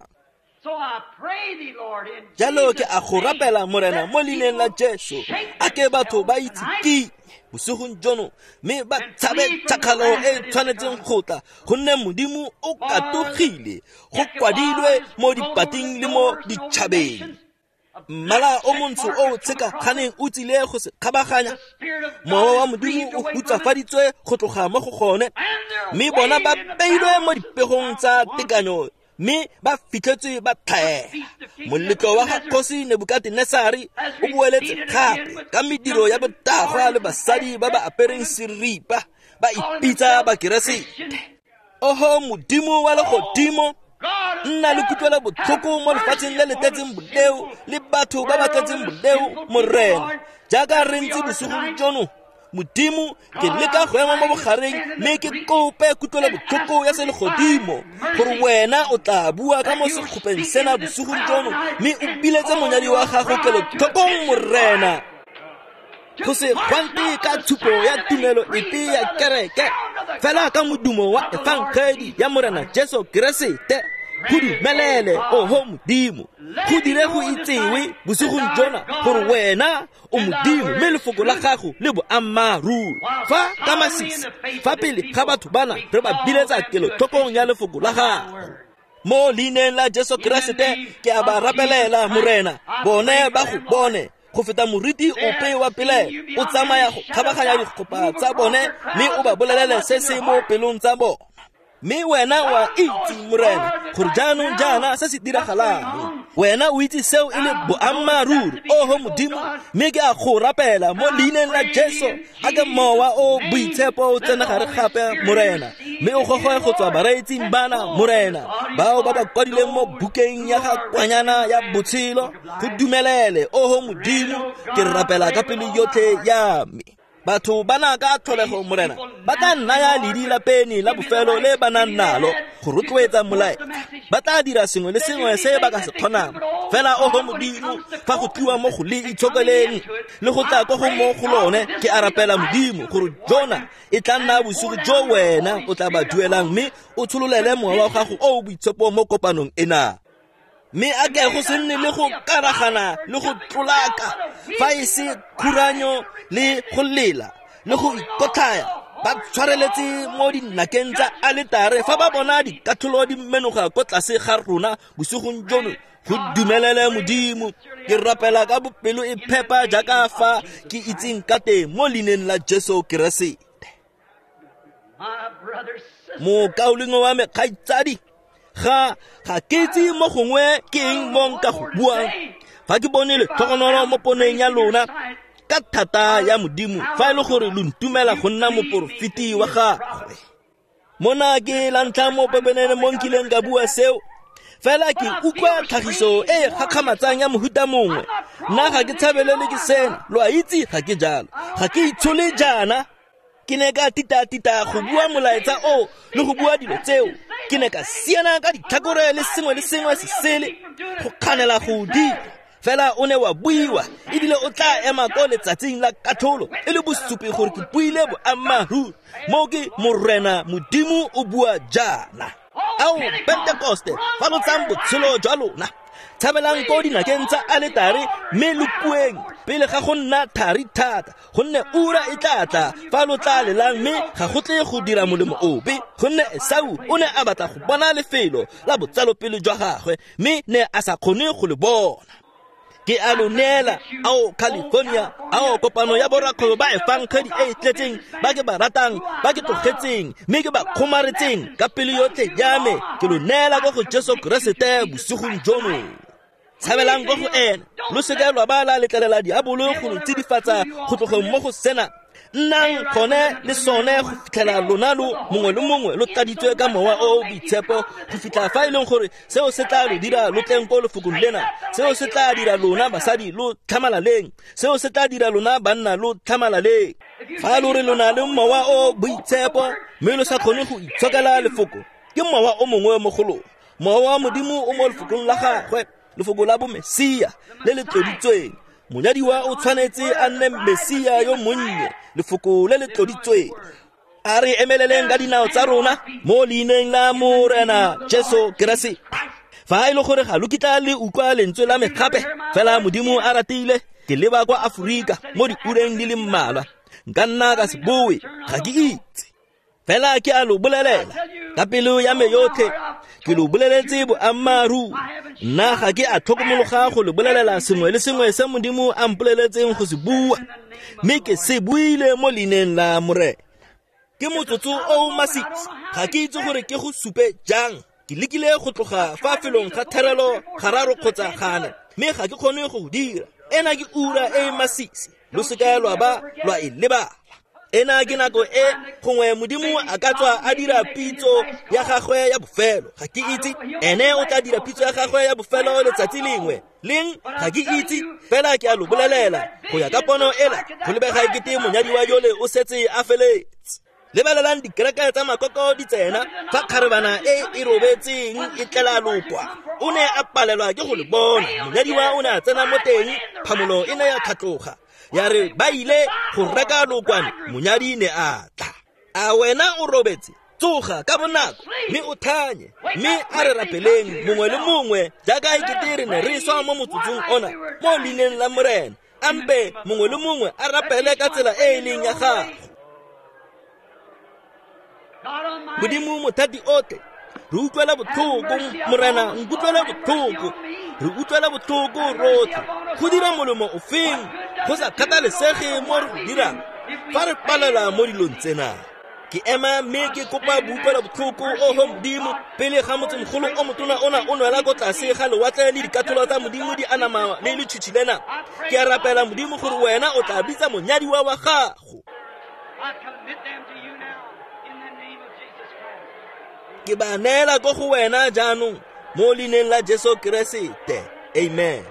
Jalo ke a go rapela Morena mo leineng la Jesu, a ke batho ba itse ke bosigong jono mme ba tshabe tšhakgalo e tshwanetseng go tla, gonne Modimo o katogile, go kwadilwe mo dipating le mo ditšhabeng. Mmala o montsho o tshekaganeng o tsile go se kgabaganya, mowa wa Modimo o hutsafaditswe go tloga mo go gone, mme bona ba beilwe mo dipegong tsa tekanyo mme ba fitlhetswe ba tlhaela. Moletlo wa ga kgosi Nebukatenesare o boeletse gape ka mediro ya botagwa le basadi ba ba apereng seripa ba ipitsa Bakeresete. Oho Modimo wa legodimo, nna le kutlwela botlhoko mo lefatsheng le le tletseng boleo le batho ba ba tletseng boleo Morena. Jaaka re ntse bosigong jono Modimo, ke leka go ema mo bogareng mme ke kope kutlwela botlhoko ya selegodimo gore wena o tla bua ka mo sekgopeng sena bosigong jono mme o biletse monyadi wa gago kelotlhokong Morena. Go se gwante ka tshupo ya tumelo epe ya kereke, fela ka modumo wa efangedi ya Morena Jesu Keresete. Go dumelele oho Modimo, go dire go itsewe bosigong jona gore wena o Modimo mme lefoko la gago le boammaaruri. Fa ka masisi fa pele ga batho bana re ba biletsa kelotlhokong ya lefoko la gago. Mo leineng la Jesu Keresete ke a ba rapelela Morena, bone ba go bone go feta moriti ope wa pele o tsamaya go kgabaganya dikgopa tsa bone mme o ba bolelele se se mo pelong tsa bona. Mme wena wa itse Morena gore jaanong jaana se se diragalang, wena o itse seo e le boammaaruri oho Modimo, mme ke a go rapela mo leineng la Jesu, a ke mowa o boitshepo o tsena gare gape Morena, mme o gogoe go tswa bareetsing bana Morena bao ba ba kwadileng mo bukeng ya ga kwanyana ya botshelo. Go dumelele oho Modimo, ke rapela ka pelo yotlhe ya me. Batho ba na ka tlholego Morena ba tla nnaya ledi la peni la bofelo le ba nang nalo go rotloetsa molaetsa. Ba tla dira sengwe le sengwe se ba ka se kgonang, fela oho Modimo fa go tliwa mo go le itshokeleng le go tla ko go mo go lone, ke a rapela Modimo gore jona e tla nna bosigo jo wena o tla ba duelang mme o tshololele mowa wa gago o o boitshepo mo kopanong ena. Mme a ke go se nne le go karagana le go tlolaka fa e se khuranyo le go lela le go ikotlhaya ba tshwareletse mo dinakeng tsa aletare fa ba bona dikatlholo di menoga ko tlase ga rona bosigong jono. Go dumelele Modimo, ke rapela ka bopelo e phepa jaaka fa ke itseng ka teng mo leineng la Jesu Keresete. Mokaulengwe wa me kgaitsadi, ga ga ke itse mo gongwe ke eng mo nka go buang fa ke bone letlhogonolo mo poneng ya lona ka thata ya Modimo, fa e le gore lo ntumela go nna moporofeti wa gagwe. Mona ke la ntlha mo pepenene mo nkileng ka bua seo. Fela ke utlwa tlhagiso e e gakgamatsang ya mohuta mongwe. Nna ga ke tshabelele ke sena, lo a itse ga ke jalo. Ga ke itshole jaana. Ke ne ka tita-tita go bua molaetsa o le go bua dilo tseo. Ke ne ka siana ka ditlhakore le sengwe le sengwe se sele go kganela go dira. Fela o ne wa buiwa ebile o tla ema ko letsatsing la katlholo e le bosupi gore ke buile boammaaruri. Mo ke Morena Modimo o bua jaana. Ao Pentekoste, fa lo tsang botshelo jwa lona, tshabelang ko dinakeng tsa aletare mme lo kueng pele ga go nna thari thata, gonne ura e tla tla fa lo tla lelang mme ga go tle go dira molemo ope, gonne Esau o ne a batla go bona lefelo la botsalopele jwa gagwe mme ne a sa kgone go le bona. Ke a lo neela, ao California, ao kopano ya borakgwebo ba efangedi e e tletseng, ba ke ba ratang, ba ke tlogetseng, mme ke ba kgomaretseng ka pelo yotlhe ya me. Ke lo neela ko go Jesu Keresete bosigong jono. Tshabelang ko go ena, lo seka lwa ba la letlelela diabolo go lo tsidifatsa go tlogeng mo go sena. Nnang gone le sone go fitlhela lona lo mongwe le mongwe lo tladitswe ka mowa o o boitshepo go fitlha fa e leng gore seo se tla lo dira lo tleng ko lefokong lena, seo se tla dira lona basadi lo tlhamalaleng, seo se tla dira lona banna lo tlhamalaleng. Fa lo re lona le mowa o boitshepo mme lo sa kgone go itshokela lefoko, ke mowa o mongwe mo go lona. Mowa wa Modimo o mo lefokong la gagwe, lefoko la bomesia le le tloditsweng. Monyadiwa o tshwanetse a nne Mesia yo monnye, lefoko le le tloditsweng. A re emeleleng ka dinao tsa rona mo leineng la Morena Jesu Keresete. Fa e le gore ga lo kitla le utlwa lentswe la me gape, fela Modimo a ratile, ke leba kwa Aforika mo diureng di le mmalwa. Nka nna ka se boe, ga ke itse. Fela ke a lo bolelela ka pelo ya me yotlhe, ke lo boleletse boammaaruri. Nna ga ke a tlhokomologa go lo bolelela sengwe le sengwe se Modimo a mpoleletseng go se bua, mme ke se buile mo leineng la Morena. Ke motsotso o o masisi, ga ke itse gore ke go supe jang. Ke lekile go tloga fa felong ga therelo gararo kgotsa gane, mme ga ke kgone go dira. Ena ke ura e e masisi, lo seka lwa ba lwa e lebala. Ena ke nako e gongwe Modimo a ka tswa a dira pitso ya gagwe ya bofelo. Ga ke itse, ene o tla dira pitso ya gagwe ya bofelo letsatsi lengwe. Leng ga ke itse, fela ke a lo bolelela go ya ka pono ela, go lebega ekete monyadiwa yole o setse a feletse. Lebelelang dikereke tsa makoko di tsena fa kgarebana e e robetseng e tlela lokwa. O ne a palelwa ke go le bona. Monyadiwa o ne a tsena mo teng, phamolo e ne ya tlhatloga. Ya re ba ile go reka lokwane, monyadi ne a tla. A wena o robetse, tsoga ka bonako mme o thanye, mme a re rapeleng mongwe le mongwe jaaka ekete re ne re swa mo motsotsong ona mo leineng la Morena. Ampe mongwe le mongwe a rapele ka tsela e e leng ya gagwe. Modimo mothati otlhe, re utlwela botlhoko Morena, nkutlwela botlhoko, re utlwela botlhoko rotlhe. Go dira molemo ofeng go sa kgathalesege mo re go dirang fa re palela mo dilong tsena. Ke ema mme ke kopa boutlwela botlhoko, oho Modimo, pele ga motsemogolo o motona ona o nwela ko tlase ga lewatle le dikatlholo tsa Modimo di anama le letšhitšhi lena. Ke a rapela Modimo gore wena o tla bitsa monyadiwa wa gago. Ke ba neela ko go wena jaanong mo leineng la Jesu Keresete. Amen.